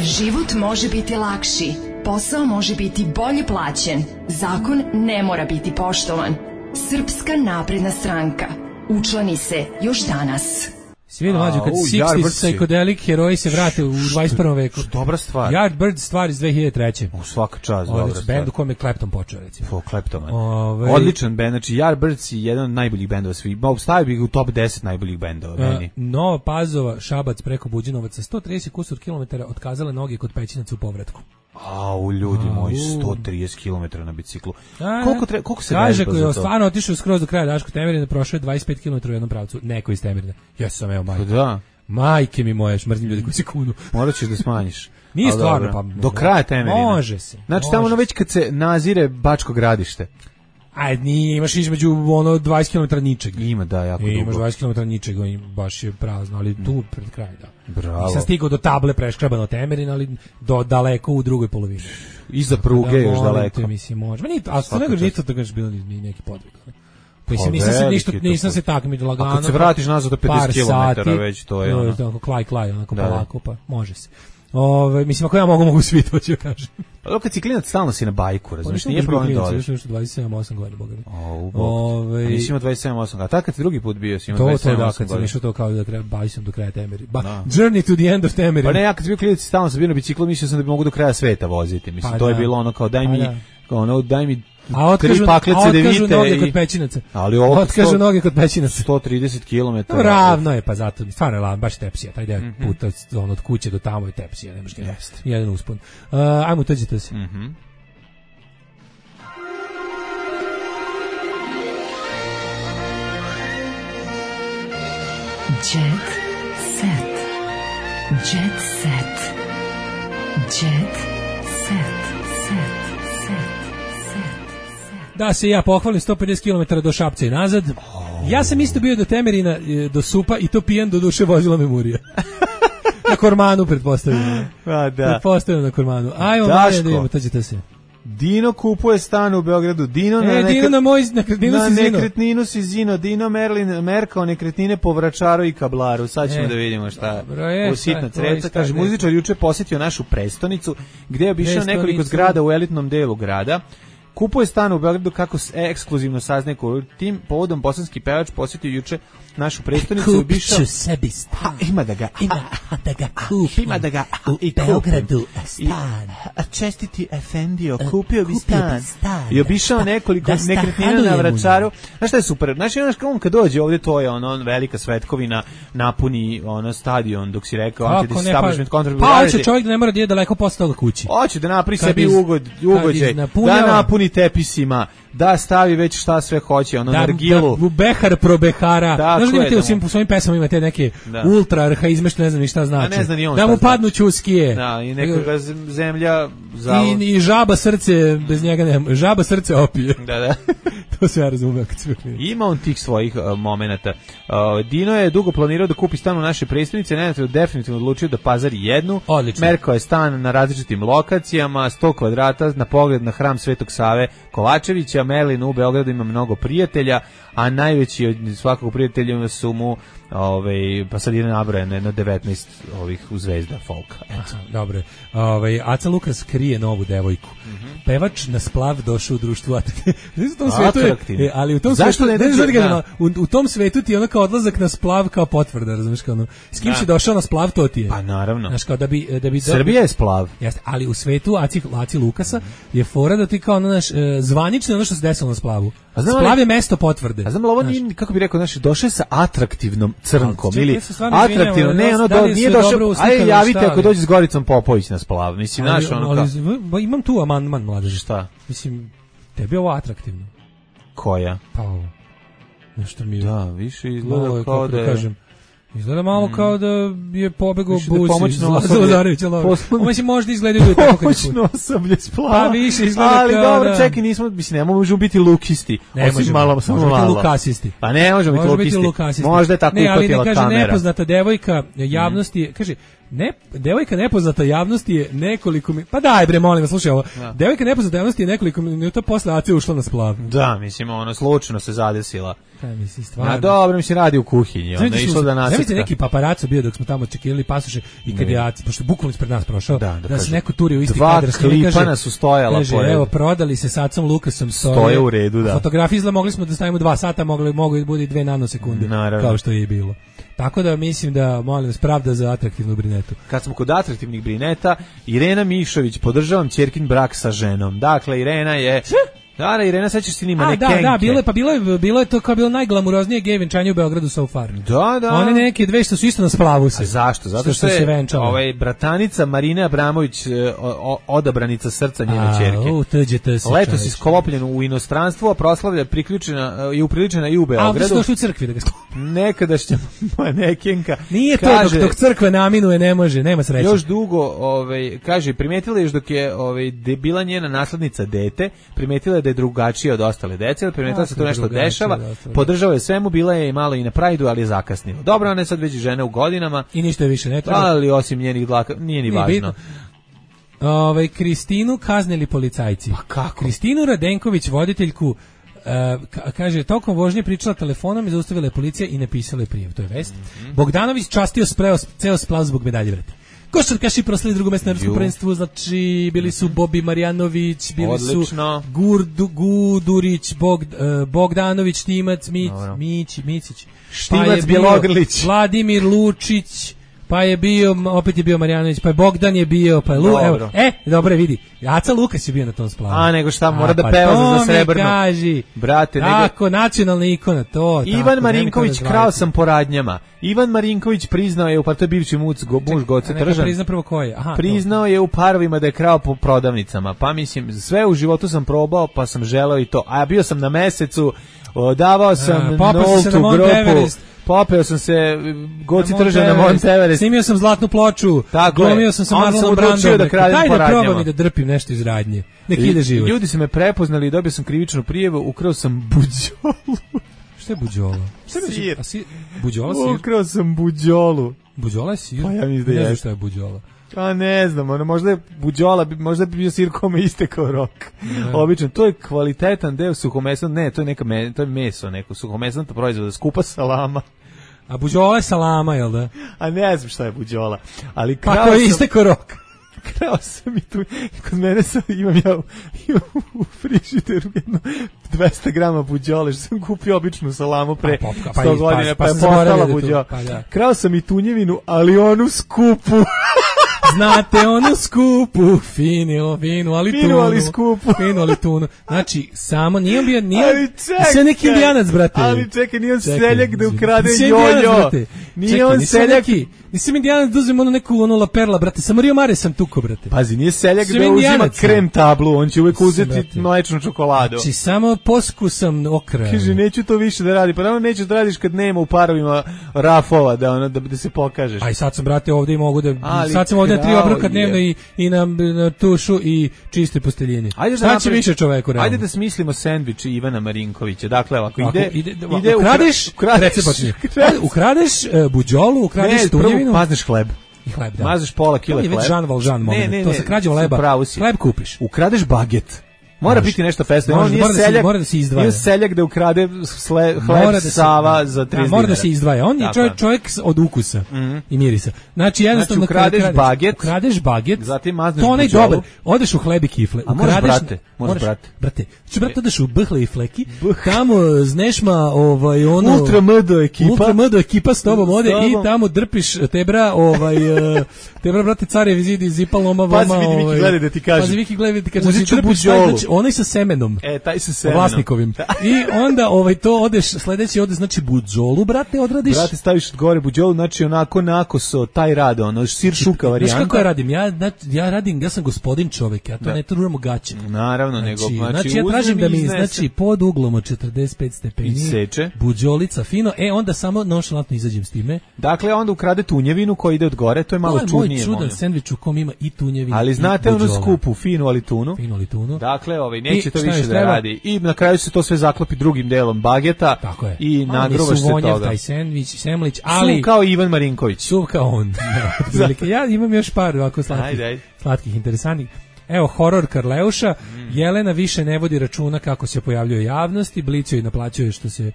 Speaker 3: Život može biti lakši, posao može biti bolje plaćen, zakon ne mora biti poštovan. Srpska napredna stranka. Učlani se još danas.
Speaker 6: Svi vidim mlađu kad 60s psychedelic heroji se vrate u 21. veku.
Speaker 5: Dobra stvar.
Speaker 6: Yardbird stvar iz 2003.
Speaker 5: Svaka čast, dobra stvar.
Speaker 6: Bend u kome je Clapton počeo, recimo.
Speaker 5: Clapton. Odličan bend, znači Yardbirds je jedan od najboljih bendova svih. Stavio bih u top 10 najboljih bendova meni.
Speaker 6: Nova Pazova, Šabac preko Buđinovaca, 130 kusur kilometara otkazale noge kod Pećinaca u povratku.
Speaker 5: Ljudi moji, 130 km na biciklu. Koliko se
Speaker 6: kaže koji je stvarno otišao skroz do kraja Daško Temerina, prošao je 25 km u jednom pravcu, neko iz Temerina. Ja sam majke.
Speaker 5: Da.
Speaker 6: Majke mi moje, mrzim ljudi koji se kunu.
Speaker 5: Morat ćeš da smanjiš.
Speaker 6: Nije stvarno, pa
Speaker 5: do kraja Temerina.
Speaker 6: Može se.
Speaker 5: Znači tamo već kad se nazire Bačko Gradište.
Speaker 6: Nije, imaš između 20 km ničeg.
Speaker 5: Ima, da, jako dugo.
Speaker 6: Imaš 20 km ničeg, baš je prazno, ali tu pred kraj, da.
Speaker 5: Bravo.
Speaker 6: Nisam stigao do table preškrabano Temerin, ali daleko u drugoj polovini.
Speaker 5: Iza pruge još daleko.
Speaker 6: Mislim, može. A što nego nije to da gaš bilo ni neki podvig. Pa nisam se takmičio lagano.
Speaker 5: A kad se vratiš nazad do 50 km već to je ono.
Speaker 6: Tako klaj, onako polako, pa može se. Mislim, ako ja mogu svi, to ću kažem.
Speaker 5: Pa kad si klinac, stalno si na bajku, razumiješ, nije problem da odeš.
Speaker 6: Još 27-8 godina, boga mi.
Speaker 5: A nisi imao 27-8 godina, a tako kad si drugi put bio, si imao 27-8 godina.
Speaker 6: To da, kad sam išao to kao da treba, bavio sam do kraja Temeri. Journey to the end of Temeri.
Speaker 5: Pa ne, ja kad sam bio klinac, stalno sam bio na biciklu, mislio sam da bi mogu do kraja sveta voziti. Mislim, to je bilo ono kao, daj mi
Speaker 6: A otkažu noge kod Pećinaca.
Speaker 5: Ali ovo
Speaker 6: otkažu noge kod Pećinaca.
Speaker 5: 130 km.
Speaker 6: Ravno je, pa zato stvarno je baš tepsija. Taj deo puta od kuće do tamo je tepsija, nemaš ga. Jedan uspon. Ajmo, uđite se.
Speaker 3: Jet set. Jet set. Jet set.
Speaker 6: Da se ja pohvalim, 150 km do Šapca i nazad. Ja sam isto bio do Temerina, do Supa i to pijan, do duše vozila me Murija. Na Kormanu, pretpostavljam.
Speaker 5: Da.
Speaker 6: Pretpostavljam na Kormanu. Ajmo, da idemo, tođite se.
Speaker 5: Dino kupuje stan u Beogradu. Dino na nekretninu si zino. Dino merkao nekretnine po Vračaru i Kablaru. Sad ćemo da vidimo šta u sitna creca. Kaže, muzičar juče posjetio našu prestonicu, gdje je obišao nekoliko zgrada u elitnom delu grada. Kupuje stan u Beogradu, kako ekskluzivno saznaje tim povodom bosanski pevač posjetio juče našu prestonicu.
Speaker 6: Kupit ću sebi stan.
Speaker 5: Ima da ga kupim. Ima da ga
Speaker 6: u Beogradu stan.
Speaker 5: Čestiti Efendio, kupio bi stan. I obišao nekoliko nekretnina na Vračaru. Znaš šta je super? Znaš, on kad dođe ovdje, to je ono velika svetkovina, napuni ono stadion, dok si rekao anti-establishment control.
Speaker 6: Pa hoće čovjek da ne mora da je daleko posle toga kući.
Speaker 5: Hoće da napravi sebi ugođaj, da napuni tepisima, da stavi već šta sve hoće, ono nargilu.
Speaker 6: Da, behar pro behara. Znaš da imate u svojim pesama imate neke ultra arhaizme, ne znam ni šta znači. Da mu padnu ćuskije.
Speaker 5: Da, i nekoga zemlja
Speaker 6: i žaba srce, bez njega nema. Žaba srce opije.
Speaker 5: Da.
Speaker 6: To se ja razumeo kad sve.
Speaker 5: Ima on tih svojih momenata. Dino je dugo planirao da kupi stan u našoj prestonici, definitivno odlučio da pazari jednu.
Speaker 6: Odlično.
Speaker 5: Merkao je stan na različitim lokacijama, 100 kvadrata, na pogled na hram Svetog Save Kovačevića. Merlin u Beogradu ima mnogo prijatelja, a najveći od svakog prijatelja su mu pa sad je nabrojene na 19 ovih u zvezda folka.
Speaker 6: Dobro. Aca Lukas krije novu devojku. Pevač na splav došao u društvu atraktivno. Ali u tom svetu u tom svetu ti je ono kao odlazak na splav kao potvrda, razumiješ, kao ono, s kim si došao na splav, to ti je.
Speaker 5: Pa naravno.
Speaker 6: Znaš, kao da bi
Speaker 5: Srbija je splav.
Speaker 6: Jeste, ali u svetu Aci Lukasa je fora da ti kao ono naš zvanično ono što se desilo na splavu. Splav je mesto potvrde.
Speaker 5: A znam li ovo nije, kako bi rekao, naš, došao sa atraktivnom crnkom ili atraktivno, ne, ono nije došao, ajde javite ako dođe s Goricom Popović na splav, mislim, naš ono kao.
Speaker 6: Imam tu amandman, mladeži.
Speaker 5: Šta?
Speaker 6: Mislim, tebi je ovo atraktivno.
Speaker 5: Koja?
Speaker 6: Pa ovo. Nešto mi je.
Speaker 5: Da, više izgleda kao da je.
Speaker 6: Izgleda malo kao da je pobegao Busi iz Lazarevića. Mislim, možda izgledaju da je tako kad je
Speaker 5: pomoćno osoblje Splava.
Speaker 6: Pa više izgleda
Speaker 5: ali
Speaker 6: kao
Speaker 5: dobro,
Speaker 6: da...
Speaker 5: čekaj, ne možemo biti lukisti.
Speaker 6: Ne možemo biti lukasisti.
Speaker 5: Pa ne možemo biti lukasisti. Možda je tako upatila kamera.
Speaker 6: Ne, ali ne kaže nepoznata devojka javnosti, kaže, devojka nepoznata javnosti je nekoliko minuta. Pa daj bre, molim vas, slušaj ovo. Da. Devojka nepoznata javnosti je nekoliko minuta posle akcije ušla na Splav.
Speaker 5: Da, mislim, slučajno se zadesila.
Speaker 6: Kaj misli, stvarno.
Speaker 5: A dobro, mislim, radi u kuhinji. Onda je išla da nasrka.
Speaker 6: Znate neki paparaco bio dok smo tamo čekirali pasoše i kad je, pošto bukvalno ispred nas prošao, da se neko turio u isti kadar.
Speaker 5: 2 klipana su stojala
Speaker 6: kaže,
Speaker 5: pored.
Speaker 6: Evo, prodali se sa Acom Lukasom.
Speaker 5: Stoje u redu, da.
Speaker 6: Fotografije izgleda mogli smo da stavimo 2 sata, mogu da bude 2 nanosekunde, kao što je i bilo. Tako da mislim da, molim vas, pravda za atraktivnu brinetu.
Speaker 5: Kad smo kod atraktivnih brineta, Irena Mišović, podržavam ćerkin brak sa ženom. Dakle, Irena je... Da, Irena, sećaš se nima nekenke.
Speaker 6: Da, bilo je to kao bilo najglamuroznije gej venčanje u Beogradu so far.
Speaker 5: Da.
Speaker 6: One neke dve što su isto na Splavu se.
Speaker 5: A zašto? Zato što je bratanica Marina Abramović odabranica srca njene ćerke. Letos isklopljen u inostranstvu, a proslavlja upriličena i u Beogradu.
Speaker 6: A što došli u crkvi da ga
Speaker 5: nekadašnja manekenka.
Speaker 6: Nije to dok crkve naminuje, ne može, nema sreće.
Speaker 5: Još dugo, kaže, primetila je još dok je bila njena naslednica dete, primetila je da je drugačija od ostale dece, ali primetila se to nešto dešava, podržava je svemu, bila je malo i na Prajdu, ali je zakasnila. Dobro, ona je sad već žena u godinama.
Speaker 6: I ništa je više ne treba.
Speaker 5: Ali osim njenih dlaka, nije ni važno.
Speaker 6: Kristinu kaznili policajci.
Speaker 5: Pa kako?
Speaker 6: Kristinu Radenković, voditeljku, kaže, tokom vožnje pričala telefonom i zaustavila je policija i napisala je prijav, to je vest. Bogdanović častio ceo Splav zbog medalje, vrati. Košarkaši proslavili drugo mesto na evropskom prvenstvu, znači bili su Bobi Marjanović, bili su Gudurić, Bogdanović, Štimac, Micić,
Speaker 5: Štimac, Bjelogrlić,
Speaker 6: Vladimir Lučić, pa je bio, opet je bio Marjanović, pa je Bogdan je bio, pa je evo, dobro vidi, Aca Lukas je bio na tom Splavu.
Speaker 5: A nego šta, mora da peva za srebrno.
Speaker 6: Kaži,
Speaker 5: brate,
Speaker 6: tako, nacionalna ikona, to.
Speaker 5: Ivan Marinković, krao sam po radnjama. Ivan Marinković priznao je, pa to je bivši muž Goce Tržan.
Speaker 6: Priznao prvo ko je?
Speaker 5: Priznao je u parovima da je krao po prodavnicama, pa mislim, sve u životu sam probao, pa sam želeo i to. A bio sam na mesecu, davao sam nultu grupu. Popeo sam se Goci Tržan na Mont Everest.
Speaker 6: Snimio sam zlatnu ploču. Glumio sam sa Marlonom Brandom.
Speaker 5: Daj
Speaker 6: da probam i da drpim nešto iz radnje. Nek ide život.
Speaker 5: Ljudi su me prepoznali i dobio sam krivičnu prijavu. Ukrao sam buđolu.
Speaker 6: Šta je buđola?
Speaker 5: Sir.
Speaker 6: Buđola sir?
Speaker 5: Ukrao sam buđolu.
Speaker 6: Buđola je sir?
Speaker 5: Pa ja mislim da je.
Speaker 6: Ne znam šta je buđola.
Speaker 5: A ne znam, možda je buđola, možda bi bio sir kome istekao rok. Obično, to je kvalitetan deo suhomesnog, ne, to je meso, neko suhomesnog proizvoda, skupa salama.
Speaker 6: A buđola je salama, jel da?
Speaker 5: A ne znam šta je buđola. Ali
Speaker 6: pa ko je istekao rok?
Speaker 5: Krao sam i tu, kod mene imam ja u frižideru jedno 200 grama buđole, što sam kupio običnu salamu pre 100 godina, pa je postala buđola. Krao sam i tunjevinu, ali onu skupu.
Speaker 6: Znate onu skupu, finu, ali
Speaker 5: skupu.
Speaker 6: Finu, ali tunu. Znači, samo nije sve neki indijanac, brate.
Speaker 5: Ali čekaj, nije on seljak da ukrade jojo. Nije on seljak.
Speaker 6: Nisam indijanac da uzem neku La Perla, brate. Samo Rio Mare sam tuko, brate.
Speaker 5: Pazi, nije seljak da uzima krem tablu, on će uvek uzeti mlečnu čokoladu.
Speaker 6: Znači, samo poskusam okra.
Speaker 5: Kaže, neću to više da radi. Pa naravno nećeš da radiš kad nema u parovima rafova, da se pokažeš.
Speaker 6: Aj, sad sam, brate, ovde i mogu da... Sad sam ovde 3 obroka dnevno i na tušu i čiste posteljine. Šta će više čoveku realno?
Speaker 5: Ajde da smislimo sendvič Ivana Marinkovića. Dakle, ovako,
Speaker 6: ukradeš buđolu, ukradeš tunjevinu.
Speaker 5: Mazneš hleb.
Speaker 6: Hleb, da.
Speaker 5: Mazneš pola kila hleba.
Speaker 6: To je već Jean Valjean moment. To sa krađom leba. Hleb kupiš.
Speaker 5: Ukradeš baget. Mora biti nešto festno.
Speaker 6: Mora da se izdvaja.
Speaker 5: Nije seljak da ukrade hleb Sava za 30 dinara.
Speaker 6: Mora da se izdvaja. On je čovjek od ukusa i mirisa. Znači, jednostavno
Speaker 5: ukradeš baget, zatim mazneš
Speaker 6: buđolu. To onaj dobar. Odeš u hleb i kifle.
Speaker 5: A moraš, brate.
Speaker 6: Brate, odeš u Bhle i Fleki, tamo Znešma,
Speaker 5: Ultra MD
Speaker 6: ekipa s tobom ode i tamo drpiš tebra, brate, carevi zidi, zipal, loma, vama.
Speaker 5: Pazi, Viki gleda da ti kaže.
Speaker 6: Uzet ću buđolu. onaj sa semenom.
Speaker 5: Taj sa semenom.
Speaker 6: Vlasnikovim. I onda to odeš, sledeći ode, znači buđolu, brate, odradiš.
Speaker 5: Brate, staviš gore buđolu, znači onako nakoso, taj rade, ono, sir šuka varijanta.
Speaker 6: Znaš kako ja radim? Ja radim, ja sam gospodin čovek, ja to ne truram u gaće.
Speaker 5: Naravno,
Speaker 6: znači ja tražim da mi, pod uglom od 45 stepeni,
Speaker 5: seče.
Speaker 6: Buđolica, fino, onda samo nonšalantno izađem s time.
Speaker 5: Dakle, onda ukrade tunjevinu koja ide od gore, to je malo čudnije.
Speaker 6: To je moj čudan sendvič u kom ima i tunjevinu.
Speaker 5: Ali znate onu skupu, finu alitunu. Dakle, neće to više da radi. I na kraju se to sve zaklopi drugim delom bageta.
Speaker 6: Tako je.
Speaker 5: I nagrubaš se toga.
Speaker 6: Taj semlić, ali...
Speaker 5: Suv kao Ivan Marinković.
Speaker 6: Suv kao on. Ja imam još par ovako slatkih, interesantnih. Evo, horor Karleuša. Jelena više ne vodi računa kako se pojavljuje javnosti. Blic joj naplaćuje što se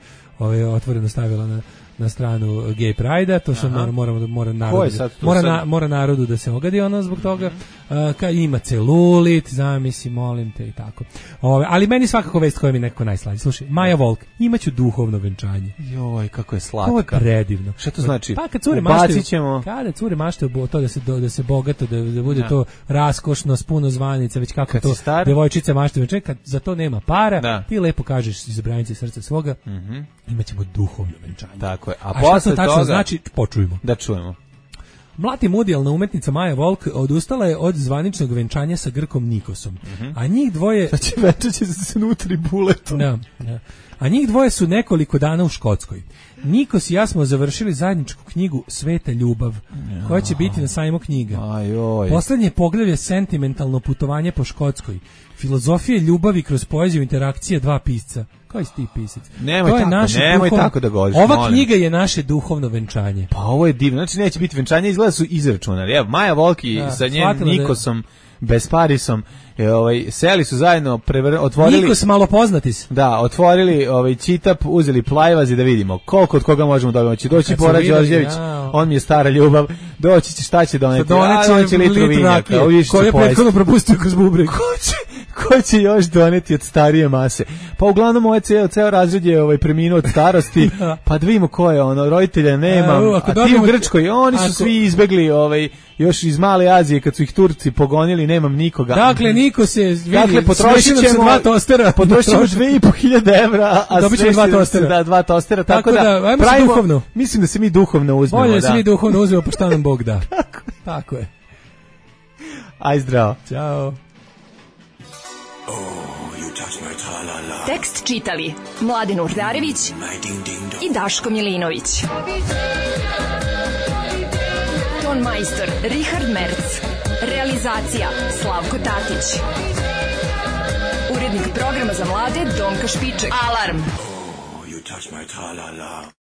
Speaker 6: otvoreno stavila na stranu Gay Pride-a, to se mora narodu da se ogadi ono zbog toga. Ima celulit, zamisli, molim te i tako. Ali meni svakako vest koja mi nekako najslađe. Slušaj, Maja Volk, imaću duhovno venčanje.
Speaker 5: Joj, kako je slatka.
Speaker 6: Ovo je predivno.
Speaker 5: Šta to znači?
Speaker 6: Pa kad cure maštaju, kada cure maštaju to da se bogato, da bude to raskošno, s puno zvanica, već kako to devojčice maštaju venčanje, kad za to nema para, ti lepo kažeš iz branice srca svoga, imaćemo duhovno venčanje.
Speaker 5: Tako je.
Speaker 6: A šta to tačno znači? Počujemo.
Speaker 5: Da čujemo.
Speaker 6: Mlati mudijalna umetnica Maja Volk odustala je od zvaničnog venčanja sa Grkom Nikosom. A njih dvoje...
Speaker 5: Znači venčaće se nutri buletom.
Speaker 6: Da. A njih dvoje su nekoliko dana u Škotskoj. Nikos i ja smo završili zajedničku knjigu Sveta ljubav, koja će biti na sajmu knjiga. Poslednje poglavlje sentimentalno putovanje po Škotskoj. Filozofije ljubavi kroz poeziju interakcije dva pisca. Koji si ti pisac?
Speaker 5: Nemoj tako da govoriš.
Speaker 6: Ova knjiga je naše duhovno venčanje.
Speaker 5: Pa ovo je divno. Znači neće biti venčanje, izgleda su izračunali. Evo, Maja Volki sa njenim Nikosom, Besparisom, seli su zajedno, otvorili...
Speaker 6: Nikos malo poznatis.
Speaker 5: Da, otvorili čitap, uzeli plajvazi da vidimo koliko od koga možemo dobiti. Doći Bora Đorđević, on mi je stara ljubav, doći će šta će doneti. Doneće litru vinjaka.
Speaker 6: Koji je prethodno propustio kroz bubreg.
Speaker 5: Ko će još doneti od starije mase? Pa uglavnom ovaj ceo razred je preminuo od starosti, pa da vidimo ko je roditelja nemam, a ti u Grčkoj, oni su svi izbegli još iz Male Azije kad su ih Turci pogonili, nemam nikoga.
Speaker 6: Dakle, niko se vidi,
Speaker 5: potrošit ćemo 2 tostera. Potrošit ćemo 2.500 evra, a
Speaker 6: dobit ćemo 2 tostera.
Speaker 5: Da, 2 tostera, tako da
Speaker 6: ajmo se duhovno.
Speaker 5: Mislim da se mi duhovno uzmemo.
Speaker 6: Bolje da se mi duhovno uzmemo, pa šta nam Bog da. Tako je.
Speaker 5: Aj zdravo.
Speaker 6: Ćao.
Speaker 3: Tekst čitali Mladen Urdarević i Daško Milinović. Ton majstor Richard Merc. Realizacija Slavko Tatić. Urednik programa za mlade Donka Špiček. Alarm!